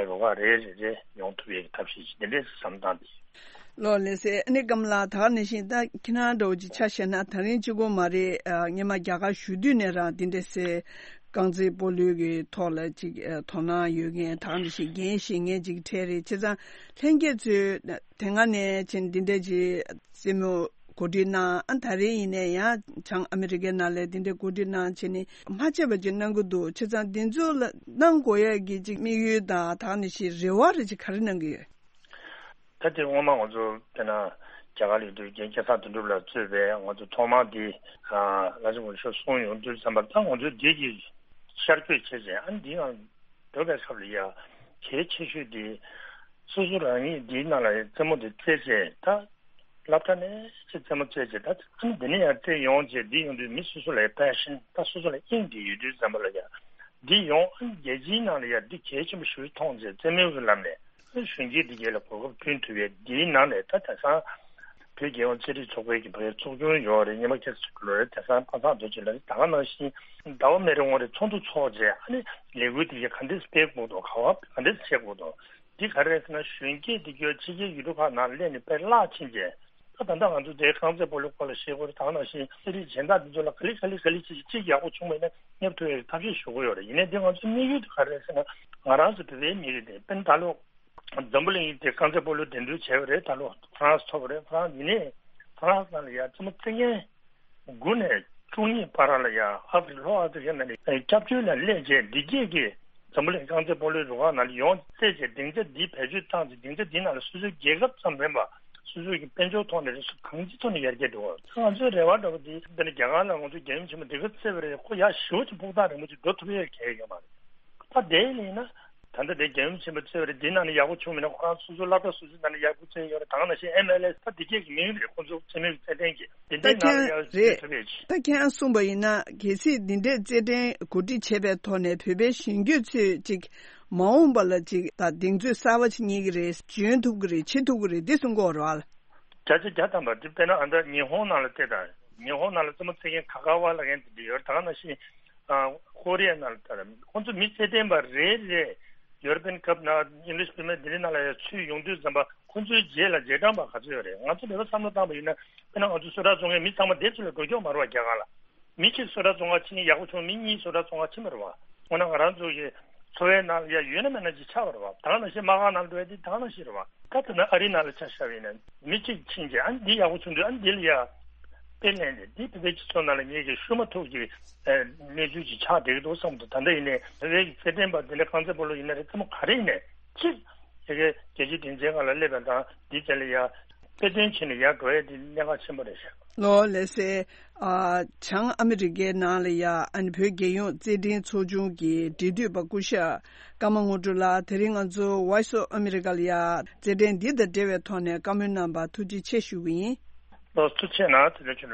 རུ་ཁག་རེ་རེ་རེ་ཡོང་ཐུབ་ཡས་ཀྱི་ཐབས་ཤེས་ཤིག་འདི་འདྲའི་བསམ་སྟངས་འདི། ལོ་ལགས་སེ། ཨ་ནི་སྐམ་ལགས། ད་ག་ནང་བཞིན་ད་ཁྱེད་རང་འདྲ་བོ་ཅིག་ཆ་བཞག་ན། ད་རིང་གཅིག་པོ་མ་རེད། ཨ་སྔོན་མ་རྒྱ་གར་བཞུགས་དུས་ནས་རང་འདི་འདྲ་སེ་རྐང་རྩེད་སྤོ་ལོའི་གི་ཐོག་ལ་ཅིག་ཨ་དོ་སྣང་ཡོད་མཁན། ད་ག་ནང་བཞིན་འགན་བཞེས་མཁན་ཅིག་གྲས་རེད། བྱས་ཙང་ལྷན་རྒྱས་ཚོས་དེ་སྔ་ནས་ཅིག་འདི་འདྲ་ཅིག་རྩེད་མོ་གོ་སྒྲིག་གནང་། ཨ་ད་རེས་ཡིན་ནའི་ཡང་བྱང་ཨ་མི་རི་ཀའི་ནང་ལ་འདི་འདྲ་གོ་སྒྲིག་གནང་བྱས་ནས་མ་ཆད་པ་ཅིག་གནང་གི་འདུག་བྱས་ཙང་འདི་ཚོ་ལ་གནང་དགོས་ཡས་ཀྱི་ཅིག་དམིགས་ཡུལ་དང་། ད་ག་ནང་བཞིན་རེ་བ་རེ་ཅིག་ག་རེ་གནང་གི་ཡོད། ད་དེ་སྔོན་མ་ང་ཚོ་དཔེར་ན་རྒྱ་གར་ལ་ཡོད་དུས་རྒན་སྐལ་བཟང་དོན་གྲུབ་ལགས་གཙོས་པའི་ང་ཚོ་ཐོག་མར་འདི་ལྷ་ས་གོང་ཞུ་གསུང་ཡོང་དུས་ཙམ་པར། ད་ང་ཚོ་འདི་གི་ཤར་བསྐྱོད་བྱས་ཙང་། ཨ་འདི་ཡང་འགྲོ་བའི་སྐབས་ལ་ཡ་གལ་ཆེ་ཤོས་འདི་སོ་སོ་རང་ཉིད་འདིའི་ནང་ལ་རྩེད་མོ་འདི་རྩེད་བྱས། ད་སློབ་གྲྭ་ནས་ཅིག་རྩེད་མོ་རྩེད་བྱས། ད་ཨ་ནི་འདི་ནས་ཡང་རྩེད་ཡོང་བྱས། འདི་ཡོང་དུས་མི་སོ་སོ་ལ་ཡ་པེ་ཤན། ད་སོ་སོ་ལ་དབྱིངས་འདི་ཡོད་དུས་ཙམ་པ་ལ་ཡ་འདི་ཡོང་། ཨ་ནི་རྒྱལ་སྤྱིའི་ནང་ལ་ཡ་འདི་གལ་ཆེན་པོ་ཞིག་མཐོང་བྱས། རྩེད་མོའི་གི་ལམ་ནས་གཞོན་སྐྱེས་འདི་གས་ལ་གོ་སྐབས་བསྐྲུན་ཐུབ་ཡས། འདིའི་ནང་ནས་ད་དེང་སང་བོད་རྒྱལ་ཡོངས་རྩེད་རིགས་ཚོགས་པའི་གི་ཕ་གིར་ཚོགས་ཆུང་ཡོད་རེད། སྔོན་མ་ཁ་སང་ལོ་རེ་དེང་སང་པ་སངས་རྡོ་རྗེ་ལགས་རེད། ད་ག་ནང་བཞིན་ཟླ་བ་མེད་རེ་ངོ་རེ་ཚོགས་འདུ་ཚོགས་བྱས། ཨ་ནི་ལས་འགུལ་འདི་གས་ག་འདྲས་སྤེལ་དགོས་འདུག་ག་བ་ག་འདྲས་བྱེད་དགོས་འདུག་འདི་ག་རེ་རེད་ཟེར་ན། གཞོན་སྐྱེས་འདི་གས་ཕྱི་རྒྱལ་ཡུལ་གྲུ་ཁག་ནང་སླེབས་ནས་དཔེ་བརླག་ཕྱིན་བྱས། ད་ད་ལྟ་ང་ཚོ་དེ་རྐང་རྩེད་སྤོ་ལོའི་སྐོར་ལ་བཤད་དགོས་རེད། ད་ག་ནང་བཞིན་རྩེད་རིགས་གཞན་དག་འདི་ཚོ་ལ་ག་ལེ་ག་ལེ་ག་ལེ་ཅིག་ཅིག་ཡག་པོ་བྱུང་བ་ཡིན་ན་སླེབས་ཐུབ་ཡས་ཐབས་ཤེས་ཞུ་གི་ཡོད་རེད། ཡིན་ནའི་འདི་ང་ཚོའི་དམིགས་ཡུལ་དེ་ག་རེ་རེད་ཟེར་ན། ང་རང་ཚོ་བོད་པའི་མི་རིགས་དེ་དཔེར་ན་ད་ལོ་འཛམ་བུ་གླིང་དེ་རྐང་རྩེད་སྤོ་ལོ་འགྲན་བསྡུར་བྱས་པ་རེད། ད་ལོ་ཧྥ་རན་སི་ཐོབ་པ་རེད། ཧྥ་རན་སི་ཡིན་ནའི་ཧྥ་རན་སི་ནང་ལ་ཡ་རྩེད་མོ་རྩེད་མཁན་དགུ་ནས་བཅུ་གཉིས་བར་ལ་ཡ་ཨ་ཧྥེ་རི་ལྷོ་ཨ་ཧྥེ་རི་ཁ་ནང་ནས་སྐྱབས་བཅོལ་ལ་སླེབས་བྱས། འདི་གས་ཀྱི་འཛམ་བུ་གླིང་རྐང་རྩེད་སྤོ་ལོའི་རུ་ཁག་ནང་ལ་ཡོང་རྩེད་བྱས། སྡིངས་ཆ་འདི་བེད་སྤྱོད་བཏང་ཚེ་སྡིངས་ཆ་འདི་ནང་ལ་སོ་སོའི་རྒྱལ་ཁབ་ཙམ་མིན་པ་སོ་སོའི་གི་དཔལ་འབྱོར་ཐོག་ནས་རེད། སོ་གང་ཅིའི་ཐོག་ནས་ཡར་རྒྱས་འགྲོ་བ། ད་ང་ཚོའི་རེ་བ་འདྲ་བོ་འདི་འདི་ནི་རྒྱ་གར་ལ་ང་ཚོ་རྒྱལ་ཡུམ་ཆེན་མོ་འདི་ག་རྩེད་པ་རེད། ཁོ་ཡར་ཞེ་པོ་ཅིག་ཕུགས་ཐག་རིང་པོ་ཅིག་འགྲོ་ཐུབ་ཡས་གལ་ཡོད་མ་རེད། ད་དེ་ཡིན་ན་ད་ལྟ་དེ་རྒྱལ་ཡུམ་ཆེན་མོ་རྩེད་པ་རེད། འདི་ནང་ནས་ཡག་པོ་བྱུང་མེད་ན་ཁོ་རང་སོ་སོའི་སློབ་གྲྭ་སོ་སོའི་ནང་ནས་ཡག་པོ་རྩེད་ཡོད་རེད། ད་ག་ནང་བཞིན་ཨེམ་ཨེལ་ཨེས་ད་འདི་གས་ཀྱི་མིང་རེད། ཁོ་ཚོ་རྩེད་མོའི་རྩེད་འགྲན་གྱི་འདི་ད་འདྲའི་ནང་ལ་ཡར་རྩེད་ཐུབ་ཡས་ཅིག་ད་ཁྱེད་རང་གསུངས་པ་ཡིན་ན། གལ་སྲིད་འདི་འདྲའི་རྩེད་འགྲན་གོ་སྒྲིག་བྱས་པའི་ཐོག་ནས་བོད་པའི་གཞོན་སྐྱེས་ཚོས་ཅིག་མ་འོངས་པ་ལ་ཅིག་ད་གདེང་ཚོད་གསར་པ་ཅིག་རྙེད་ཀྱི་རེད། འཇོན་ཐུབ་ཀྱི་རེད། བྱེད་ཐུབ་ཀྱི་རེད། འདི་གསུང་གི་ཡོད་རེད་བ། བརྒྱ་ཆ་བརྒྱ་ཐམ་པ་འདི་དཔེར་ན་ཨ་ད་ཉི་ཧོང་ནང་ལ་བལྟས་དང་། ཉི་ཧོང་ནང་ལ་རྩེད་མོ་རྩེད་མཁན་ག་ག་བ་ལ་ངན་དེ་འདྲ་ཡོད་རེད། ད་ག་ནང་བཞིན་ཨ་ཀོ་རི་ཡ་ནང་ལ་ལྟ་ར། ཁོང་ཚོ་མི་རྩེད་འགྲན་པ་རེ་རེ་ཡུ་རོ་པན་ཀབ་ནང་ཨིང་ལིཤ་པི་རི་མི་ཡར་ལིག་ནང་ལ་ཡ་ཚུད་ཡོང་དུས་ཙམ་པ་ཁོང་ཚོའི་རྗེས་ལ་རྗེས་འབྲང་པ་ག་ཚོད་ཡོད་རེད། ང་ཚོ་ལས་ཀ་བསམ་བློ་བཏང་པ་ཡིན་ན། དཔེར་ན་ང་ཚོ་བཟོ་གྲྭ་བཙོང་མཁན་མི་ཚང་མ་དེ་ཚོ་ལ་འགྲོ་ཀྱོག་མ་རེད་བ། རྒྱ་གར་ལ། མི་གཅིག་བཟོ་གྲྭ་བཙོང་ག་ཕྱིན་ཡག་པོ་བྱུང་། མི་གཉིས་བཟོ་གྲྭ་བཙོང་ག་ཕྱིན་པ་རེད་བ། འོ་ན་ང་རང་ཚོ་གི་འཚོ་བའི་ནང་ལ་ཡ་ཡོད་ན་མེད་ན་ཅིག་ཆགས་པ་རེད་བ། ད་ག་ནང་བཞིན་དམག་ཁང་ནང་ལ་འགྲོ་ཡ་དེ་ད་ག་ནང་བཞིན་རེད་བ། ད་དེ་ན་ཨ་རི་ནང་ལ་ཆ་བཞག་པ་ཡིན་ན་མི་གཅིག་ཕྱིན་རྗེས་ཨ་ནི་འདི་ཡག་པོ་བྱུང་དུས་ཨ་ནི་འདི་ལ་ཡ་དཔེ་ལེན་ནས། འདི་བོད་པའི་སྤྱི་ཚོགས་ནང་ལ་ངེད་ཀྱི་ཤུལ་མ་ཐུག་གི་གནས་ཚུལ་ཅིག་ཆགས་བསྡད་ཀྱི་འདུག་བསམ་འདུག་ད་ལྟ་ཡིན་ནའི་བོད་པའི་རྩེད་འགྲན་པ་འདི་འདྲ་རྐང་རྩེད་སྤོ་ལོ་ཡིན་ན་རེད། རྩེད་མོ་ག་རེ་ཡིན་ནའི་གཅིག་དེ་གའི་རྒྱལ་སྤྱིའི་སྡིངས་ཆའི་སྒང་ལ་སླེབས་པ་དང་འདི་རྩེད་ལ་ཡ་དཔེ་སྟོན་བྱས་ནས་ཡར་འགྲོ་ཡ་དེ་གནད་འགག་ཆེན་པོ་རེད་ཤག་ལོ་ལགས་སེ། ཨ། བྱང་ཨ་མི་རི་ཀའི་ནང་ལ་ཡ་ཨ་ནི་བོད་རྒྱལ་ཡོངས་རྩེད་འགྲན་ཚོགས་ཆུང་གི་འབྲེལ་མཐུད་པ་སྐུ་ཞབས་ཀརྨ་དངོས་གྲུབ་ལགས། དེ་རིང་ང་ཚོ་Voice of America ལ་ཡ་རྩེད་འགྲན་འདི་དང་འབྲེལ་བའི་ཐོག་ནས་བཀའ་མོལ་གནང་བར་ཐུགས་རྗེ་ཆེ་ཞུ་གི་ཡིན། ལགས་སོ། ཐུགས་རྗེ་ཆེ་གནང་། དེ་ལས་ཆུ་ལ།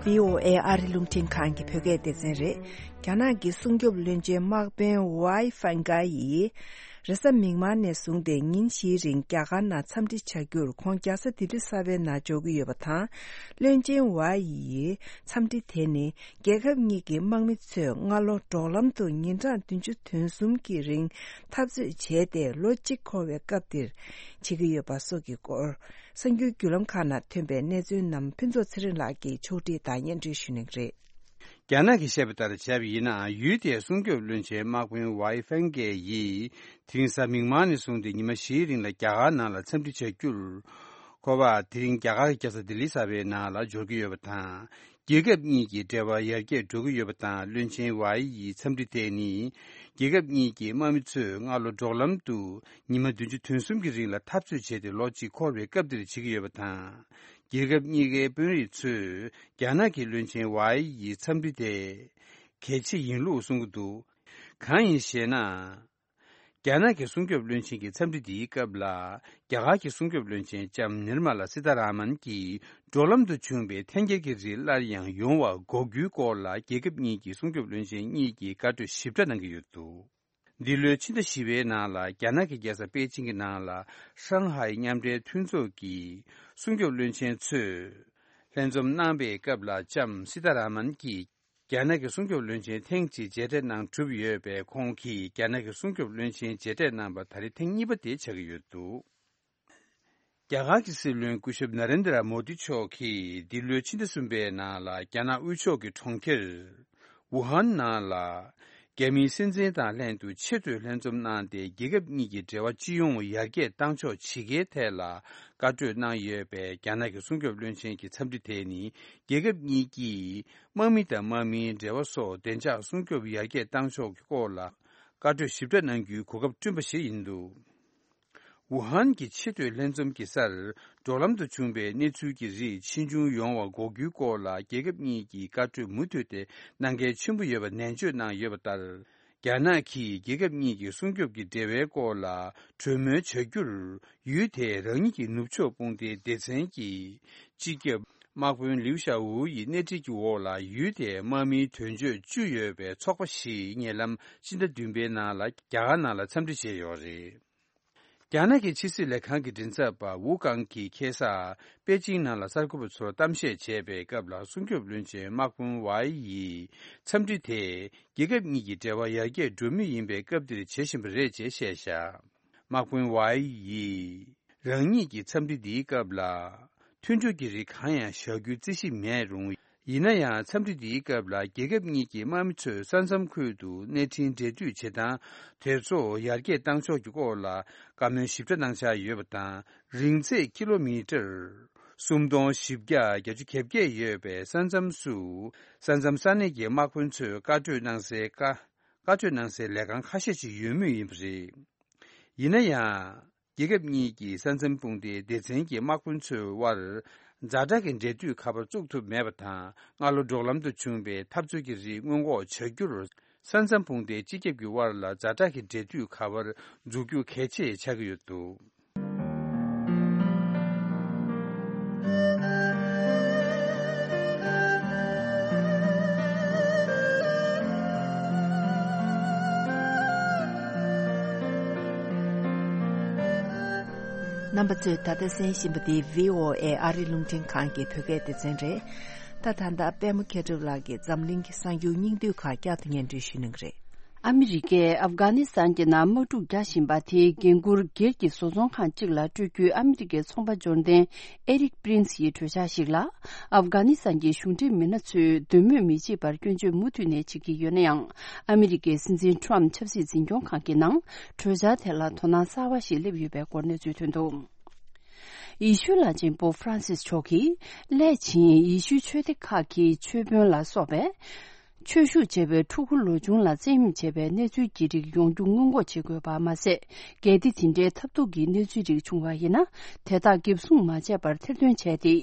བྷི་ཨོ་ཨེ་ཨ་རི་རླུང་འཕྲིན་ཁང་གི་བོད་སྐད་སྡེ་ཚན་རེད། རྒྱ་ནག་གི་སྲུང་སྐྱོབ་བློན་ཆེན་དམག་དཔོན་ཝའེ་ཧྥེང་གྷའེ་ཡིས་རེས་གཟའ་མིག་དམར་ནས་བཟུང་སྟེ་ཉིན་བཞིའི་རིང་རྒྱ་གར་ནང་འཚམས་འདྲི་བྱ་རྒྱུར་ཁོང་རྒྱལ་ས་ལྡི་ལི་གསར་པའི་ནང་འབྱོར་གྱི་ཡོད་པ་དང་། བློན་ཆེན་ཝའེ་ཡིས་འཚམས་འདྲི་དེ་ནི་རྒྱལ་ཁབ་གཉིས་ཀྱི་དམག་མི་ཚོས་སྔ་ལོ་འབྲོག་ལམ་དུ་ཉིན་གྲངས་བདུན་ཅུ་དོན་གསུམ་གྱི་རིང་འཐབ་རྩོད་བྱས་ཏེ། ལོ་གཅིག་འཁོར་བའི་སྐབས་འདིར་བྱེད་ཀྱི་ཡོད་པ་སོགས་ཀྱི་སྐོར། གསར་འགྱུར་བརྒྱུད་ལམ་ཁག་ནང་ཐོན་པའི་གནས་ཚུལ་རྣམས་ཕུན་ཚོགས་ཚེ་རིང་ལགས་ཀྱིས་ཕྱོགས་སྒྲིག་དང་སྙན་སྒྲོན་ཞུ་གནང་གི་རེད། རྒྱ་ནག་གིས་བཤད་པ་ལྟར་བྱས་པ་ཡིན་ན། ཡུལ་དེའི་སྲུང་སྐྱོབ་བློན་ཆེན་དམག་དཔོན་ཝའེ་ཧྥེང་གྷའེ་ཡིས་དེ་རིང་གཟའ་མིག་དམར་ནས་བཟུང་སྟེ་ཉི་མ་བཞིའི་རིང་ལ་རྒྱ་གར་ནང་ལ་འཚམས་འདྲི་བྱ་རྒྱུར། ཁོ་པ་དེ་རིང་རྒྱ་གར་གྱི་རྒྱལ་ས་ལྡི་ལི་གསར་པའི་ནང་ལ་འབྱོར་གྱི་ཡོད་པ་དང་། རྒྱལ་ཁབ་གཉིས་ཀྱི་འབྲེལ་བ་ཡར་རྒྱས་འགྲོ་གི་ཡོད་པ་དང་། བློན་ཆེན་ཝའེ་ཡི་འཚམས་འདྲི་དེ་ནི་ རྒྱལ་ཁབ་གཉིས་ཀྱི་དམག་མི་ཚོས་སྔ་ལོ་འབྲོག་ལམ་དུ་ཉི་མ་བདུན་ཅུ་དོན་གསུམ་གྱི་རིང་ལ་འཐབ་རྩོད་བྱས་ཏེ་ལོ་གཅིག་འཁོར་བའི་སྐབས་འདིར་བྱེད་ཀྱི་ཡོད་པ་དང་། རྒྱལ་ཁབ་གཉིས་ཀའི་དཔོན་རིགས་ཚོས་རྒྱ་ནག་གི་བློན་ཆེན་ཝའེ་ཡི་འཚམས་འདྲི་དེ་གལ་ཆེ་ཡིན་ལུགས་གསུང་གི་འདུག་གང་ཡིན་ཞེ་ན། རྒྱ་ནག་གི་སྲུང་སྐྱོབ་བློན་ཆེན་གྱི་འཚམས་འདྲི་འདིའི་སྐབས་ལ། རྒྱ་གར་གྱི་སྲུང་སྐྱོབ་བློན་ཆེན་ལྕམ་ནིར་མ་ལ་སི་ཐ་ར་མན་གྱིས་འབྲོག་ལམ་དུ་བྱུང་བའི་འཐེན་འཁྱེར་གྱི་རིགས་སླར་ཡང་ཡོང་བ་འགོག་རྒྱུའི་སྐོར་ལ། རྒྱལ་ཁབ་གཉིས་ཀྱི་སྲུང་སྐྱོབ་བློན་ཆེན་གཉིས་ཀྱིས་བཀའ་གྲོས་ཞིབ་ཕྲ་གནང་གི་ཡོད་འདུག་འདི་ལོའི་ཕྱི་ཟླ་བཞི་པའི་ནང་ལ། རྒྱ་ནག་གི་རྒྱལ་ས་པེ་ཅིང་གི་ནང་ལ། ཧྲང་ཧའེ་མཉམ་འབྲེལ་མཐུན་ཚོགས་ཀྱི་སྲུང་སྐྱོབ་བློན་ཆེན་ཚོས་ལྷན་འཛོམས་གནང་པའི་སྐབས་ལ། ལྕམ་སི་ཐ་ར་མན་གྱིས་རྒྱ་ནག་གི་སྲུང་སྐྱོབ་བློན་ཆེན་ཐེངས་གཅིག་མཇལ་འཕྲད་གནང་གྲུབ་ཡོད་པས། ཁོང་གིས་རྒྱ་ནག་གི་སྲུང་སྐྱོབ་བློན་ཆེན་མཇལ་འཕྲད་གནང་པ་ད་རེས་ཐེངས་གཉིས་པ་དེ་ཆགས་ཀྱི་ཡོད་འདུག་རྒྱ་གར་གྱི་སྲིད་བློན་སྐུ་ཞབས་ན་རེན་དྲ་མོ་དི་མཆོག་གིས་འདི་ལོའི་ཕྱི་ཟླ་གསུམ་པའི་ནང་ལ། རྒྱ་ནག་དབུས་ཕྱོགས་ཀྱི་གྲོང་ཁྱེར་ཝུ་ཧན་ནང་ལ། རྒྱ་མིའི་སྲིད་འཛིན་དང་ལྷན་དུ་ཆེས་མཐོའི་ལྷན་འཛོམས་གནང་སྟེ། རྒྱལ་ཁབ་གཉིས་ཀྱི་འབྲེལ་བ་སྤྱི་ཡོངས་ཡར་རྒྱས་བཏང་ཕྱོགས་ཇི་དགེའི་ཐད་ལ་བཀའ་གྲོས་གནང་ཡོད་པས། རྒྱ་ནག་གི་སྲུང་སྐྱོབ་བློན་ཆེན་གྱི་འཚམས་འདྲི་དེ་ནི། རྒྱལ་ཁབ་གཉིས་ཀྱིས་དམག་མི་དང་དམག་མིའི་འབྲེལ་བ་སོགས་བདེ་འཇགས་སྲུང་སྐྱོབ་ཡར་རྒྱས་བཏང་ཕྱོགས་ཀྱི་སྐོར་ལ་བཀའ་གྲོས་ཞིབ་ཕྲ་གནང་རྒྱུའི་གོ་སྐབས་བསྐྲུན་པ་ཞིག་ཡིན་འདུག་ཝུ་ཧན་གྱི་ཆེས་མཐོའི་ལྷན་འཛོམས་ཀྱི་སར། འབྲོག་ལམ་དུ་བྱུང་བའི་གནས་ཚུལ་གྱི་རིགས་ཕྱིས་འབྱུང་ཡོང་བ་འགོག་རྒྱུའི་སྐོར་ལ། རྒྱལ་ཁབ་གཉིས་ཀྱིས་བཀའ་གྲོས་མུ་མཐུད་དེ་གནང་གལ་ཆེན་པོ་ཡོད་པ་ནན་བརྗོད་གནང་ཡོད་པ་ལྟར། རྒྱ་ནག་གིས་རྒྱལ་ཁབ་གཉིས་ཀྱི་སྲུང་སྐྱོབ་ཀྱི་འབྲེལ་བའི་སྐོར་ལ་གྲོས་མོལ་བྱ་རྒྱུར། ཡུལ་དེའི་རང་ཉིད་ཀྱི་ནུབ་ཕྱོགས་དཔུང་སྡེའི་སྡེ་ཚན་གྱི་སྤྱི་ཁྱབ་དམག་དཔོན་ལིའུ་ཞའོ་ཝུའུ་ཡི་སྣེ་ཁྲིད་ཀྱི་འོག་ལ། ཡུལ་དེའི་དམག་མིའི་དོན་གཅོད་བཅུ་ཡོད་པའི་ཚོགས་པ་ཞིག་ཉེ་ལམ་ཕྱི་ཟླ་བདུན་པའི་ནང་ལ་རྒྱ་གར་ནང་ལ་འཚམས་འདྲི་བྱས་ཡོད་རེད། རྒྱ་ནག་གི་ཕྱི་སྲིད་ལས་ཁང་གི་མགྲིན་ཚབ་པ་ཝུ་ཀང་གིས་ཁ་སང་པེ་ཅིང་ནང་ལ་གསར་འགོད་པ་ཚོར་གཏམ་བཤད་བྱས་པའི་སྐབས་ལ། སྲུང་སྐྱོབ་བློན་ཆེན་དམག་དཔོན་ཝའེ་ཡི་འཚམས་འདྲི་དེས་རྒྱལ་ཁབ་གཉིས་ཀྱི་འབྲེལ་བ་ཡར་རྒྱས་འགྲོ་མུས་ཡིན་པའི་སྐབས་འདིར་བྱེད་བཞིན་པ་རེད་ཅེས་བཤད་བཞག་དམག་དཔོན་ཝའེ་ཡིས་རང་ཉིད་ཀྱི་འཚམས་འདྲི་འདིའི་སྐབས་ལ། མཐུན་གྲོས་ཀྱི་རིགས་གང་ཡང་བཞག་རྒྱུའི་རྩིས་གཞི་མེད་རུང་། ཡིན་ན་ཡང་། འཚམས་འདྲི་འདིའི་སྐབས་ལ། རྒྱལ་ཁབ་གཉིས་ཀྱི་དམག་མི་ཚོས་ས་མཚམས་ཁུལ་དུ་གནས་འཕྲིན་འབྲེལ་མཐུད་བྱེད་སྟངས་དེ་ཚོ་ཡར་རྒྱས་བཏང་ཕྱོགས་ཀྱི་སྐོར་ལ་བཀའ་མོལ་ཞིབ་ཕྲ་གནང་འཆར་ཡོད་པ་དང་། རིང་ཚད་ཀི་ལོ་མི་ཊར་སུམ་སྟོང་བཞི་བརྒྱ་གྱ་བརྒྱད་ཡོད་པའི་ས་མཚམས་སུ། ས་མཚམས་ས་གནས་ཀྱི་དམག་དཔོན་ཚོས་བཀའ་གྲོས་གནང་སའི་བཀའ། བཀའ་གྲོས་གནང་སའི་ལས་ཁང་ཁ་ཤས་ཤིག་ཡོད་མུས་ཡིན་པ་རེད། ཡིན་ན་ཡང་། རྒྱལ་ཁབ་གཉིས་ཀྱི་ས་མཚམས་དཔུང་སྡེའི་སྡེ་ཚན་གྱི་དམག་དཔོན་ཚོའི་དབར་ཛ་དྲག་གི་འབྲེལ་མཐུད་ཁ་པར་བཙུགས་ཐུབ་མེད་པ་དང་། སྔ་ལོ་འབྲོག་ལམ་དུ་བྱུང་བའི་འཐབ་རྩོད་ཀྱི་རིགས་སྔོན་འགོག་བྱ་རྒྱུར། ས་མཚམས་དཔུང་སྡེའི་སྤྱི་ཁྱབ་ཀྱི་དབར་ལ་ཛ་དྲག་གི་འབྲེལ་མཐུད་ཁ་པར་འཛུགས་རྒྱུ་གལ་ཆེ་ཆགས་ཀྱི་ཡོད་འདུག་རྣམ་པ་ཚོས་ད་ལྟ་གསན་བཞིན་པ་འདི་བྷི་ཨོ་ཨེ་ཨ་རི་རླུང་འཕྲིན་ཁང་གི་བོད་སྐད་སྡེ་ཚན་རེད། ད་ད་ལྟ་པད་མ་མཁས་གྲུབ་ལགས་ཀྱིས་འཛམ་གླིང་གི་གསར་འགྱུར་སྙིང་བསྡུས་ཁག་བསྐྱར་དུ་སྙན་སྒྲོན་ཞུ་གནང་གི་རེད། ཨ་མི་རི་ཀས་ཨབ་གྷ་ནི་སི་ཐན་གྱི་ནང་དམག་འཁྲུག་རྒྱག་བཞིན་པ་དེའི་འགན་འཁུར་སྒེར་གྱི་བཟོ་ཚོང་ཁང་གཅིག་ལ་སྤྲོད་རྒྱུའི་ཨ་མི་རི་ཀའི་ཚོང་པ་འབྱོར་ལྡན་ཨེ་རིག་པྲིན་སི་ཡི་གྲོས་འཆར་ཞིག་ལ། ཨབ་གྷ་ནི་སི་ཐན་གྱི་གཞུང་འབྲེལ་མི་སྣ་ཚོས་འདོད་མོས་མི་བྱེད་པར་སྐྱོན་བརྗོད་མུ་མཐུད་ནས་བྱེད་ཀྱི་ཡོད་ན་ཡང་། ཨ་མི་རི་ཀའི་སྲིད་འཛིན་ཊམ་ཆབ་སྲིད་འཛིན་སྐྱོང་ཁང་གི་ནང་གྲོས་འཆར་དེ་ལ་དོ་སྣང་གསར་བ་ཞིག་སླེབས་ཡོད་པའི་སྐོར་གནས་ཚུལ་ཐོན་འདུག་ཡེ་ཤུ་བླ་ཆེན་པོབ་ཧྥ་རན་སིས་མཆོག་གིས་སླད་ཕྱིན་ཡེ་ཤུའི་ཆོས་སྡེ་ཁག་གི་ཆོས་དཔོན་ལ་སོགས་པས། ཆོས་ཞུགས་བྱས་པའི་ཕྲུ་གུ་ལོ་ཆུང་ལ་བཙན་གཡེམ་བྱས་པའི་གནས་ཚུལ་གྱི་རིགས་ཡོང་རྒྱུ་སྔོན་འགོག་བྱེད་དགོས་པ་མ་ཟད། གལ་ཏེ་དེ་འདྲའི་ཐབས་སྡུག་གི་གནས་ཚུལ་རིགས་བྱུང་བ་ཡིན་ན། དེ་དག་འགེབས་སྲུང་མ་བྱས་པར་ཐེར་འདོན་བྱས་ཏེ།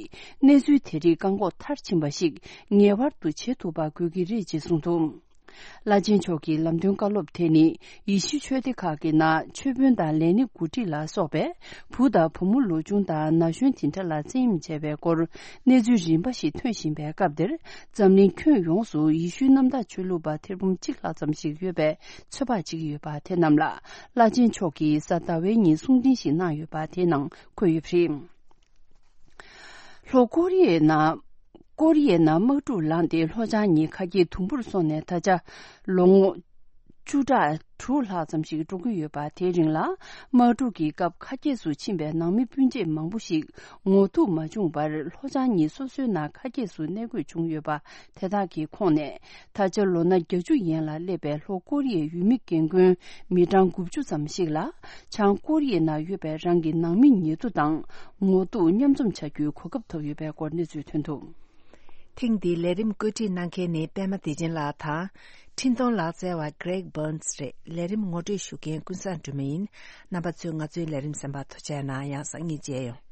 གནས་ཚུལ་དེ་རིགས་བཀག་འགོག་མཐར་ཕྱིན་པ་ཞིག་ངེས་པར་དུ་བྱེད་ཐུབ་པ་དགོས་ཀྱི་རེད་ཅེས་གསུངས་འདུག་བླ་ཆེན་མཆོག་གི་ལམ་སྟོན་བཀའ་སློབ་དེ་ནི། ཡེ་ཤུ་ཆོས་སྡེ་ཁག་གི་ནང་ཆོས་དཔོན་དང་ལས་སྣེ་འགོ་ཁྲིད་ལ་སོགས་པས། བུ་དང་བུ་མོ་ལོ་ཆུང་དང་ན་གཞོན་དེ་འདྲ་ལ་བཙན་གཡེམ་བྱས་པའི་སྐོར། གནས་ཚུལ་རིམ་པ་ཞིག་ཐོན་བཞིན་པའི་སྐབས་འདིར། འཛམ་གླིང་ཁྱོན་ཡོངས་སུ་ཡེ་ཤུའི་གནམ་བདག་ཆོས་ལུགས་པ་ཐེར་འབུམ་གཅིག་ལྷག་ཙམ་ཞིག་ཡོད་པའི་ཚོད་དཔག་བྱེད་ཀྱི་ཡོད་པ་དེ་རྣམས་ལ། བླ་ཆེན་མཆོག་གིས་གཟའ་ཟླ་བའི་ཉིན་གསུང་འཕྲིན་ཞིག་གནང་ཡོད་པ་དེའི་ནང་འཁོད་ཡོད་པ་རེད། ལྷོ་ཀོ་རི་ཡའི་ནང་། ཀོ་རི་ཡའི་ནང་དམག་འཁྲུག་ལངས་ཏེ་ལྷོ་བྱང་གཉིས་ཁ་གྱེས་དུམ་བུར་སོང་ནས་ད་ཆ་ལོ་ངོ་བཅུ་ཕྲག་དྲུག་ལྷག་ཙམ་ཞིག་འགྲོ་གི་ཡོད་པ། དེའི་རིང་ལ་དམག་འཁྲུག་གི་སྐབས་ཁ་གྱེས་སུ་ཕྱིན་པའི་ནང་མི་སྤུན་མཆེད་མང་པོ་ཞིག་ངོ་ཐུག་མ་བྱུང་བར་ལྷོ་བྱང་གཉིས་སོ་སོའི་ནང་ཁ་གྱེས་སུ་གནས་དགོས་བྱུང་ཡོད་པ། དེ་དག་གི་ཁོངས་ནས་ད་ཆ་ལོ་ན་བརྒྱད་ཅུ་ཡན་ལ་སླེབས་པའི་ལྷོ་ཀོ་རི་ཡའི་ཡུལ་མི་རྒན་རྒོན་མི་གྲངས་དགུ་བཅུ་ཙམ་ཞིག་ལ། བྱང་ཀོ་རི་ཡའི་ནང་ཡོད་པའི་རང་གི་ནང་མི་ཉེ་དུ་དང་ངོ་ཐུག་མཉམ་འཛོམས་བྱ་རྒྱུའི་གོ་སྐབས་ཐོབ་ཡོད་པའི་སྐོར་གནས་ཚུལ་ཐོན་འདུག་ཐེངས་འདིའི་ལས་རིམ་བཀོད་སྒྲིག་གནང་མཁན་ནི་པད་མ་བདེ་ཆེན་ལགས་དང་། འཕྲིན་གཏོང་ལག་རྩལ་བ་Greg Burns་རེད། ལས་རིམ་ངོ་སྤྲོད་ཞུ་མཁན་ཀུན་བཟང་སྒྲོལ་མ་ཡིན། རྣམ་པ་ཚོས་ང་ཚོའི་ལས་རིམ་གསན་པར་ཐུགས་རྗེ་གནང་། ཡང་སང་ཉིན་མཇལ་ཡོང་།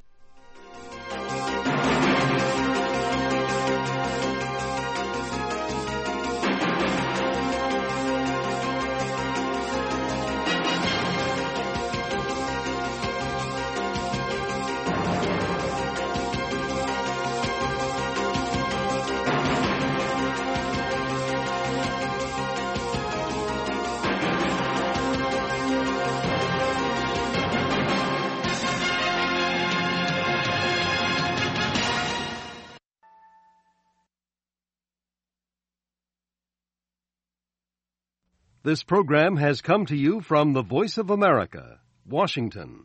This program has come to you from the Voice of America, Washington.